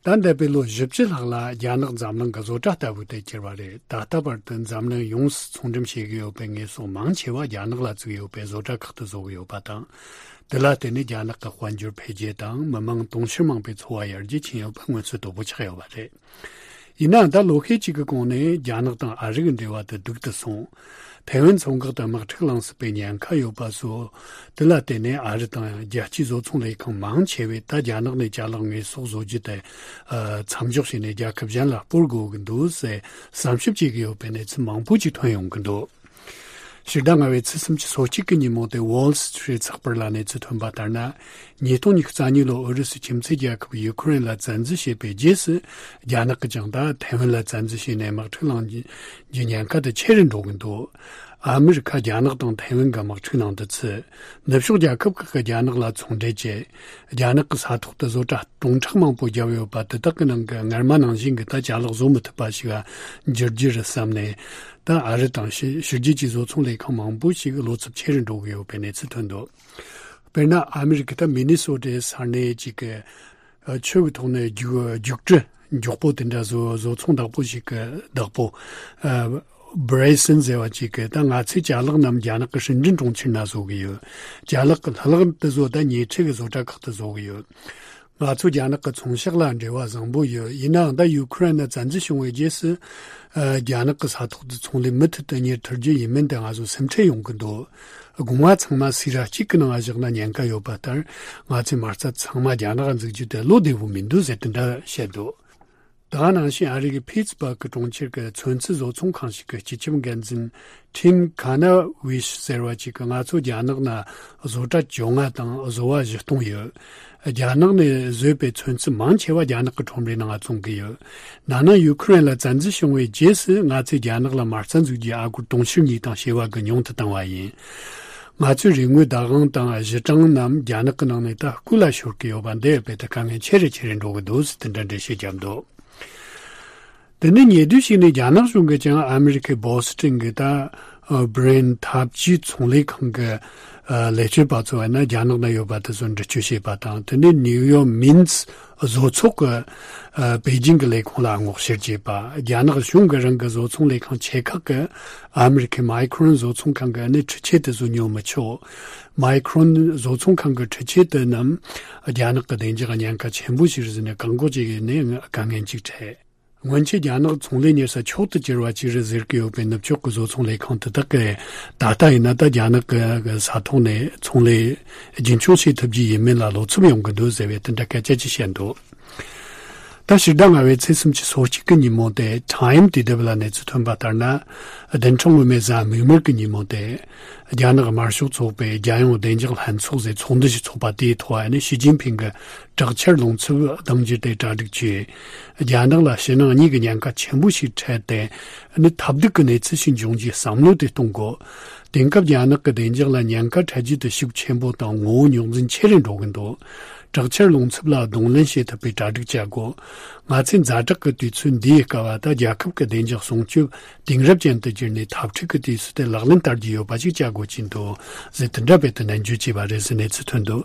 ད་འདས་པའི་ལོ་བཞི་བཅུ་ལྷག་ལ་རྒྱ་ནག་འཛམ་གླིང་གི་བཟོ་གྲྭ་ལྟ་བུ་དུ་གྱུར་བ་རེད། ད་ལྟ་བར་དུ་འཛམ་གླིང་ཡོངས་སུ་ཚོང་འགྲེམས་བྱེད་ཀྱི་ཡོད་པའི་དངོས་ཟོག་མང་ཆེ་བ་རྒྱ་ནག་ལ་བཙུགས་ཡོད་པའི་བཟོ་གྲྭ་ཁག་ཏུ་བཟོ་གི་ཡོད་པ་དང་། དེ་ལ་བརྟེན་ནས་རྒྱ་ནག་གི་དཔལ་འབྱོར་འཕེལ་རྒྱས་དང་མི་མང་དུང་ཕྱུར་མང་པོའི་འཚོ་བ་ཡར་རྒྱས་ཕྱིན་ཡོད་པ་མངོན་གསལ་དོད་པོ་ཆགས་ཡོད་པ་རེད། ཡིན་ནའང་ད་ལོ་ཤས་ཅིག་གི་གོང་ནས་རྒྱ་ནག་དང་ཨ་རི་གི་འབྲེལ་བ་དེ་སྡུག་ཏུ་སོང་། ཐའེ་ཝན་མཚོ་འགག་ཏུ་དམག་འཁྲུག་ལངས་སྲིད་པའི་ཉེན་ཁ་ཡོད་པ་སོགས། དེ་ལ་བརྟེན་ནས་ཨ་རི་དང་རྒྱལ་སྤྱིའི་བཟོ་ཚོང་ལས་ཁང་མང་ཆེ་བས་ད་རྒྱ་ནག་ནས་ཅ་ལག་དངོས་ཟོག་བཟོ་རྒྱུ་དེ་མཚམས་འཇོག་བྱས་ནས་རྒྱལ་ཁབ་གཞན་ལ་སྤོར་དགོས་ཀྱི་འདུག་ཟེར་བསམ་ཞིབ་བྱེད་ཀྱི་ཡོད་པའི་གནས་ཚུལ་མང་པོ་ཅིག་ཐོན་ཡོང་གི་འདུག་ཕྱི་ཟླ་ལྔ་པའི་ཚེས་སུམ་ཅུ་སོ་གཅིག་གི་ཉིན་མོ་དེ་Wall Street་ཚགས་པར་ལ་གནས་ཚུལ་ཐོན་པ་ལྟར་ན། ཉིས་སྟོང་ཉི་ཤུ་རྩ་གཉིས་ལོར་ཨུ་རུ་སུའི་ཁྱིམ་མཚེས་རྒྱལ་ཁབ་ཡུ་ཁུ་རེན་ལ་བཙན་འཛུལ་བྱས་པའི་རྗེས་སུ། རྒྱ་ནག་གིས་ཀྱང་ད་ཐའེ་ཝན་ལ་བཙན་འཛུལ་བྱས་ནས་དམག་འཁྲུག་ལངས་རྒྱུའི་ཉེན་ཁ་དེ་ཆེ་རུ་འགྲོ་གི་འདུག་ཨ་མི་རི་ཁ་རྒྱ་ནག་དང་ཐའེ་ཝན་གྱི་དམག་འཁྲུག་ནང་དུ་ཚུད། ནུབ་ཕྱོགས་རྒྱལ་ཁབ་ཁག་གིས་རྒྱ་ནག་ལ་ཚོང་འབྲེལ་བྱས། རྒྱ་ནག་གི་ས་ཐོག་ཏུ་བཟོ་གྲྭ་སྟོང་ཕྲག་མང་པོ་བརྒྱབ་ཡོད་པ་དེ་དག་གི་ནང་གི་སྔར་མ་ནང་བཞིན་གྱི་ད་ཅ་ལག་བཟོ་མི་ཐུབ་པ་ཞིག་འགྱུར་རྒྱུ་རེད་བསམ་ནས། ད་ཨ་རི་དང་ཕྱི་ཕྱི་རྒྱལ་གྱི་བཟོ་ཚོང་ལས་ཁང་མང་པོ་ཞིག་བློ་འཚབ་ཆེ་རུ་འགྲོ་གི་ཡོད་པའི་གནས་ཚུལ་ཐོན་འདུག་དཔེར་ན་ཨ་མི་རི་ཀའི་ད་མི་ནི་སོ་ཊའི་ས་གནས་ཅིག་གི་ཆུ་གི་ཐོག་ནས་རྒྱུག་རྒྱུག་འབྲུ་མགྱོགས་པོ་དེ་འདྲ་བཟོ་བཟོ་ཚོང་བདག་པོ་ཞིག་གི་བདག་པོ་Bryson་ཟེར་བ་ཅིག་གིས་ད་ང་ཚོའི་ཅ་ལག་རྣམས་རྒྱ་ནག་གི་ཧྲིན་ཀྲིན་གྲོང་ཁྱེར་ན་བཟོ་གི་ཡོད། ཅ་ལག་གི་ལྷག་ལྷག་ཏུ་བཟོ་ད་ཉེ་འཁྲིས་ཀྱི་བཟོ་གྲྭ་ཁག་ཏུ་བཟོ་གི་ཡོད། ང་ཚོ་རྒྱ་ནག་གི་ཚོང་ཤག་ལ་འབྲེལ་བ་བཟང་པོ་ཡོད། ཡིན་ནའང་ད་ཡུ་ཁུ་རེན་ལ་བཙན་འཛུལ་བྱུང་བའི་རྗེས་སུ། རྒྱ་ནག་གི་ས་ཐོག་ཏུ་ཚོང་ལས་མུ་མཐུད་དུ་གཉེར་ཐུབ་རྒྱུ་ཡིན་མིན་དེ་ང་ཚོ་སེམས་ཁྲལ་ཡོང་གི་འདུག་སྒོ་ང་ཚང་མ་སི་ར་གཅིག་གི་ནང་བཞག་ན་ཉེན་ཁ་ཡོད་པ་ལྟར། ང་ཚོས་མ་རྩ་ཚང་མ་རྒྱ་ནག་འཛུགས་རྒྱུ་དེ་བློ་བདེ་བོ་མི་འདུག་ཟེར་དེ་འདྲ་བཤད་འདུག་དེ་ག་ནང་བཞིན་ཨ་རི་གི་ཕིཊ་སི་བྷར་གི་གྲོང་ཁྱེར་གྱི་ཚོན་རྩི་བཟོ་ཚོང་ཁང་ཞིག་གི་སྤྱི་ཁྱབ་འགན་འཛིན་Tim Kanawish་ཟེར་བ་ཅིག་གིས་ང་ཚོ་རྒྱ་ནག་ན་བཟོ་གྲྭ་བཅོ་ལྔ་དང་བཟོ་བ་བཞི་སྟོང་ཡོད། རྒྱ་ནག་ནས་བཟོས་པའི་ཚོན་རྩི་མང་ཆེ་བ་རྒྱ་ནག་གི་ཁྲོམ་རའི་ནང་བཙོང་གི་ཡོད། ན་ནིང་ཡུ་ཁུ་རེན་ལ་བཙན་འཛུལ་བྱུང་བའི་རྗེས་སུ་ང་ཚོས་རྒྱ་ནག་ལ་མ་རྩ་འཛུགས་རྒྱུའི་ཨ་སྒོར་དུང་ཕྱུར་གཉིས་དང་བྱེ་བ་དགུ་ཉུང་དུ་བཏང་བ་ཡིན། ང་ཚོའི་རིག་དངོས་བདག་དབང་དང་གཞི་གྲངས་རྣམས་རྒྱ་ནག་གི་ནང་ནས་ད་རྐུ་ལ་ཤོར་གི་ཡོད་པ་འདི་ཡོད་པས་ད་དཀའ་ངལ་ཆེ་རུ་ཆེ་རུ་འགྲོ་གི་འདུག་ཟེར་དེ་འདྲ་འགྲེལ་བཤད་བརྒྱབ་འདུག་དེ་ནས་ཉེ་དུས་ཤིག་ནས་རྒྱ་ནག་གཞུང་གིས་ཀྱང་ཨ་མི་རི་ཁའི་བོ་སི་ཊོན་གྱི་ད་Brand་འཐབ་ཇུས་ཚོང་ལས་ཁང་གི་ལས་བྱེད་པ་ཚོ་བས་ན་རྒྱ་ནག་ན་ཡོད་པ་དེ་ཚོ་འདྲི་གཅོད་བྱས་པ་དང་། དེ་ནས་ནིའུ་ཡོག་མིན་ཙི་བཟོ་ཚོགས་ཀྱི་པེ་ཅིང་གི་ལས་ཁུངས་ལ་སྔོག་བཤེར་བྱས་པ། རྒྱ་ནག་གཞུང་གི་རང་གི་བཟོ་ཚོང་ལས་ཁང་ཆེ་ཁག་གིས་ཨ་མི་རི་ཁའི་Micron་བཟོ་ཚོང་ཁང་གི་ཨ་ནི་འཕྲུལ་ཆས་དེ་ཚོ་ཉོ་མི་ཆོག Micron་བཟོ་ཚོང་ཁང་གི་འཕྲུལ་ཆས་དེ་རྣམས་རྒྱ་ནག་གི་བདེ་འཇགས་ཉེན་ཁ་ཆེན་པོ་ཞིག་རེད་ཟེར་ནས་བཀག་འགོག་བྱེད་ཀྱི་ནས་དཀའ་ངལ་ཅིག་འཕྲད། སྔོན་ཆད་རྒྱ་ནག་ཚོང་ལས་གཉེར་ས་མཆོག་ཏུ་གྱུར་བ་ཅིག་རེད་ཟེར་གྱི་ཡོད་པའི་ནུབ་ཕྱོགས་ཀྱི་བཟོ་ཚོང་ལས་ཁང་དེ་དག་གིས་ད་ལྟ་ཡིན་ན་ད་རྒྱ་ནག་གི་ས་ཐོག་ནས་ཚོང་ལས་རྒྱུན་འཁྱོངས་བྱེད་ཐུབ་ཀྱི་ཡིན་མིན་ལ་བློ་འཚབ་ཡོང་གི་འདུག་ཟེར་བའི་དེ་འདྲ་སྐད་ཆ་ཅིག་བཤད་འདུག་ད་ཕྱི་ཟླ་ལྔ་པའི་ཚེས་སུམ་ཅུ་སོ་གཅིག་གི་ཉིན་མོ་དེ་Time དེ་དེབ་ལ་གནས་ཚུལ་ཐོན་པ་ལྟར་ན། བདུན་ཕྲག་སྔོན་མའི་གཟའ་མིག་དམར་གྱི་ཉིན་མོ་དེ། རྒྱ་ནག་དམར་ཤོག་ཚོགས་པའི་རྒྱལ་ཡོངས་བདེ་འཇགས་ལྷན་ཚོགས་ཟེར་ཚོགས་འདུ་ཞིག་ཚོགས་པ་དེའི་ཐོག་ནས་ཞི་ཅིན་ཕིང་གི་དྲག་ཆར་རླུང་འཚུབ་གདེང་འགྱུར་དེ་གྲ་སྒྲིག་བྱས། རྒྱ་ནག་ལ་ཕྱི་ནང་གཉིས་ཀྱི་ཉེན་ཁ་ཆེན་པོ་ཞིག་འཕྲད་དེ། ནི་ཐབས་སྡུག་གི་གནས་ཚུལ་ཞིག་འབྱུང་རྒྱུའི་བསམ་བློ་དེ་གཏོང་དགོས། དེང་སྐབས་རྒྱ་ནག་གི་བདེ་འཇགས་ལ་ཉེན་ཁ་འཕྲད་རྒྱུ་དེ་ཤུགས་ཆེན་པོ་དང་ངོ་བོ་རྙོག་འཛིང་ཆེ་རུ་འགྲོ་གི་འདུག་དྲག་ཆར་རླུང་འཚུབ་ལ་གདོང་ལེན་བྱེད་ཐུབ་པའི་གྲ་སྒྲིག་བྱ་དགོས། ང་ཚོས་ཛ་དྲག་གི་དུས་ཚོད་འདིའི་སྐབས་ལ་ད་རྒྱལ་ཁབ་ཀྱི་བདེ་འཇགས་སྲུང་སྐྱོབ་དེང་རབས་ཅན་དུ་བསྒྱུར་ནས་འཐབ་འཁྲུག་གི་དུས་སུ་དེ་ལག་ལེན་བསྟར་རྒྱུ་ཡོད་པ་ཞིག་བྱ་དགོས་ཀྱི་འདུག་ཟེར་དེ་འདྲ་བས་དུ་ནན་བརྗོད་བྱས་པ་རེད་ཟེར་གནས་ཚུལ་ཐོན་འདུག་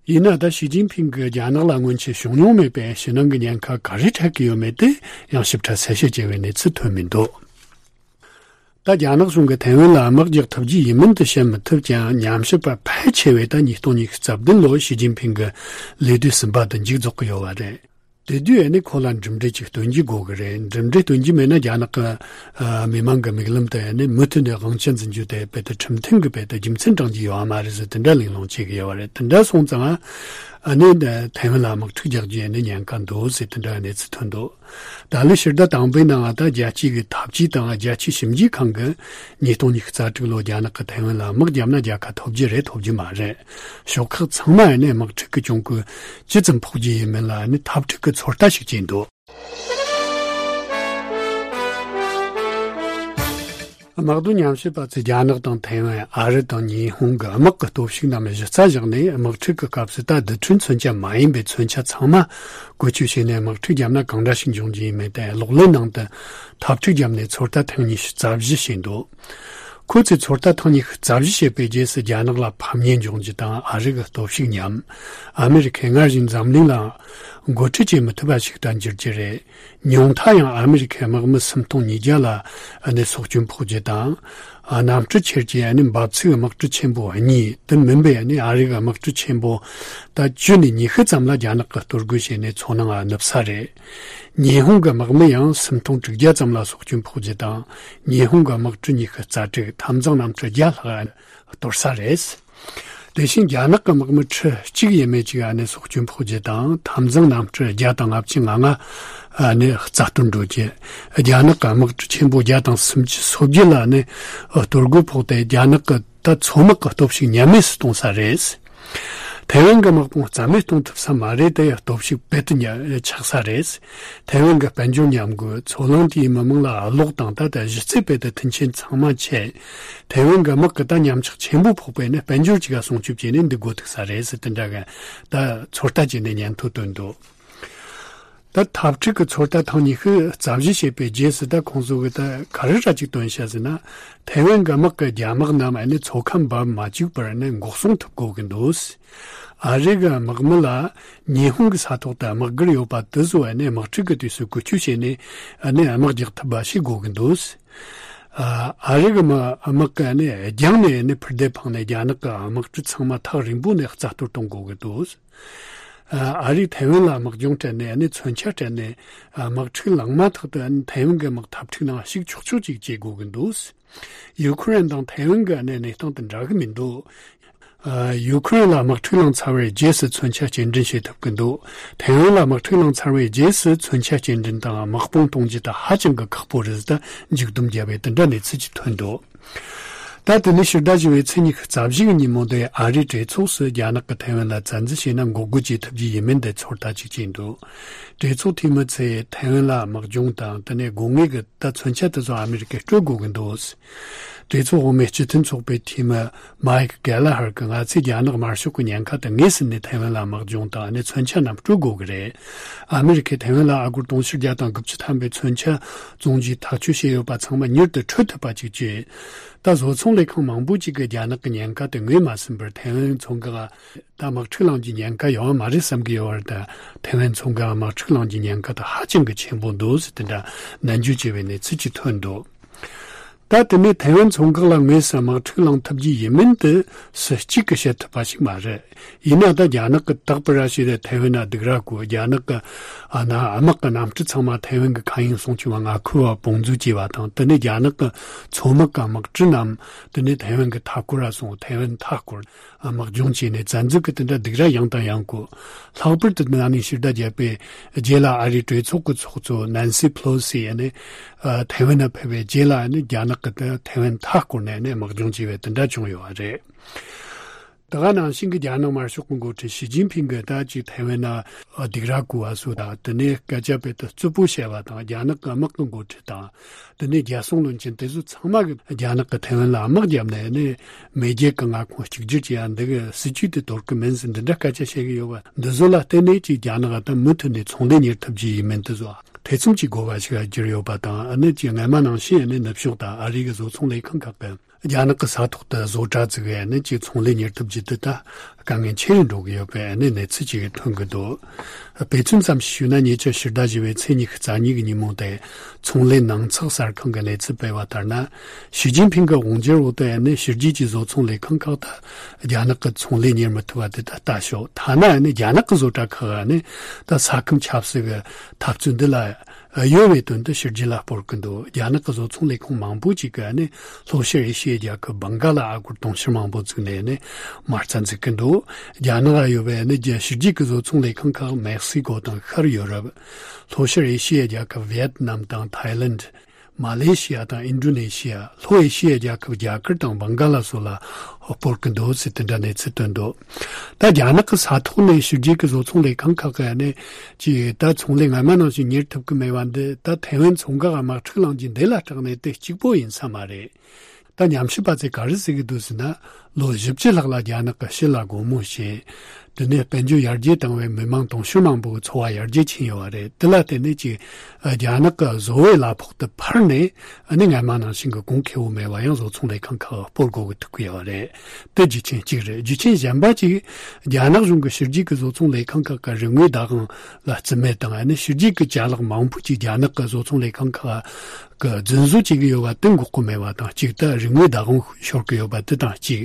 ཡིན་ན་ད་ཞི་ཅིན་ཕིང་གིས་རྒྱ་ནག་ལ་སྔོན་ཆད་བྱུང་མྱོང་མེད་པའི་ཕྱི་ནང་གི་ཉེན་ཁ་ག་རེ་འཕྲད་ཀྱི་ཡོད་མེད་དེ་ཡང་ཞིབ་ཕྲ་གསལ་བཤད་བྱས་པའི་གནས་ཚུལ་ཐོན་མི་འདུག་ད་རྒྱ་ནག་གཞུང་གིས་ཐའེ་ཝན་ལ་དམག་རྒྱག་ཐུབ་རྒྱུ་ཡིན་མིན་དུ་བཤད་མི་ཐུབ་ཀྱང་ཉམས་ཞིབ་པ་ཕལ་ཆེ་བས་ད་ཉིས་སྟོང་ཉི་ཤུ་རྩ་བདུན་ལོར་ཞི་ཅིན་ཕིང་གི་ལས་དུས་གསུམ་པ་དུ་མཇུག་རྫོགས་ཀྱི་ཡོད་པ་རེད། དེ་དུས་ཨ་ནི་ཁོ་ལ་གྲུབ་འབྲས་ཅིག་སྟོན་རྒྱུ་དགོས་ཀྱི་རེད། གྲུབ་འབྲས་སྟོན་རྒྱུ་མེད་ན་རྒྱ་ནག་གི་ཨ་མི་མང་གི་མིག་ལམ་དུ་ཨ་ནི་མུ་མཐུད་ནས་དབང་ཆ་འཛིན་རྒྱུ་དེ་དཔེ་དེ་ཁྲིམས་མཐུན་གྱི་དཔེ་དེ་རྒྱུ་མཚན་འདྲེན་རྒྱུ་ཡོད་མ་རེད་ཟེར་དེ་འདྲ་གླེང་སློང་བྱེད་ཀྱི་ཡོད་པ་རེད། དེ་འདྲ་སོང་ཙང་ཨ་ནི་ཐའེ་ཝན་ལ་དམག་འཁྲུག་རྒྱག་རྒྱུ་ཨ་ནི་ཉེན་ཁ་འདུག་ཟེར་དེ་འདྲ་གནས་ཚུལ་ཐོན་འདུག་ད་ལོའི་ཕྱི་ཟླ་དང་པོའི་ནང་ད་རྒྱལ་སྤྱིའི་གི་འཐབ་ཇུས་དང་རྒྱལ་སྤྱིའི་ཞིབ་འཇུག་ཁང་གིས་ཉིས་སྟོང་ཉི་ཤུ་རྩ་དྲུག་ལོར་རྒྱ་ནག་གིས་ཐའེ་ཝན་ལ་དམག་བརྒྱབ་ན་རྒྱལ་ཁ་ཐོབ་རྒྱུ་རེད་ཐོབ་རྒྱུ་མ་རེད། ཕྱོགས་ཁག་ཚང་མ་ནས་དམག་འཁྲུག་གི་གྱོང་གུན་ཇི་ཙམ་ཕོག་རྒྱུ་ཡིན་མིན་ལ་ནི་འཐབ་འཁྲུག་གི་ཚོད་ལྟ་ཞིག་བྱས་འདུག་དམག་དོན་ཉམས་ཞིབ་པ་ཚོས་རྒྱ་ནག་དང་ཐའེ་ཝན། ཨ་རི་དང་ཉི་ཧོང་གི་དམག་གི་སྟོབས་ཤུགས་རྣམས་གཞི་རྩ་བཞག་ནས་དམག་འཁྲུག་གི་སྐབས་སུ་ད་རྡུལ་ཕྲན་མཚོན་ཆ་མ་ཡིན་པའི་མཚོན་ཆ་ཚང་མ་བཀོལ་སྤྱོད་བྱས་ནས་དམག་འཁྲུག་བརྒྱབ་ན་གང་འདྲ་ཞིག་འབྱུང་རྒྱུ་ཡིན་མིན་དེ་གློག་ཀླད་ནང་དུ་འཐབ་འཁྲུག་བརྒྱབ་ནས་ཚོད་ལྟ་ཐེངས་ཉི་ཤུ་རྩ་བཞི་བྱས་འདུག་ཁོ་ཚོས་ཚོད་ལྟ་ཐེངས་ཉི་ཤུ་རྩ་བཞི་བྱས་པའི་རྗེས་སུ་རྒྱ་ནག་ལ་ཕམ་ཉེས་འབྱུང་རྒྱུ་དང་ཨ་རི་གི་སྟོབས་ཤུགས་ཉམས། ཨ་མེ་རི་ཁས་སྔར་བཞིན་འཛམ་གླིང་ལ་འགོ་ཁྲིད་བྱེད་མི་ཐུབ་པ་ཞིག་ཏུ་འགྱུར་རྒྱུ་རེད། ཉུང་མཐའ་ཡང་ཨ་མེ་རི་ཁའི་དམག་མི་སུམ་སྟོང་ཉིས་བརྒྱ་ལ་ཨ་ནི་སྲོག་སྐྱོན་ཕོག་རྒྱུ་དང་། ཨ་གནམ་གྲུ་ཁྱེར་གྱི་ཨ་ནི་འབབ་ཚིགས་དམག་གྲུ་ཆེན་པོ་གཉིས་དེ་མིན་པའི་ཨ་ནི་ཨ་རི་གི་དམག་གྲུ་ཆེན་པོ་ད་བཅུ་ནས་ཉི་ཤུ་ཙམ་ལ་རྒྱ་ནག་གིས་གཏོར་རྒོལ་བྱས་ནས་མཚོ་ནང་ཨ་ནུབ་ས་རེད། ཉི་ཧོང་གི་དམག་མི་ཡང་སུམ་སྟོང་དྲུག་བརྒྱ་ཙམ་ལ་སྲོག་སྐྱོན་ཕོག་རྒྱུ་དང་། ཉི་ཧོང་གི་དམག་གྲུ་ཉི་ཤུ་རྩ་དྲུག་འཐབ་འཛིང་གནམ་གྲུ་བརྒྱ་ལྷག་གཏོར་ས་རེད། དེ་བཞིན་རྒྱ་ནག་གི་དམག་མི་ཁྲི་གཅིག་ཡས་མས་ཅིག་ཨ་ནི་སྲོག་སྐྱོན་ཕོག་རྒྱུ་དང་འཐབ་འཛིང་གནམ་གྲུ་བརྒྱ་དང་ལྔ་བཅུ་ང་ལྔ་ཨ་ནི་རྩ་གཏོར་འགྲོ་རྒྱུ། རྒྱ་ནག་གི་དམག་གྲུ་ཆེན་པོ་བརྒྱ་དང་སུམ་ཅུ་སོ་བརྒྱད་ལ་ཨ་ནི་གཏོར་རྒོལ་ཕོག་སྟེ་རྒྱ་ནག་གི་ད་མཚོ་དམག་གི་སྟོབས་ཤུགས་ཉམས་དམས་སུ་གཏོང་ས་རེད། ཐའེ་ཝན་གྱི་དམག་དཔུང་རྩ་མེད་གཏོང་ཐུབ་ས་མ་རེད་དེ་སྟོབས་ཤུགས་དཔེ་དུ་ཉ་ཆག་ས་རེད། ཐའེ་ཝན་གྱི་དཔལ་འབྱོར་ཉམས་རྒུད། མཚོ་གླིང་དེའི་མི་མང་ལ་གློག་དང་ད་ལྟ་གཞི་རྩའི་དཔེ་དེ་མཐུན་རྐྱེན་ཚང་མ་ཆད། ཐའེ་ཝན་གྱི་དམག་གི་ད་ཉམས་ཆག་ཆེན་པོ་ཕོག་པས་ནི་དཔལ་འབྱོར་གཅིག་ག་སྲུང་སྐྱོབ་བྱས་ནས་འདུག་དགོས་ཐུག་ས་རེད་ཟེར་དེ་འདྲ་གི་ད་ཚོད་ལྟ་བྱས་ནས་སྙན་ཐོ་བཏོན་འདུག་ད་འཐབ་འཁྲུག་གི་ཚོད་ལྟ་ཐེངས་ཉི་ཤུ་རྩ་བཞི་བྱས་པའི་རྗེས་སུ་ད་ཁོང་ཚོ་གི་ད་ག་རེ་ར་ཅིག་བཏོན་བྱ་ཟེར་ན། ཐའེ་ཝན་གྱི་དམག་གི་རྒྱ་དམག་རྣམས་ནི་མཚོ་ཁ་འབབ་མ་བཅུག་པར་ནི་འགོག་སྲུང་ཐུབ་དགོས་ཀྱི་འདུག་ཨ་རི་གི་དམག་མི་ལ་ཉི་ཧོང་གི་ས་ཐོག་ཏུ་དམག་སྒར་ཡོད་པ་དེ་ཚོ་ནི་དམག་འཁྲུག་གི་དུས་སུ་བཀོལ་སྤྱོད་བྱས་ནས་ནི་དམག་རྒྱག་ཐུབ་པ་ཞིག་དགོས་ཀྱི་འདུག་ཨ་རི་གི་དམག་གི་ནི་རྒྱང་ནས་ནི་འཕུར་མདེལ་འཕངས་ནས་རྒྱ་ནག་གི་དམག་གྲུ་ཚང་མ་ཐག་རིང་པོ་ནས་རྩ་གཏོར་གཏོང་དགོས་ཀྱི་འདུག་ཨ་རིས་ཐའེ་ཝན་ལ་དམག་སྦྱོང་སྤྲད་ནས་ནི་མཚོན་ཆ་སྤྲད་ནས་དམག་འཁྲུག་ལངས་མ་ཐག་ཏུ་ཐའེ་ཝན་གྱི་དམག་འཐབ་འཁྲུག་ནང་ཞུགས་ཆོག་ཆོག་ཅིག་བྱེད་དགོས་ཀྱི་འདུག་ཡུ་ཁུ་རེན་དང་ཐའེ་ཝན་གྱི་གནས་གནས་སྟངས་དེ་འདྲ་གི་མི་འདུག་ཡུ་ཁུ་རེན་ལ་དམག་འཁྲུག་ལངས་ཚར་བའི་རྗེས་སུ་མཚོན་ཆ་སྐྱེལ་འདྲེན་བྱེད་ཐུབ་ཀྱི་འདུག་ཐའེ་ཝན་ལ་དམག་འཁྲུག་ལངས་ཚར་བའི་རྗེས་སུ་མཚོན་ཆ་སྐྱེལ་འདྲེན་དང་དམག་དཔུང་གཏོང་རྒྱུ་དེ་ཧ་ཅང་གི་ཁག་པོ་རེད་ཟེར་ད་མཇུག་སྡོམ་བརྒྱབ་པའི་དེ་འདྲ་གནས་ཚུལ་ཅིག་ཐོན་འདུག་ད་དེ་ནས་ཕྱི་ཟླ་བཞི་པའི་ཚེས་ཉི་ཤུ་རྩ་བཞི་གི་ཉིན་མོ་དེ་ཨ་རིའི་གྲོས་ཚོགས་སུ་རྒྱ་ནག་གིས་ཐའེ་ཝན་ལ་བཙན་འཛུལ་བྱས་ན་འགོག་རྒོལ་བྱེད་ཐུབ་རྒྱུ་ཡིན་མིན་དེ་ཚོད་ལྟ་ཅིག་བྱས་འདུག་གྲོས་ཚོགས་འཐུས་མི་ཚོས་ཐའེ་ཝན་ལ་དམག་སྦྱོང་དང་དེ་ནས་དགོས་ངེས་ཀྱི་ད་མཚོན་ཆ་དེ་ཚོ་ཨ་མི་རི་ཀས་སྤྲོད་དགོས་ཀྱི་འདུག་གྲོས་ཚོགས་འོག་མའི་སྤྱི་མཐུན་ཚོགས་པའི་འཐུས་མི་མཱིག་གེ་ལ་ཧར་གྱིས་ང་ཚོས་རྒྱ་ནག་དམར་ཤོག་གི་ཉེན་ཁ་དེ་ངེས་ཟིན་ནས་ཐའེ་ཝན་ལ་དམག་སྦྱོང་དང་ནས་མཚོན་ཆ་རྣམས་སྤྲོད་དགོས་ཀྱི་རེད། ཨ་མི་རི་ཀས་ཐའེ་ཝན་ལ་ཨ་སྒོར་དུང་ཕྱུར་བརྒྱ་དང་དགུ་བཅུ་ཐམ་པའི་མཚོན་ཆ་བཙོང་རྒྱུའི་ཐག་གཅོད་བྱས་ཡོད་པ་ཚང་མ་མྱུར་དུ་འཕྲོད་ཐུབ་པ་ཅིག་བྱས། ད་བཟོ་ཚོང་ལས་ཁང་མང་པོ་ཅིག་གིས་རྒྱ་ནག་གི་ཉེན་ཁ་དེ་ངོས་མ་ཟིན་པར་ཐའེ་ཝན་མཚོ་འགག་ད་དམག་འཁྲུག་ལངས་རྒྱུའི་ཉེན་ཁ་ཡོད་མ་རེད་བསམ་གྱི་ཡོད་པར། ད་ཐའེ་ཝན་མཚོ་འགག་དམག་འཁྲུག་ལངས་རྒྱུའི་ཉེན་ཁ་དེ་ཧ་ཅང་གི་ཆེན་པོ་འདུག་ཟེར་དེ་འདྲ་ནན་བརྗོད་བྱས་པའི་གནས་ཚུལ་ཅིག་ཐོན་འདུག་ད་དེ་ནས་ཐའེ་ཝན་མཚོ་འགག་ལ་དངོས་སུ་དམག་འཁྲུག་ལངས་ཐུབ་རྒྱུ་ཡིན་མིན་དེ་སུ་གཅིག་གིས་བཤད་ཐུབ་པ་ཞིག་མ་རེད། ཡིན་ན་ད་རྒྱ་ནག་གིས་རྟག་པར་ར་ཤི་རེ་ཐའེ་ཝན་ན་སྡུག་ར་བསྐུལ། རྒྱ་ནག་གི་ཨ་ན་དམག་གི་གནམ་གྲུ་ཚང་མ་ཐའེ་ཝན་གྱི་མཁའ་དབྱིངས་སྲུང་སྐྱོབ་པ་མངའ་ཁུལ་བ་དཔུང་འཛུལ་བྱས་པ་དང་། དེ་ནས་རྒྱ་ནག་གི་མཚོ་དམག་གི་དམག་གྲུ་རྣམས་དེ་ནས་ཐའེ་ཝན་གྱི་མཐའ་སྐོར་ར་སོང་། ཐའེ་ཝན་མཐའ་སྐོར་དམག་སྦྱོང་བྱས་ནས་བཙན་འཛུལ་གྱི་དེ་འདྲ་སྡུག་ར་ཡང་དང་ཡང་བསྐུལ། ལྷག་པར་དུ་ན་ནིང་ཕྱི་ཟླ་བརྒྱད་པའི་རྗེས་ལ་ཨ་རིའི་གྲོས་ཚོགས་ཀྱི་ཚོགས་གཙོ་ནན་སི་ཕེ་ལོ་སི་ཡིས་ནི་ཨ་ཐའེ་ཝན་ན་ཕེབས་པའི་རྗེས་ལ་ནི་རྒྱ་ནག་གིས་ད་ཐའེ་ཝན་མཐའ་བསྐོར་ནས་ནི་དམག་སྦྱོང་བྱས་པའི་དེ་འདྲ་བྱུང་ཡོད་པ་རེད། ད་ག་ནང་བཞིན་གྱི་རྒྱ་ནག་དམར་ཤོག་གི་འགོ་ཁྲིད་ཞི་ཅིན་ཕིང་གིས་ད་ཅིག་ཐའེ་ཝན་ན་སྡུག་ར་བསྐུལ་བ་སོགས་དང་། དེ་ནས་སྐད་ཆ་དཔེ་དེ་རྩུབ་པོ་བཤད་པ་དང་། རྒྱ་ནག་གི་དམག་གི་འགོ་ཁྲིད་དང་། དེ་ནས་རྒྱལ་སྲུང་བློན་ཆེན་དེ་ཚོ་ཚང་མ་གིས་རྒྱ་ནག་གིས་ཐའེ་ཝན་ལ་དམག་བརྒྱབ་ནས་ནི་མེས་རྒྱལ་གྱི་མངའ་ཁོངས་གཅིག་གྱུར་བྱེད་ཡ་འདི་གི་སྲིད་ཇུས་དེ་དོར་གི་མིན་ཟེར་འདི་འདྲ་སྐད་ཆ་བཤད་གི་ཡོད་པ། འདི་ཚོ་ལ་བརྟེན་ནས་ཅིག་རྒྱ་ནག་ད་མུ་མཐུད་ནས་ཚོང་ལས་གཉེར་ཐུབ་རྒྱུ་ཡིན་མིན་དེ་ཚོ་ཐེ་ཚོམ་གྱི་དགོས་པ་ཞིག་གྱུར་ཡོད་པ་དང་། ཨ་ནི་ཅིག་སྔ་མ་ནང་བཞིན་ཨ་ནི་ནུབ་ཕྱོགས་དང་ཨ་རི་གི་བཟོ་ཚོང་ལས་ཁང་ཁག་གིས་རྒྱ་ནག་གི་ས་ཐོག་ཏུ་བཟོ་གྲྭ་བཙུགས་པའི་ནི་ཅིག་ཚོང་ལས་གཉེར་ཐུབ་རྒྱུ་དེ་ད་དཀའ་ངལ་ཆེ་རུ་འགྲོ་གི་ཡོད་པའི་ནི་གནས་ཚུལ་ཅིག་ཐོན་གི་འདུག་དཔེ་མཚོན་ཙམ་ཞིག་ཞུས་ན། ཉེ་ཆར་ཕྱི་ཟླ་བཞི་པའི་ཚེས་ཉི་ཤུ་རྩ་གཉིས་ཀྱི་ཉིན་མོ་དེ་ཚོང་ལས་ནང་ཚགས་གསར་ཁང་གིས་གནས་ཚུལ་སྤེལ་བ་ལྟར་ན། ཞི་ཅིན་ཕིང་གི་དབང་སྒྱུར་འོག་ཏུ་ནི་ཕྱི་རྒྱལ་གྱི་བཟོ་ཚོང་ལས་ཁང་ཁག་ད་རྒྱ་ནག་གི་ཚོང་ལས་གཉེར་མི་ཐུབ་པ་དེ་ད་ལྟ་ཞོག་ཐ་ན་ནི་རྒྱ་ནག་གི་བཟོ་གྲྭ་ཁག་ནི་ད་ས་ཁམས་ཆབ་སྲིད་ཀྱི་འཐབ་རྩོད་འདི་ལ་གཡོལ་བའི་དོན་དུ་ཕྱི་རྒྱལ་ལ་སྤོར་གི་འདུག་རྒྱ་ནག་གི་བཟོ་ཚོང་ལས་ཁང་མང་པོ་ཅིག་གིས་ནི་ལྷོ་ཤར་ཨེ་ཤི་ཡའི་རྒྱལ་ཁབ་བང་ག་ལ་ཨ་སྒོར་དུང་ཕྱུར་མང་པོ་བཙུགས་ནས་ནི་མ་རྩ་འཛུགས་ཀྱི་འདུག་རྒྱ་ནག་ལ་ཡོད་པའི་ནི་རྒྱ་ཕྱི་རྒྱལ་གྱི་བཟོ་ཚོང་ལས་ཁང་ཁག་མེག་སི་ཀོ་དང་ཤར་ཡོ་རོབ། ལྷོ་ཤར་ཨེ་ཤི་ཡའི་རྒྱལ་ཁབ་ཝི་ཡེད་ནམ་དང་ཐའི་ལེན། མ་ལེ་ཤི་ཡ་དང་ཨིན་ཌོ་ནེ་ཤི་ཡ། ལྷོ་ཨེ་ཤི་ཡའི་རྒྱལ་ཁབ་རྒྱ་གར་དང་བང་ག་ལ་སོགས་ལ་སྤོར་གྱི་འདུག་ཟེར་དེ་འདྲ་གནས་ཚུལ་བཏོན་འདུག་ད་རྒྱ་ནག་གི་ས་ཐོག་ནས་ཕྱི་རྒྱལ་གྱི་བཟོ་ཚོང་ལས་ཁང་ཁག་གིས་ནི་ཅིག་ད་ཚོང་ལས་སྔ་མ་ནང་བཞིན་གཉེར་ཐུབ་ཀྱི་མེད་པ་འདི། ད་ཐའེ་ཝན་མཚོ་འགག་དམག་འཁྲུག་ལངས་རྒྱུ་འདི་ལ་སྐྲག་ནས་དེ་གཅིག་པོ་ཡིན་ས་མ་རེད། ད་ཉམས་ཞིབ་པ་ཚོས་ག་རེ་ཟེར་གྱི་འདུག་ཟེར་ན། ལོ་བཞི་བཅུ་ལྷག་ལ་རྒྱ་ནག་གིས་ཕྱི་ལ་སྒོ་མོ་ཕྱེ། དེ་ནས་དཔལ་འབྱོར་ཡར་རྒྱས་བཏང་བའི་མི་མང་དུང་ཕྱུར་མང་པོའི་འཚོ་བ་ཡར་རྒྱས་ཕྱིན་ཡོད་པ་རེད། དེ་ལ་བརྟེན་ནས་ཅིག་རྒྱ་ནག་གི་བཟོ་བོའི་གླ་ཕོགས་དེ་འཕར་ནས་ཨ་ནི་སྔ་མ་ནང་བཞིན་གྱི་གོང་ཁེ་པོ་མེད་པ་ཡང་བཟོ་ཚོང་ལས་ཁང་ཁག་སྤོར་དགོས་ཀྱི་ཐུག་གི་ཡོད་པ་རེད། དེ་རྒྱུ་རྐྱེན་གཅིག་རེད། རྒྱུ་རྐྱེན་གཞན་པ་ཅིག་རྒྱ་ནག་གཞུང་གིས་ཕྱི་རྒྱལ་གྱི་བཟོ་ཚོང་ལས་ཁང་ཁག་གི་རིན་དངུལ་བདག་དབང་ལ་བརྩི་མེད་དང་། ཨ་ནི་ཕྱི་རྒྱལ་གྱི་ཅ་ལག་མང་པོ་ཅིག་རྒྱ་ནག་གི་བཟོ་ཚོང་ལས་ཁང་ཁག་གི་རྫུན་བཟོ་བྱེད་ཀྱི་ཡོད་པ་དེ་འགོག་གི་མེད་པ་དང་གཅིག་ད་རིན་དངུལ་བདག་དབང་ཤོར་གྱི་ཡོད་པ་དེ་དང་གཅིག་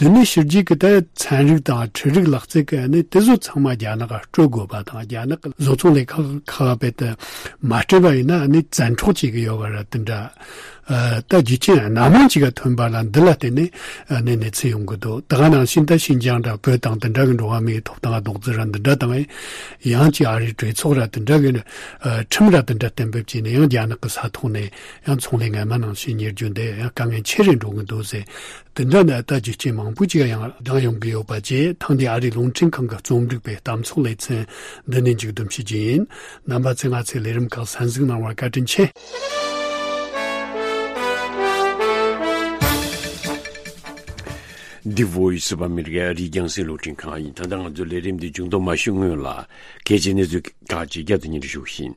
དེ་ནས་ཕྱི་རྒྱལ་གྱི་ད་ཚན་རིག་དང་འཕྲུལ་རིག་ལག་རྩལ་གྱི་ནི་དེ་ཚོ་ཚང་མ་རྒྱ་ནག་ག་སྤྲོད་དགོས་པ་དང་། རྒྱ་ནག་གི་བཟོ་ཚོང་ལས་ཁང་ཁག་རྦད་དེ་མ་སྤྲད་པ་ཡིན་ན་ནི་བཙན་འཕྲོག་བྱེད་ཀྱི་ཡོད་པ་ར་དེ་འདྲ། ཨ་ད་རྒྱུ་རྐྱེན་སྣ་མང་ཅིག་ག་ཐོན་པ་ལ་འདི་ལ་བརྟེན་ནས་ཨ་ནི་གནས་ཚུལ་ཡོང་གི་འདུག་ད་ག་ནང་བཞིན་ད་ཤིན་ཅང་ར་བོད་དང་དེ་འདྲ་གི་འགྲོ་བ་མིའི་ཐོབ་ཐང་རྡོག་རྩ་ར་འདི་འདྲ་དང་། ཡང་ཅིག་ཨ་རིའི་གྲོས་ཚོགས་ར་དེ་འདྲ་གི་ཨ་ཁྲིམས་ར་དེ་འདྲ་གཏན་འབེབས་བྱས་ནས་ཡང་རྒྱ་ནག་གི་ས་ཐོག་ནས་ཡང་ཚོང་ལས་སྔ་མ་ནང་བཞིན་གཉེར་རྒྱུ་འདི་ཡང་དཀའ་ངལ་ཆེ་རུ་འགྲོ་གི་འདུག་ཟེར། དེ་འདྲ་ནི་ད་རྒྱུ་རྐྱེན་མང་པོ་ཅིག་ཡང་ལྡང་ཡོང་གི་ཡོད་པ་བཅས། ཐེངས་འདིའི་ཨ་རིའི་རླུང་འཕྲིན་ཁང་གི་རྩོམ་སྒྲིག་པའི་གཏམ་ཚོགས་ལེ་ཚན་འདི་ནས་མཇུག་བསྡོམས་ཞུ་རྒྱུ་ཡིན། རྣམ་པ་ཚོས་ང་ཚོའི་ལས་རིམ་ཁག་གསན་གཟིགས་གནང་བར་བཀའ་དྲིན་ཆེ། འདི་Voice of America ཨ་རིའི་རྒྱང་སྲིང་རླུང་འཕྲིན་ཁང་ཡིན། ད་ལྟ་ང་ཚོའི་ལས་རིམ་འདི་མཇུག་བསྡོམས་མ་ཞུས་སྔོན་ལ་གལ་ཆེའི་གནས་ཚུལ་ཁག་ཅིག་བསྐྱར་དུ་སྙན་སྒྲོན་ཞུ་བཞིན།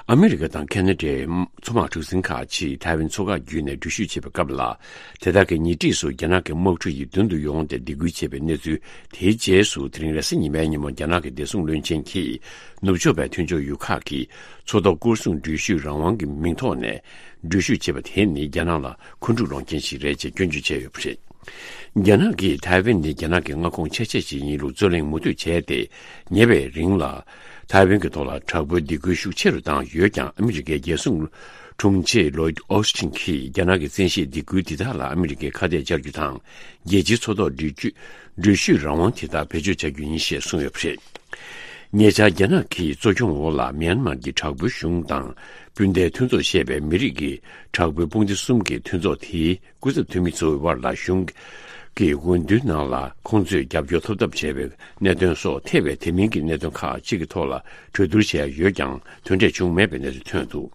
ཨ་མི་རི་ཀ་དང་ཁེ་ན་ཌའི་མཚོ་དམག་གྲུ་གཟིངས་ཁག་ཅིག་ཐའེ་ཝན་མཚོ་འགག་བརྒྱུད་ནས་འགྲུལ་བཞུད་བྱེད་པའི་སྐབས་ལ། དེ་དག་གི་ཉེ་འཁྲིས་སུ་རྒྱ་ནག་གི་དམག་གྲུ་ཡིས་མདུན་དུ་ཡོང་སྟེ་སྡིགས་སྐུལ་བྱས་པའི་གནས་ཚུལ། དེའི་རྗེས་སུ་དེ་རིང་རེས་གཟའ་ཉི་མའི་ཉིན་མོ་རྒྱ་ནག་གི་བདེ་སྲུང་བློན་ཆེན་གྱིས་ནུབ་ཕྱོགས་པའི་མཐུན་ཕྱོགས་ཡུལ་ཁག་གིས་མཚོ་ཐོག་སྐོར་སྲུང་འགྲུལ་བཞུད་རང་དབང་གི་མིང་ཐོག་ནས་འགྲུལ་བཞུད་བྱེད་པ་དེ་ནི་རྒྱ་ནག་ལ་འཁོན་འཁྲུག་སློང་མཁན་ཞིག་རེད་ཅེས་སྐྱོན་བརྗོད་བྱས་ཡོད་པ་རེད། རྒྱ་ནག་གིས་ཐའེ་ཝན་ནི་རྒྱ་ནག་གི་མངའ་ཁོངས་ཆེ་ཤོས་ཤིག་ཡིན་ལུགས་རྩོད་གླེང་མུ་མཐུད་བྱས་ཏེ། ཉེ་བའི་རིང་ལ་ཐའེ་ཝན་གྱི་ཐོག་ལ་དྲག་པོའི་སྡིགས་སྐུལ་ཤུགས་ཆེ་རུ་བཏང་ཡོད་ཀྱང་། ཨ་མི་རི་ཀའི་རྒྱལ་སྲུང་དྲུང་ཆེ་ལོའིད་ཨོ་སི་ཊིན་གྱིས་རྒྱ་ནག་གི་བཙན་ཤེད་སྡིགས་སྐུལ་འདི་དག་ལ་ཨ་མི་རི་ཀས་ཁ་གཏད་བཅར་རྒྱུ་དང་། རྒྱལ་སྤྱིའི་མཚོ་ཐོག་འགྲུལ་སྐྱོད་འགྲུལ་བཞུད་རང་དབང་དེ་དག་བེད་སྤྱོད་བྱ་རྒྱུ་ཡིན་ཞེས་གསུངས་ཡོད་པ་རེད། ཉེ་ཆར་རྒྱ་ནག་གི་གཙོ་སྐྱོང་འོག་ལ་མིའན་མར་གྱི་དྲག་པོའི་གཞུང་དང་སྤུན་ཟླའི་མཐུན་ཚོགས་ཞེས་པའི་མི་རིགས་ཀྱི་དྲག་པོའི་དཔུང་སྡེ་གསུམ་གྱི་མཐུན་ཚོགས་དེའི་སྐུ་ཚབ་འཐུས་མི་ཚོའི་དབར་ལ་གཞུང་གི་འོས་བསྡུའི་ནང་ལ་ཁོང་ཚོས་རྒྱབ་སྐྱོར་ཐོབ་ཐབས་བྱས་པའི་གནད་དོན་སོགས་ཐེ་བའི་དེ་མིན་གྱི་གནད་དོན་ཁག་ཅིག་གི་ཐོག་ལ་གྲོས་བསྡུར་བྱས་ཡོད་ཀྱང་དོན་འབྲས་བྱུང་མེད་པའི་གནས་ཚུལ་ཐོན་འདུག་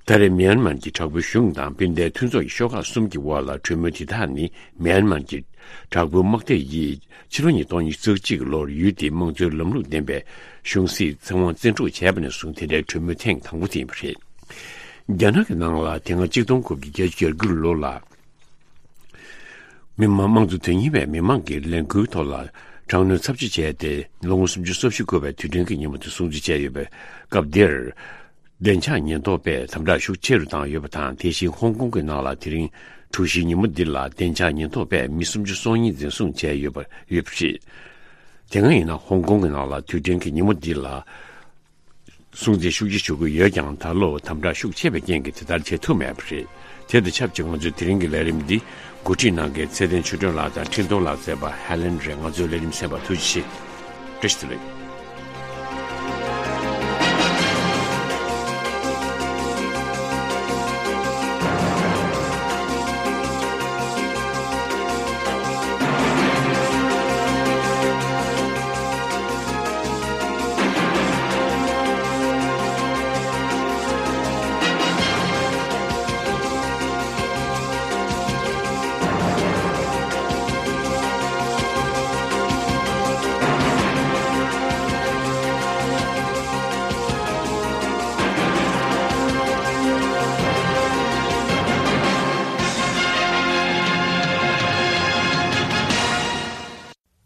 ད་རེས་མིའན་མར་གྱི་དྲག་པོའི་གཞུང་དང་སྤུན་ཟླའི་མཐུན་ཚོགས་ཀྱི་ཤོག་ཁག་གསུམ་གྱི་དབར་ལ་གྲོས་མོལ་དེ་དག་ནི་མིའན་མར་གྱི་དྲག་པོའི་དམག་སྡེ་ཡིས་ཕྱི་ལོ་ཉིས་སྟོང་ཉི་ཤུ་རྩ་གཅིག་ལོར་ཡུལ་དེའི་དམངས་གཙོའི་ལམ་ལུགས་ལྡན་པའི་གཞུང་སྲིད་ཚེ་དབང་བཙན་འཕྲོག་བྱས་པ་ནས་བཟུང་དེ་འདྲའི་གྲོས་མོལ་ཐེངས་དང་པོ་དེ་ཡིན་པ་རེད། རྒྱ་ནག་གི་ནང་ལ་དེ་སྔ་གཅིག་སྟོང་དགུ་བརྒྱ་བརྒྱད་ཅུ་གྱ་དགུ་ལོ་ལ། མི་དམངས་དམངས་གཙོ་དོན་གཉེར་བས་མི་མང་གི་ལས་འགུལ་ཐོག་ལ་དྲག་གནོན་ཚབས་ཆེ་བྱས་ཏེ། ལོ་ངོ་སུམ་ཅུ་སོ་བཞི་འཁོར་བའི་དུས་དྲན་གྱི་ཉིན་མོ་དེ་སྲུང་བརྩི་བྱས་ཡོད་པའི་སྐབས་འདིར། བདེ་འཇགས་ཉེན་རྟོག་པས་དམ་དྲག་ཤུགས་ཆེ་རུ་བཏང་ཡོད་པ་དང་། དེ་བཞིན་ཧོང་ཀོང་གི་ནང་ལ་དེ་རིང་གྲོ་བཞིའི་ཉིན་མོ་འདི་ལ་བདེ་འཇགས་ཉེན་རྟོག་པས་མི་སུམ་ཅུ་སོ་གཉིས་འཛིན་བཟུང་བྱས་ཡོད་པ་ཡོད་པ་རེད། དེ་སྔ་ཡིན་ན་ཧོང་ཀོང་གི་ནང་ལ་དུས་དྲན་གྱི་ཉིན་མོ་འདི་ལ་སྲུང་བརྩི་ཤུགས་ཆེ་ཞུ་གི་ཡོད་ཀྱང་། ད་ལོ་དམ་དྲག་ཤུགས་ཆེ་བའི་རྐྱེན་གྱིས་དེ་ལྟར་བྱེད་ཐུབ་མེད་པ་རེད། དེ་དང་ཆབས་ཅིག་ང་ཚོའི་དེ་རིང་གི་ལས་རིམ་འདི་འགོ་ཁྲིད་གནང་མཁན་ཚེ་བརྟན་ཆོས་སྒྲོན་ལགས་དང་འཕྲིན་གཏོང་ལག་རྩལ་པ་ཧེ་ལེན་རེད། ང་ཚོའི་ལས་རིམ་གསན་པར་ཐུགས་རྗེ་ཆེ། བཀྲ་ཤིས་བདེ་ལེགས།